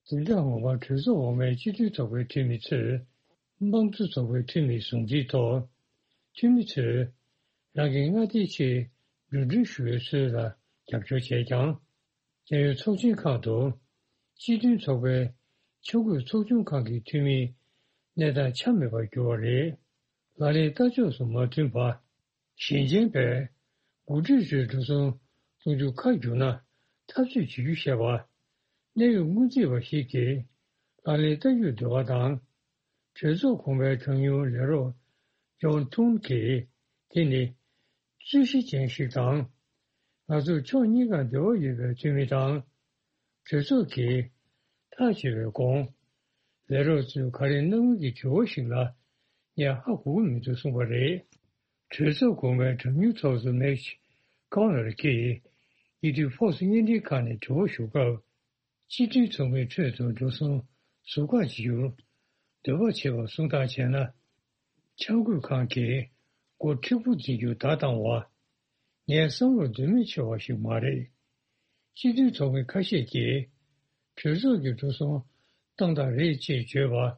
འཛིན་གྲྭ་ངོ་མ་གྲོས་ཚོགས་འོག་མའི་སྤྱི་འཐུས་ཚོགས་པའི་འཐུས་མི་ཚོས་དམངས་གཙོ་ཚོགས་པའི་འཐུས་མི་ཟུང་འབྲེལ་ཐོག་འཐུས་མི་ཚོས་རང་གི་མངའ་སྡེའི་ཆེད་འགྲོ་གྲོན་ཞུ་བའི་སྲོལ་ལ་རྒྱབ་སྐྱོར་བྱས་ཀྱང་། རྒྱལ་ཡོངས་ཚོགས་ཆེན་ཁག་ཏུ་སྤྱི་མཐུན་ཚོགས་པའི་འཆར་འགོད་ཚོགས་ཆུང་ཁང་གི་འཐུས་མིའི་གནས་སྟངས་ཆ་མེད་པར་གྱུར་བ་རེད། ལག་ལེན་ལྟ་ཕྱོགས་སུ་མ་མཐུན་པ། ཞིང་ཆེན་པས་འགོ་ཁྲིད་ཚོའི་འགྲོ་སོང་གཏོང་རྒྱུ་ཁ་བསྒྱུར་ན་འཐབ་རྩོད་བྱེད་རྒྱུ་ཞེས་པ། གནད་ཡོད་སྔོན་རྩིས་པ་ཞིག་གིས་ལག་ལེན་བསྟར་རྒྱུར་འདོད་པ་དང་། གྲོས་ཚོགས་གོང་མའི་གྲངས་ཉུང་ལས་རོགས་ཇོན་ཐུན་གྱིས་དེ་ནི་རྩོད་གཞི་ཅན་ཞིག་དང་། ང་ཚོར་ཕྱོགས་གཉིས་ཀར་འབྲེལ་བ་ཡོད་པའི་འཐུས་མི་དང་། གྲོས་ཚོགས་ཀྱིས་ཐག་བཅད་པའི་གོང་ལས་རོགས་ཚོས་ག་རེ་གནང་མིན་གྱི་དྲི་བ་ཞིག་ལ་ངས་ཧ་གོ་གི་མི་འདུག་གསུངས་པ་རེད། གྲོས་ཚོགས་གོང་མའི་གྲངས་ཉུང་ཚོགས་གཙོ་མེག་ཀོ་ནལ་གྱིས་ཡིད་སྤྲོད་ཕོགས་སུ་བརྙན་འཕྲིན་ཁང་ནས་དྲི་བ་ཞུ་སྐབས། སྤྱི་མཐུན་ཚོགས་མིའི་ཁྲོད་དུ་འགྲོ་སོང་ཟུར་བཀག་བྱེད་རྒྱུར་འདོད་པ་བྱེད་པར་སུངས་ཐག་བྱས་ན། འཆར་འགོད་ཁང་གིས་འགོ་མཁྲེགས་པོ་འཛིན་རྒྱུ་བརྡ་བཏང་བ། ངའི་བསམ་བློར་འདོད་མི་ཆེ་བ་ཞིག་མ་རེད། སྤྱི་མཐུན་ཚོགས་མི་ཁ་ཤས་ཀྱིས་གྲོས་ཚོགས་ཀྱི་འགྲོ་སོང་བཏང་སྟངས་རེད་ཅེས་བརྗོད་པ།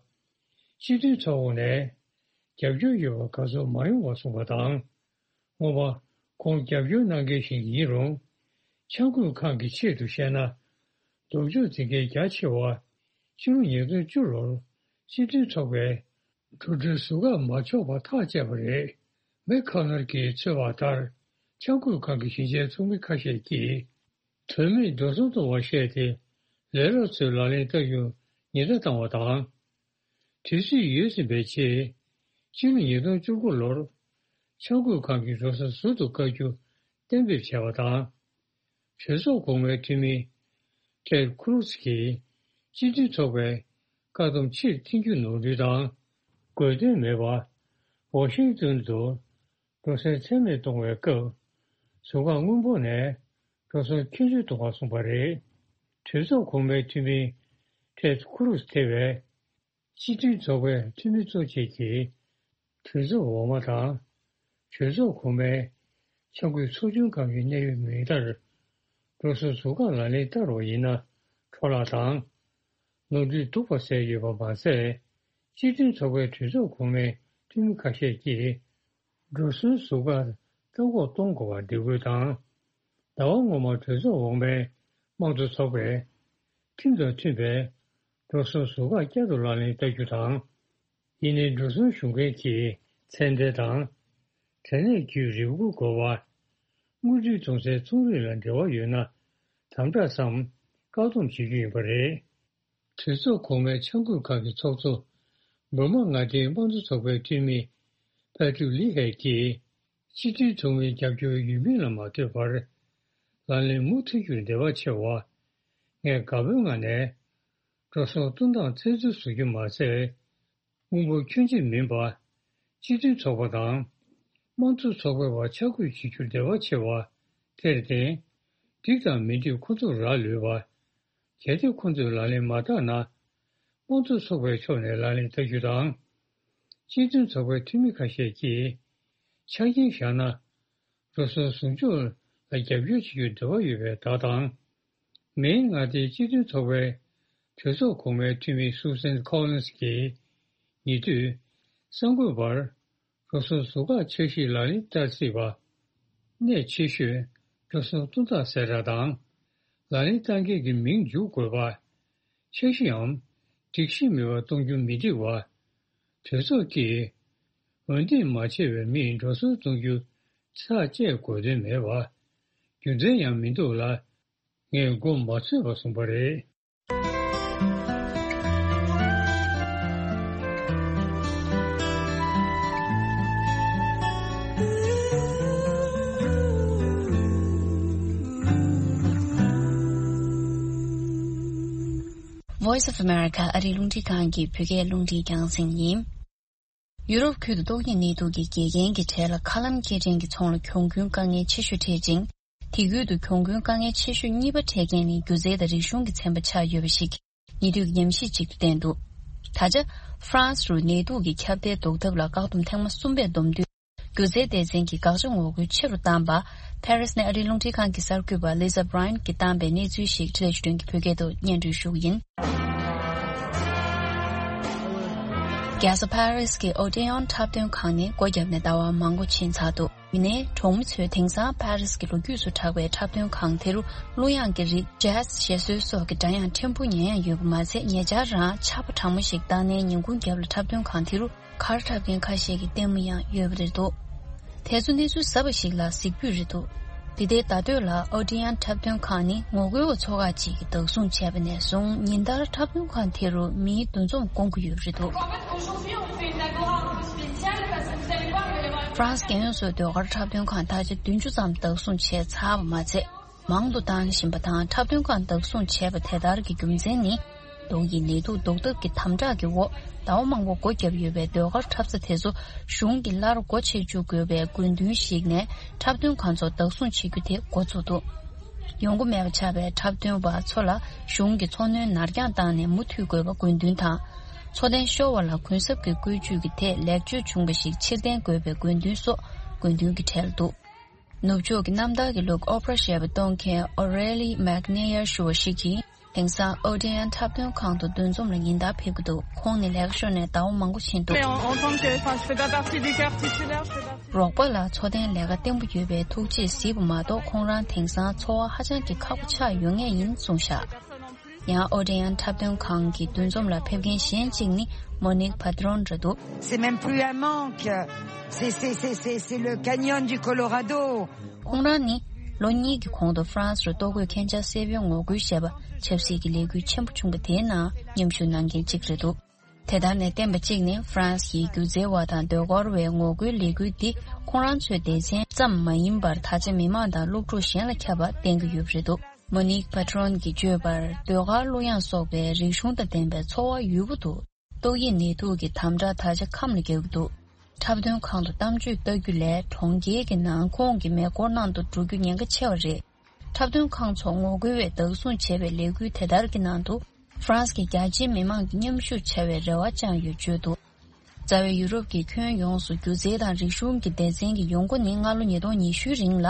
སྤྱི་མཐུན་ཚོགས་འོག་ནས་རྒྱབ་སྐྱོར་ཡོད་པ་ག་ཚོད་མ་ཡོང་བ་གསུངས་པ་དང་། སྔོན་མ་ཁོང་རྒྱབ་སྐྱོར་གནང་མཁན་ཞིག་ཡིན་རུང་། འཆར་འགོད་ཁང་གི་ཆེད་དུ་བཤད་ན། ལྡོག་ཕྱོགས་འཛིན་མཁན་རྒྱ་ཆེ་བ། ཕྱི་ལོ་ཉིས་སྟོང་བཅུ་ལོར་སྤྱི་མཐུན་ཚོགས་པས་གྲོས་ཚོགས་ཟུར་བཀག་མ་ཆོག་པ་ཐག་བཅད་པ་རེད། མེག་ཁོ་ནལ་གྱིས་འཚོལ་བ་ལྟར། འཆར་འགོད་ཁང་གི་གཞིས་ཆགས་ཚོགས་མི་ཁ་ཤས་ཀྱིས། དོན་མེད་འགྲོ་སོང་གཏོང་བར་བཤད་དེ། ལས་རོགས་ཚོས་ལག་ལེན་བསྟར་རྒྱུར་ཉེན་བརྡ་བཏང་བ་དང་། དུས་ཚོད་ཡོལ་ཟིན་པའི་ཆེད། ཕྱི་ལོ་ཉིས་སྟོང་བཅུ་དགུ་ལོར། འཆར་འགོད་ཁང་གི་འགྲོ་སོང་ཟུར་དུ་བཀག་རྒྱུ་གཏན་འབེབས་བྱས་པ་དང་། གྲོས་ཚོགས་གོང་མའི་འཐུས་མི་ཏེད་ཁུ་རུ་ཛི་གིས་སྤྱི་མཐུན་ཚོགས་པའི་བཀག་སྡོམ་ཕྱིར་འཐེན་རྒྱུ་ནོར་འཁྲུལ་དང་དགོས་དོན་མེད་པར་ཝ་ཤིང་ཏོན་དུ་འགྲོ་སོང་ཚད་མེད་གཏོང་བའི་སྐབས། ཟུར་བཀག་སྔོན་པོ་ནས་འགྲོ་སོང་ཁྱད་གསོད་གཏོང་བར་གསུངས་པ་རེད། གྲོས་ཚོགས་གོང་མའི་འཐུས་མི་ཏེད་ཁུ་རུ་ཛི་ཐེ་བའི། སྤྱི་མཐུན་ཚོགས་པའི་འཐུས་མི་གཙོ་བྱས་ཀྱི་གྲོས་ཚོགས་འོག་མ་དང་། གྲོས་ཚོགས་གོང་མའི་ འཆར་འགོད་ཚོགས་ཆུང་ཁག་གི་གནད་ཡོད་མིང་ལྟར། འགྲོ་སོང་ཟུར་བཀག་ལག་ལེན་བསྟར་བ་ཡིན་ན། འཕྲོ་བརླག་དང་། ནོར་འཁྲུལ་འདུག་པ་གསལ་ཡོད་པ་མ་ཟད། སྤྱི་མཐུན་ཚོགས་པའི་གྲོས་ཚོགས་གོང་མའི་འཐུས་མི་ཁ་ཤས་ཀྱིས། འགྲོ་སོང་ཟུར་བཀག་བཀག་འགོག་གཏོང་དགོས་པར་འབོད་སྐུལ་དང་། ཟླ་བ་སྔོན་མར་གྲོས་ཚོགས་འོག་མའི་དམངས་གཙོ་ཚོགས་པས། ཁྲིམས་དང་མཐུན་པའི་འགྲོ་སོང་ཟུར་བཀག་བསྐྱར་དུ་ལག་ལེན་བསྟར་རྒྱུ་དང་། ཡིན་ནའི་འགྲོ་སོང་ཞུ་མཁན་གྱི་ཚད་ལྡན་དང་། དྲ་གནས་བརྒྱུད་རེ་སྐུལ་དགོས་པ། དངུལ་འབྲེལ་གཏོང་སའི་ཚོང་རིགས་ལ་འབྲེལ་བ་ཡོད་ན། དམ་དྲག་སམ་བཀག་སྡོམ་བྱེད་རྒྱུ་ཡིན་པ་རེད། གྲོས་ཚོགས་གོང་མའི་འཆར་འགོད་ཁག་གི་ཚོགས་གཙོ། འབར་མ་མངའ་སྡེའི་དམངས་གཙོ་ཚོགས་པའི་འཐུས་མི། པད་ཀྲུག་ལི་ཧེ་གིས། སྤྱི་མཐུན་ཚོགས་མིའི་རྒྱབ་སྐྱོར་ཡོད་མིན་ལ་མ་ལྟོས་པར། ལག་ལེན་མུ་མཐུད་རྒྱུར་འབྲེལ་བ་ཆེ་བ། ངས་དགའ་པོའི་ངང་ནས། འགྲོ་སོང་གཏོང་སྟངས་བཙན་འཛུལ་བཟོ་རྒྱུ་མ་ཟད། དངུལ་འབོར་ཁྱོན་ཆེ་མིན་པ། སྤྱི་མཐུན་ཚོགས་པ་དང་། དམངས་གཙོ་ཚོགས་པའི་བར་ཆ་བགོས་བྱེད་རྒྱུར་འབྲེལ་བ་ཆེ་བ། དེར་བརྟེན། འགྲིག་དང་མི་འགྲིག་ཁོ་ཚོར་རག་ལུས་པ། གལ་ཏེ་ཁོ་ཚོས་ལག་ལེན་མ་བསྟར་ན། དམངས་གཙོ་ཚོགས་པའི་ཕྱོགས་ནས་ལག་ལེན་བསྟར་རྒྱུ་དང་། སྤྱི་མཐུན་ཚོགས་པའི་འཐུས་མི་ཁ་ཤས་ཀྱིས། ཆ་རྐྱེན་བཞག་ན། འགྲོ་སོང་ཟུར་འཇོག་ལ་རྒྱབ་སྐྱོར་བྱེད་རྒྱུར་འབྲེལ་བ་ཡོད་པའི་བརྡ་དང་། མེའི་མངའ་སྡེའི་སྤྱི་མཐུན་ཚོགས་པའི་གྲོས་ཚོགས་གོང་མའི་འཐུས་མི་སུ་སན་ཁོ་ལིན་སི་གིས། ཉེ་དུས། གསར་འགོད་པར། འགྲོ་སོང་ཟུར་བཀག་འཆར་གཞིའི་ལག་ལེན་བསྟར་སྲིད་པ། གནད་ཆེ་ཤོས། འགྲོ་སོང་གཏོང་སྟངས་གསལ་བསྒྲགས་དང་། ལག་ལེན་བསྟར་མཁན་གྱི་མིང་འཇུག་དགོས་པ། འཆར་གཞིའམ། སྒྲིག་གཞི་མེད་པར་གཏོང་རྒྱུ་མི་འགྲིག་པ། གྲོས་ཚོགས་ཀྱིས། འོས་འདེམས་མ་བྱས་པའི་མིས་འགྲོ་སོང་གཏོང་རྒྱུ་ཚར་བཅད་དགོས་དོན་མེད་པ། རྒྱུ་མཚན་ཡང་མི་འདུག་ལ། ངས་མགོ་མ་ཚོས་པ་གསུངས་པ་རེད། Voice of America ཨ་རིའི་རླུང་འཕྲིན་ཁང་གི་བོད་སྐད་རླུང་འཕྲིན་རྒྱང་སྲིང་ཡིན། ཡུ་རོབ་ཁུལ་དུ་ཏོག་དབྱིབས་ནད་དུག་གི་འགོས་མཁན་གྱི་གྲས་ལ་མཁའ་ལམ་སྐྱེལ་འདྲེན་གྱི་ཚོང་ལ་གྱོང་གུན་དཀའ་ངལ་ཆེ་ཤོས་འཕྲད་ཅིང་། དེ་ཁུལ་དུ་གྱོང་གུན་དཀའ་ངལ་ཆེ་ཤོས་གཉིས་པ་འཕྲད་མཁན་ནི་སྒྱུ་རྩལ་དང་རིག་གཞུང་གི་ཚན་པ་ཆགས་ཡོད་པ་ཞིག་ཉེ་དུས་ཉམས་ཞིབ་ཅིག་ཏུ་བསྟན་འདུག་ད་ཆ། ཧྥ་རན་སི་རུ་ནད་དུག་གི་ཁྱབ་གདལ་ཟློག་ཐབས་ལ་བཀག་སྡོམ་ཐེངས་མ་གསུམ་པས་བསྡོམས་དུས། སྒྱུ་རྩལ་སྡེ་ཚན་གྱིས་དགག་བྱ་ངོ་རྒོལ་ཆེ་རུ་བཏང་པ། ཕ་རི་སི་ནས་ཨ་རིའི་རླུང་འཕྲིན་ཁང་གི་གསར་འགོད་པ་ལི་ཛ་བྷ་རའེན་གྱིས་བཏང་པའི་གནས་ཚུལ་ཞིག་འཕྲིན་ལས་ཞུ་མཁན་གྱི་བོད་སྐད་དུ་སྙན་སྒྲོན་ཞུ་གི་ཡིན། རྒྱལ་ས་ཕ་རི་སི་གི་ཨོ་ཏེ་ཡོན་འཁྲབ་སྟོན་ཁང་ནི་སྒོ་བརྒྱབ་ནས་ཟླ་བ་མང་པོ་ཕྱིན་ཚར་འདུག་ཡིན་ནའི་གྲོང་མི་ཚོས་དེང་སང་ཕ་རི་སི་གི་ལོ་རྒྱུས་སུ་གྲགས་པའི་འཁྲབ་སྟོན་ཁང་དེ་རུ་གླུ་དབྱངས་ཀྱི་རིགས་ཇེ་ཛི་ཞེས་སྲོལ་སོགས་ཀྱི་སྒྲ་དབྱངས་ཕྲན་བུ་ཉན་ཡང་ཡོད་པ་མ་ཚད། ཉེ་ཆར་རང་ཆར་པ་གྲང་མོ་ཞིག་བཏང་ནའི་ཉིན་གུང་རྒྱབ་ལ་འཁྲབ་སྟོན་ཁང་དེ་རུ་གར་འཁྲབ་མཁན་ཁ་ཤས་ཀྱིས་ལྟད་མོ་ཡང་ཡོད་པ་རེད་འདུག་དེ་ཚོ་གནས་ཚུལ་གསར་པ་ཞིག་ལ་གཟིགས་འབུལ་རེད་འདུག་དེ་ལྟའི་ཟླ་སྟོད་ལ་ཨོ་ཏི་ཡན་འཁྲབ་སྟོན་ཁང་ནི་ངོ་རྒོལ་བ་ཚོ་ཁག་ཅིག་གིས་བདག་བཟུང་བྱས་པ་ནས་བཟུང་ཉིན་ལྟར་འཁྲབ་སྟོན་ཁང་དེ་རུ་མིའི་འདུ་འཛོམས་སྐོང་གི་ཡོད་པ་རེད་འདུག་ཧྥ་རན་སི་རྒྱལ་ཡོངས་སུ་ཟློས་གར་འཁྲབ་སྟོན་ཁང་ད་ཆ་བདུན་ཅུ་ཙམ་བདག་བཟུང་བྱས་ཚར་བ་མ་ཚད། མང་དུ་བཏང་བཞིན་པ་དང་འཁྲབ་སྟོན་ཁང་བདག་བཟུང་བྱས་པ་དེ་ལྟར་གྱི་རྒྱུ་མཚན་ནི། ཏོག་དབྱིབས་ནད་དུག་ཟློག་ཐབས་ཀྱི་དམ་དྲག་གི་འོག་ཟླ་བ་མང་པོ་སྒོ་བརྒྱབ་ཡོད་པའི་ཟློས་གར་འཁྲབ་ས་དེ་ཚོ་གཞུང་གིས་སླར་སྒོ་ཕྱེ་བཅུག་དགོས་པའི་དགོས་འདུན་ཞིག་ནས་འཁྲབ་སྟོན་ཁང་ཚོ་བདག་བཟུང་བྱེད་རྒྱུ་དེ་འགོ་བཙུགས་འདུག་ཡོང་སྒོ་མེད་པ་ཆགས་པའི་འཁྲབ་སྟོན་པ་ཚོ་ལ་གཞུང་གིས་འཚོ་སྣོན་ནར་འགྱངས་བཏང་ནས་མུ་མཐུད་དགོས་པ་དགོས་འདུན་དང་། འཚོ་རྟེན་ཤོར་བ་ལ་གུན་གསབ་ཀྱི་བཀོལ་སྤྱོད་ཀྱི་ཐད་ལེགས་བཅོས་བྱུང་བ་ཞིག་ཕྱིར་འཐེན་དགོས་པའི་དགོས་འདུན་སོགས་དགོས་འདུན་གྱི་གྲས་ལ་འདུག་ནུབ་ཕྱོགས་ཀྱི་གནམ་བདག་གི་ལུགས་ཨོ་པ་ར་ཞེས་པ་གཏོང་མཁན་ཨོ་རེ་ལི་མེག་ནེ་ཡར་ཞུ་བ་ཞིག་གིས་དེང་སང་ཨོ་ཏི་ཡན་འཁྲབ་སྟོན་ཁང་དུ་འདུ་འཛོམས་ལ་ཉིན་ལྟར་ཕེབས་ཀྱི་འདུག་ཁོང་ནི་ལས་ཀ་ཤོར་ནས་ཟླ་བ་མང་པོ་ཕྱིན་འདུག Mais en, en tant que, enfin, je fais pas partie du cœur titulaire, je fais partie རོགས་པ་ལ་འཚོ་རྟེན་ལས་ཀ་བརྟན་པོ་ཡོད་པའི་ཐུགས་རྗེས་གཟིགས་པ་མ་གཏོགས་ཁོང་རང་དེང་སང་འཚོ་བ་ཧ་ཅང་གི་ཁག་པོ་ཆགས་ཡོད་ངེས་ཡིན་གསུངས་བཞག་ཡང་ཨོ་ཏི་ཡན་འཁྲབ་སྟོན་ཁང་གི་འདུ་འཛོམས་ལ་ཕེབས་མཁན་གཞན་གཅིག་ནི་མོ་ནིག་པ་ཏྲོན་རེད་འདུག C'est même plus un manque. C'est, c'est, c'est, c'est, c'est le canyon du Colorado. ཁོང་རང་ནི་ལོ་གཉིས་ཀྱི་གོང་དུ་ཧྥ་རན་སི་རུ་ལྟོ་གོས་ཁྱད་འཕགས་སེལ་བའི་ངོ་རྒོལ་ཞེས་པ་ཆབ་སྲིད་ཀྱི་ལས་འགུལ་ཆེན་པོ་བྱུང་བ་དེའི་ནང་མཉམ་ཞུགས་གནང་མཁན་གཅིག་རེད་འདུག་དེ་ལྟར་ནས་བསྟན་པ་གཅིག་ནི་ཧྥ་རན་སི་ཡི་སྒྱུ་རྩལ་བ་དང་ཟློས་གར་བའི་ངོ་རྒོལ་ལས་འགུལ་འདི་ཁོང་རང་ཚོའི་སྡེ་ཚན་ཙམ་མ་ཡིན་པར་ད་ཆ་མི་མང་དང་སློབ་ཕྲུག་གཞན་ལ་ཁྱབ་པ་བསྟན་གྱི་ཡོད་པ་རེད་འདུག་མོ་ནིག་པ་ཏྲོན་གྱིས་བརྗོད་པར་ཟློས་གར་གླུ་དབྱངས་སོགས་པའི་རིག་གཞུང་དང་ལྡན་པའི་འཚོ་བ་ཡུལ་པོ་འདུག་ཏོག་དབྱིབས་ནད་དུག་གི་དམ་དྲག་ད་ཆ་ཁམས་ལ་རྒྱག་གི་འདུག་འཁྲབ་སྟོན་ཁང་དུ་གཏམ་བརྗོད་ལྟ་རྒྱུ་ལས་གྲོང་ཁྱེར་གྱི་ནང་ཁོངས་ཀྱི་མེ་འཁོར་ནང་དུ་འགྲོ་རྒྱུ་ཉེན་ཁ་ཆེ་བ་རེད། འཁྲབ་སྟོན་ཁང་ཚོ་ངོ་རྒོལ་བས་བདག་བཟུང་བྱས་པའི་ལས་འགུལ་དེ་ལྟར་གྱི་ནང་དུ་ཧྥ་རན་སི་གི་རྒྱ་ཆེའི་མི་མང་གིས་མཉམ་ཞུགས་བྱ་བའི་རེ་བ་བཅངས་ཡོད་བརྗོད་འདུག་རྩ་བའི་ཡུ་རོབ་ཀྱི་ཁྱོན་ཡོངས་སུ་སྒྱུ་རྩལ་དང་རིག་གཞུང་གི་སྡེ་ཚན་གྱི་ཡོང་སྒོ་ནི་སྔ་ལོ་ཉིས་སྟོང་ཉི་ཤུའི་རིང་ལ་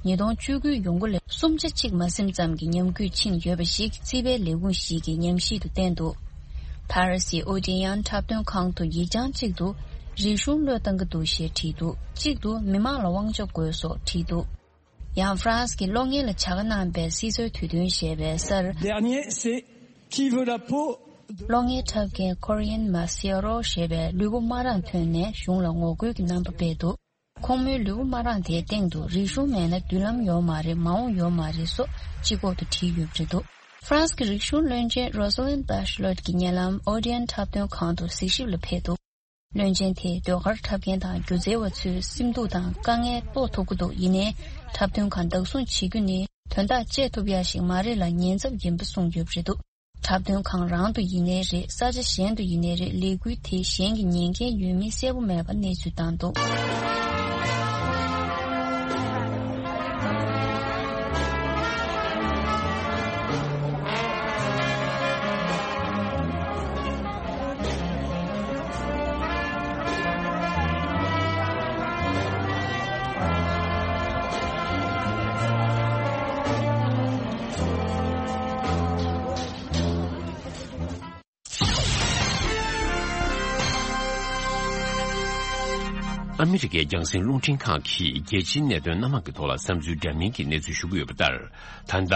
ཉིས་སྟོང་བཅུ་དགུའི་ཡོང་སྒོ་ལས་གསུམ་ཆ་གཅིག་མ་ཟིན་ཙམ་གྱི་ཉམས་རྒུད་ཕྱིན་ཡོད་པ་ཞིག་རྩིས་པའི་ལས་ཁུངས་ཤིག་གིས་ཉམས་ཞིབ་ཏུ་བསྟན་འདུག་ཕ་རི་སིའི་ཨོ་ཌི་ཡན་འཁྲབ་སྟོན་ཁང་དུ་ཡིག་བྱང་གཅིག་ཏུ་རིག་གཞུང་བློས་བཏང་གི་འདུག་ཞེས་བྲིས་འདུག་གཅིག་ཏུ་མི་མང་ལ་དབང་ཆ་དགོས་སོགས་བྲིས་འདུག་ཡང་ཧྥ་རན་སི་གི་གློག་བརྙན་ལ་བྱ་དགའ་གནང་བའི་སྲིད་ཚོའི་དུས་སྟོན་ཞེས་པའི་སར། Dernier, c'est Qui veut la peau de གློག་བརྙན་འཁྲབ་མཁན་ཀོ་རི་ཡན་མ་སི་ཨ་རོ་ཞེས་པས་ལུས་པོ་དམར་རང་ཐོན་ནས་གཞུང་ལ་ངོ་རྒོལ་གྱི་རྣམ་པ་སྤེལ་འདུག་ཁོང་མོའི་ལུས་པོ་དམར་རང་དེའི་སྟེང་དུ་རིག་གཞུང་མེད་ན་མདུན་ལམ་ཡོད་མ་རེད། མ་འོངས་ཡོད་མ་རེད་སོགས་སྤྱི་ཁོག་ཏུ་བྲིས་ཡོད་པ་རེད་འདུག་ཧྥ་རན་སི་གི་རིག་གཞུང་བློན་ཆེན་རོ་ས་ལིན་བྷ་ཤ་ལོད་ཀྱི་ཉེ་ལམ་ཨོ་ཌི་ཡན་འཁྲབ་སྟོན་ཁང་དུ་གཟིགས་ཞིབ་ལ་ཕེབས་འདུག་བློན་ཆེན་དེས་ཟློས་གར་འཁྲབ་མཁན་དང་སྒྱུ་རྩལ་བ་ཚོའི་སེམས་སྡུག་དང་དཀའ་ངལ་རྟོགས་ཐུབ་ཀྱི་འདུག་ཡིན་ནའི་འཁྲབ་སྟོན་ཁང་བདག་བཟུང་བྱེད་རྒྱུ་ནི་དོན་དག་བཅད་ཐུབ་ཡ་ཞིག་མ་རེད་ལ་ཉེན་ཚབས་ཡིན་པ་གསུངས་ཡོད་པ་རེད་འདུག་འཁྲབ་སྟོན་ཁང་རང་དུ་ཡིན་ནའི་རེད། ས་ཆ་གཞན་དུ་ཡིན་ནའི་རེད། ལས་འགུལ་དེ་གཞན་གྱི་ཉན་མཁན་ཡོད་མིན་གསལ་པོ་མེད་པ་གནས་ཚུལ་བཏང་འདུག་ཨ་མི་རི་ཀའི་རྒྱང་སྲིང་རླུང་འཕྲིན་ཁང་གིས་རྒྱལ་སྤྱིའི་གནད་དོན་སྣ་མང་གི་ཐོག་ལ་བསམ་ཚུལ་འདྲ་མིན་གྱི་གནས་ཚུལ་ཞུ་གི་ཡོད་པ་ལྟར། ད་ལྟ་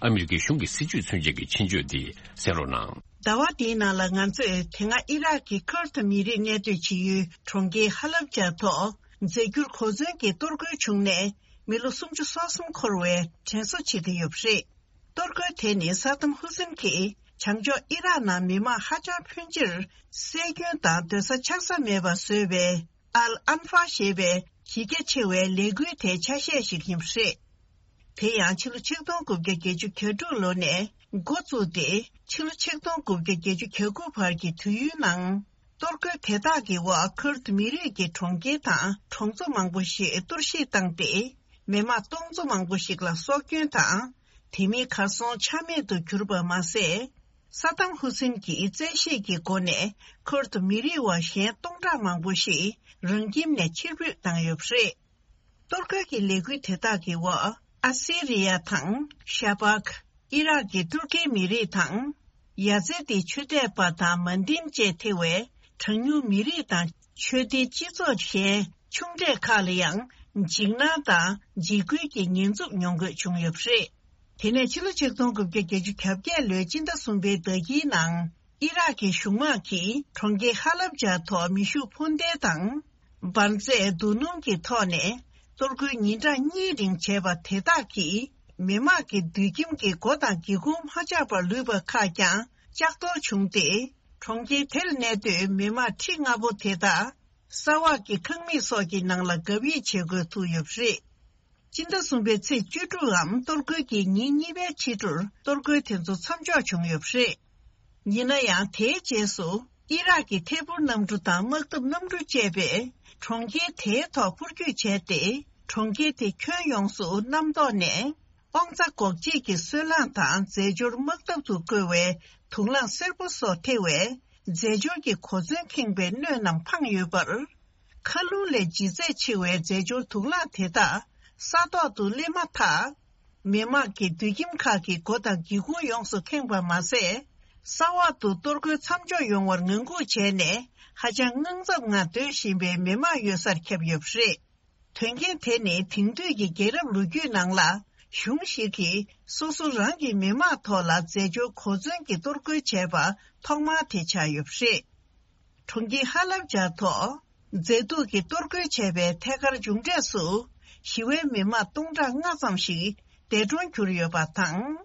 ཨ་མི་རི་ཀའི་གཞུང་གི་སྲིད་ཇུས་མཚོན་བྱེད་ཀྱི་ཆེད་བརྗོད་འདི་གསན་རོགས་གནང་། ཟླ་བ་འདིའི་ནང་ལ་ང་ཚོས་དེ་སྔ་ཨི་རག་གི་ཁུར་ཐི་མི་རིགས་གནས་སྡོད་བྱེད་ཡུལ་གྲོང་ཁྱེར་ཧ་ལབ་ཇཱ་ཐོག་རྫས་འགྱུར་གོ་མཚོན་གྱི་གཏོར་རྒོལ་བྱུང་ནས་མི་ལོ་སུམ་ཅུ་སོ་གསུམ་འཁོར་བའི་དྲན་གསོ་བྱེད་ཀྱི་ཡོད་པ་རེད། གཏོར་རྒོལ་དེ་ནི་ས་དམ་ཧུ་སིན་གྱིས་བྱང་ཕྱོགས་ཨི་རག་ནང་མི་མང་ཧ་ཅང་ཕོན་ཆེར་བསད་སྐྱོན་དང་སྡོད་ས་ཆགས་ས་མེད་པ་བཟོས་པའི་ཨལ་ཨན་ཧྥ་ཞེས་པའི་གཞི་རྒྱ་ཆེ་བའི་ལས་འགུལ་དེའི་ཆ་ཤས་ཤིག་ཡིན་པ་རེད། དེ་ཡང་ཕྱི་ལོ་ཆིག་སྟོང་དགུ་བརྒྱ་བརྒྱད་ཅུ་གྱ་དྲུག་ལོ་ནས་འགོ་བཙུགས་ཏེ་ཕྱི་ལོ་ཆིག་སྟོང་དགུ་བརྒྱ་བརྒྱད་ཅུ་གྱ་དགུ་བར་གྱི་དུས་ཡུན་ནང་། གཏོར་རྒོལ་དེ་དག་གི་འོག་ཁུར་ཐི་མི་རིགས་ཀྱི་གྲོང་ཁྱེར་དང་གྲོང་ཚོ་མང་པོ་ཞིག་གཏོར་བཤིག་བཏང་སྟེ། མི་མང་སྟོང་ཚོ་མང་པོ་ཞིག་ལ་སྲོག་སྐྱོན་དང་། དེ་མིན་གར་སོང་ཆ་མེད་དུ་གྱུར་པ་མ་ཟད། ས་དམ་ཧུ་སིན་གྱིས་བཙན་ཤེད་ཀྱི་སྒོ་ནས་ཁུར་ཐི་མི་རིགས་བ་གཞན་སྟོང་ཕྲག་མང་པོ་ཞིག་རང་ཁྱིམ་ནས་ཕྱིར་འབུད་བཏང་ཡོད་པ་རེད། གཏོར་རྒོལ་གྱི་ལས་འགུལ་དེ་དག་གི་འོག་ཨ་སི་རི་ཡ་དང་ཤ་པག་ཨི་རག་གི་ཏུར་ཀིའི་མི་རིགས་དང་། ཡ་ཛེ་ཏི་ཆོས་དད་པ་དང་མན་དིན་བཅས་ཐེ་བའི་གྲངས་ཉུང་མི་རིགས་དང་ཆོས་སྡེའི་སྤྱི་ཚོགས་གཞན་ཆུང་གྲས་ཁག་ལ་ཡང་འཇིགས་སྣང་དང་འཇིགས་སྐུལ་གྱི་ཉེན་འཚུབ་མྱོང་དགོས་བྱུང་ཡོད་པ་རེད། དེ་ནས་ཕྱི་ལོ་ཆིག་སྟོང་དགུ་བརྒྱ་བརྒྱད་ཅུ་གྱ་བརྒྱད་ལོའི་སྤྱི་ཟླ་གསུམ་པའི་ཟླ་དཀྱིལ་ནང་། ཨི་རག་གི་གཞུང་དམག་གིས་གྲོང་ཁྱེར་ཧ་ལབ་ཇཱ་ཐོག་མེ་ཤུགས་འཕུར་མདེལ་དང་། འབར་རྫས་རྡོ་སྣུམ་གྱི་ཐོག་ནས་གཏོར་རྒོལ་ཉིན་གྲངས་གཉིས་རིང་བྱས་པ་དེ་དག་གིས་མི་དམངས་ཀྱི་སྡོད་ཁྱིམ་གྱི་སྒོ་དང་སྒེའུ་ཁུང་མ་ཆག་པར་ལུས་པ་ཁག་ཀྱང་ལྕགས་གཏོར་བྱུང་སྟེ། གྲོང་ཁྱེར་དེར་གནས་སྡོད་མི་དམངས་ཁྲི་ལྔ་པོ་དེ་དག་ས་འོག་གི་ཁང་མིག་སོགས་ཀྱི་ནང་ལ་སྒབ་ཡིག་བྱེད་དགོས་ཐུག་ཡོད་པ་རེད། སྤྱི་ཟླ་གསུམ་པའི་ཚེས་བཅུ་དྲུག་གམ་གཏོར་རྒོལ་གྱི་ཉིན་གཉིས་པའི་ཕྱི་དྲོར་གཏོར་རྒོལ་དེ་ཚོ་མཚམས་འཇོག་བྱུང་ཡོད་པ་རེད། ཡིན་ན་ཡང་དེའི་རྗེས་སུ་ཨི་རག་གི་ཐད་འཕུར་གནམ་གྲུ་དང་དམག་འཐབ་གནམ་གྲུ་བཅས་པས་གྲོང་ཁྱེར་དེའི་ཐོག་འཕུར་སྐྱོད་བྱས་ཏེ། གྲོང་ཁྱེར་དེ་ཁྱོན་ཡོངས་སུ་གནམ་ཐོག་ནས་དབང་རྩ་འགོག་བྱེད་ཀྱི་སོལ་རླངས་དང་རྫས་སྦྱོར་དམག་འཐབ་ཏུ་བཀོལ་བའི་དུག་རླངས་སེར་པོ་སོགས་ཐེ་བའི་རྫས་སྦྱོར་གྱི་གོ་མཚོན་ཁེངས་པའི་སྣོད་རྣམས་འཕངས་ཡོད་པར། མཁའ་རླུང་ལས་ལྗིད་ཚད་ཆེ་བའི་རྫས་སྦྱོར་དུག་རླངས་དེ་དག་ས་ཐོག་ཏུ་སླེབས་མ་ཐག་མི་དམངས་ཀྱི་སྡོད་ཁྱིམ་ཁག་གི་སྒོ་དང་སྒེའུ་ཁུང་ཡོངས་སུ་ཁེངས་པ་མ་ཟད། ས་འོག་ཏུ་གཏོར་རྒོལ་མཚམས་འཇོག་ཡོང་བར་ངང་སྒུག་བྱས་ནས་ཧ་ཅང་དངངས་འཚབ་ངང་སྡོད་བཞིན་པའི་མི་དམངས་ཡོད་སར་ཁྱབ་ཡོད་པ་རེད། དོན་རྐྱེན་དེ་ནི་དེང་དུས་ཀྱི་རྒྱལ་རབས་ལོ་རྒྱུས་ནང་ལ་གཞུང་ཞིག་གིས་སོ་སོ་རང་གི་མི་དམངས་ཐོག་ལ་རྫས་སྦྱོར་གོ་མཚོན་གྱི་གཏོར་རྒོལ་བྱས་པ་ཐོག་མ་དེ་ཆགས་ཡོད་པ་རེད། གྲོང་ཁྱེར་ཧ་ལབ་ཇཱ་ཐོག་རྫས་དུག་གི་གཏོར་རྒོལ་བྱས་པའི་ཐད་ཀར་མཇུག་འབྲས་སུ་ཞི་བའི་མི་དམངས་སྟོང་ཕྲག་ལྔ་ཙམ་ཞིག་འདས་གྲོངས་གྱུར་ཡོད་པ་དང་།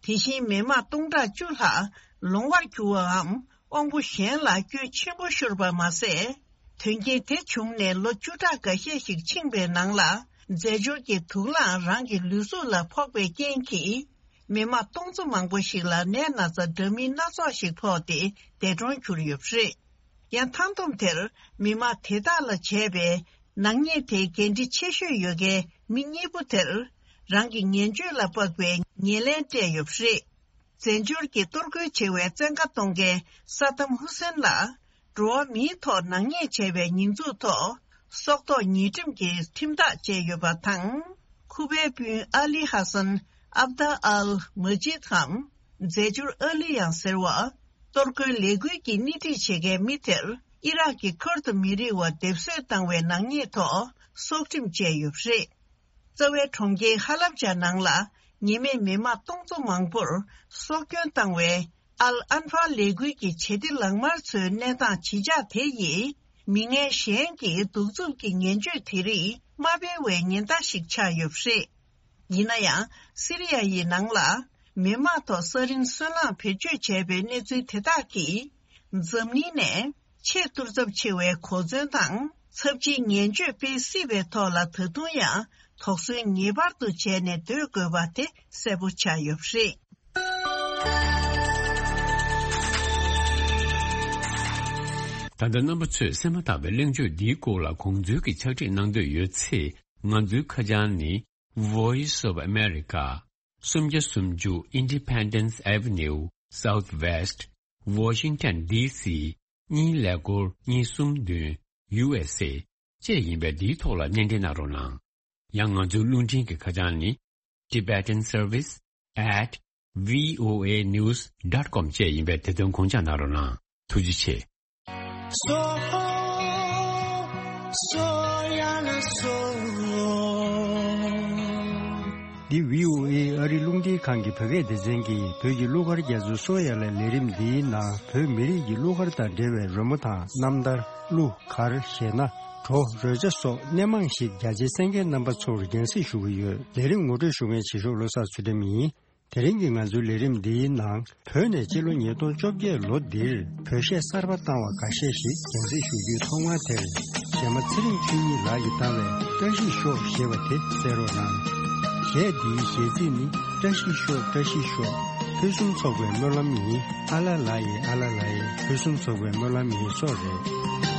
དེ་བཞིན་མི་དམངས་སྟོང་ཕྲག་བཅུ་ལྷག་ལོང་བར་གྱུར་བའམ། དབང་པོ་གཞན་ལ་སྐྱོན་ཆེན་པོ་ཤོར་བ་མ་ཟད། དོན་རྐྱེན་དེ་བྱུང་ནས་ལོ་བཅུ་ཕྲག་འགའ་ཤས་ཤིག་ཕྱིན་པའི་ནང་ལ། རྫས་སྦྱོར་གྱི་དུག་རླངས་རང་གི་ལུས་གཟུགས་ལ་ཕོག་པའི་རྐྱེན་གྱིས། མི་དམངས་སྟོང་ཚོ་མང་པོ་ཞིག་ལ་ནད་ན་ཚ་འདྲ་མིན་སྣ་ཚོགས་ཤིག་ཕོག་སྟེ་འདས་གྲོངས་གྱུར་ཡོད་པ་རེད། ཡང་མཐའ་བསྡོམས་དེར་མི་དམངས་དེ་དག་ལ་བྱས་པའི་ནག་ཉེས་དེའི་འགན་འཁྲི་ཆེ་ཤོས་ཡོད་མཁན་མི་གཉིས་པོ་དེར་རང་གི་ངན་སྤྱོད་ལ་དཔག་པའི་ཉེར་ལེན་སྤྲད་ཡོད་པ་རེད། རྫས་སྦྱོར་གྱི་གཏོར་རྒོལ་བྱེད་པའི་བཙན་བཀའ་གཏོང་མཁན་ས་དམ་ཧུ་སེན་ལ། འགྲོ་བ་མིའི་ཐོག་ནག་ཉེས་བྱས་པའི་ཉེས་འཛུགས་ཐོག་སྲོག་ཐོག་ཉེས་ཁྲིམས་ཀྱི་ཁྲིམས་ཐག་བཅད་ཡོད་པ་དང་། ཁུ་པའི་སྤུན་ཨ་ལི་ཧ་སན་ཨབ་ད་ཨལ་མ་ཇིད་འམ་རྫས་འགྱུར་ཨ་ལི་ཡང་ཟེར་བ། གཏོར་རྒོལ་ལས་འགུལ་གྱི་སྣེ་ཁྲིད་བྱེད་མཁན་མི་དེར་ཨི་རག་གི་ཁུར་དུ་མི་རིགས་བ་སྡེབ་གསོད་བཏང་བའི་ནག་ཉེས་ཐོག་སྲོག་ཁྲིམས་བཅད་ཡོད་པ་རེད། རྩ་བའི་གྲོང་ཁྱེར་ཧ་ལབ་ཇ་ནང་ལ་ཉེས་མེད་མི་མང་སྟོང་ཚོ་མང་པོར་སྲོག་སྐྱོན་བཏང་བའི་ཨལ་ཨན་ཧྥ་ལས་འགུལ་གྱི་བྱེད་གཏེ་ལག་དམར་ཚོའི་གནས་སྟངས་ཇི་ཆགས་དེ་ཡིས་མི་ངན་གཞན་གྱི་གདུག་རྩུབ་ཀྱི་ངན་སྤྱོད་དེ་རིགས་མ་སྤེལ་བའི་ཉེན་བརྡ་ཞིག་ཆགས་ཡོད་པ་རེད། ཡིན་ན་ཡང་སི་རི་ཡ་ཡི་ནང་ལ་མི་མང་ཐོག་ས་རིན་སོལ་རླངས་བེད་སྤྱོད་བྱས་པའི་གནས་ཚུལ་དེ་དག་གིས་འཛམ་གླིང་ནས་ཆེས་གཏོར་ཚབས་ཆེ་བའི་གོ་མཚོན་དང་ཚབས་ཆེའི་ངན་སྤྱོད་སྤེལ་སྲིད་པའི་ཐོག་ལ་ད་དུང་ཡང་དོགས་ཟོན་ངེས་པར་དུ་བྱས་ནས་སྡོད་དགོས་པ་དེ་གསལ་པོ་ཆགས་ཡོད་པ་རེད། ད་ལྟ་རྣམ་པ་ཚོས་གསན་མ་ཐག་པའི་གླེང་བརྗོད་འདིའི་སྐོར་ལ་དགོངས་ཚུལ་གྱི་ཕྱག་བྲིས་གནང་འདོད་ཡོད་ཚེ། ང་ཚོའི་ཁ་བྱང་ནི། Voice of America། སུམ་བརྒྱ་སུམ་ཅུ། Independence Avenue Southwest, Washington D C གཉིས་ཀླད་ཀོར་གཉིས་གསུམ་བདུན། U S A བཅས་ཡིན་པས། འདིའི་ཐོག་ལ་སྣེ་འདྲེན་གནང་རོགས་གནང་། ཡང་ང་ཚོའི་རླུང་འཕྲིན་གྱི་ཁ་བྱང་ནི། Tibetan Service at V O A news dot com བཅས་ཡིན་པས། དེ་དོན་དགོངས་འཇགས་གནང་རོགས་གནང་། ཐུགས་རྗེ་ཆེ། འདི་V O A ཨ་རི་རླུང་འཕྲིན་ཁང་གི་བོད་སྐད་སྡེ་ཚན་གྱིས་བོད་ཀྱི་གླུ་གར་རྒྱ་མཚོའི་སོ་ཡ་ལ་ལས་རིམ་འདིའི་ནང་བོད་མི་རིགས་ཀྱི་གླུ་གར་དང་འབྲེལ་བའི་རོལ་མོ་དང་རྣམ་ཐར། གླུ་གར་གཞས་སྣ། བྲོ་རོལ་ཆ་སོགས་སྣེ་མང་ཞིག་རྒྱ་ཆེའི་གསན་མཁན་རྣམ་པ་ཚོར་སྙན་སེང་ཞུ་གི་ཡོད། ལས་རིམ་ངོ་སྤྲོད་ཞུ་མཁན་བྱེད་ཤོག་བློ་བཟང་ཚུལ་ཁྲིམས་ཡིན། དེ་རིང་གི་ང་ཚོའི་ལས་རིམ་འདིའི་ནང་བོད་ནས་སྤྱི་ལོ་ཉིས་སྟོང་བཅོ་བརྒྱད་ལོ་འདིར་བོད་གཞས་གསར་པ་བཏང་བ་འགའ་ཤས་ཤིག་སྙན་སེང་ཞུ་རྒྱུའི་ཐོག་མ་དེར། གཞས་མ་ཚེ་རིང་ཆོས་ཉིད་ལགས་ཀྱིས་བཏང་བའི་བཀྲ་ཤིས་ཤོག་ཞེས་པ་དེ་གསན་རོགས་གནང་། གཞས་འདིའི་གཞས་ཚིག་ནི། བཀྲ་ཤིས་ཤོག་བཀྲ་ཤིས་ཤོག་ཕུན་སུམ་ཚོགས་པའི་སྨོན་ལམ་ཡིན། ཨ་ལ་ལ་ཡེ་ཨ་ལ་ལ་ཡེ་ཕུན་སུམ་ཚོགས་པའི་སྨོན་ལམ་ཡིན་སོགས་རེད།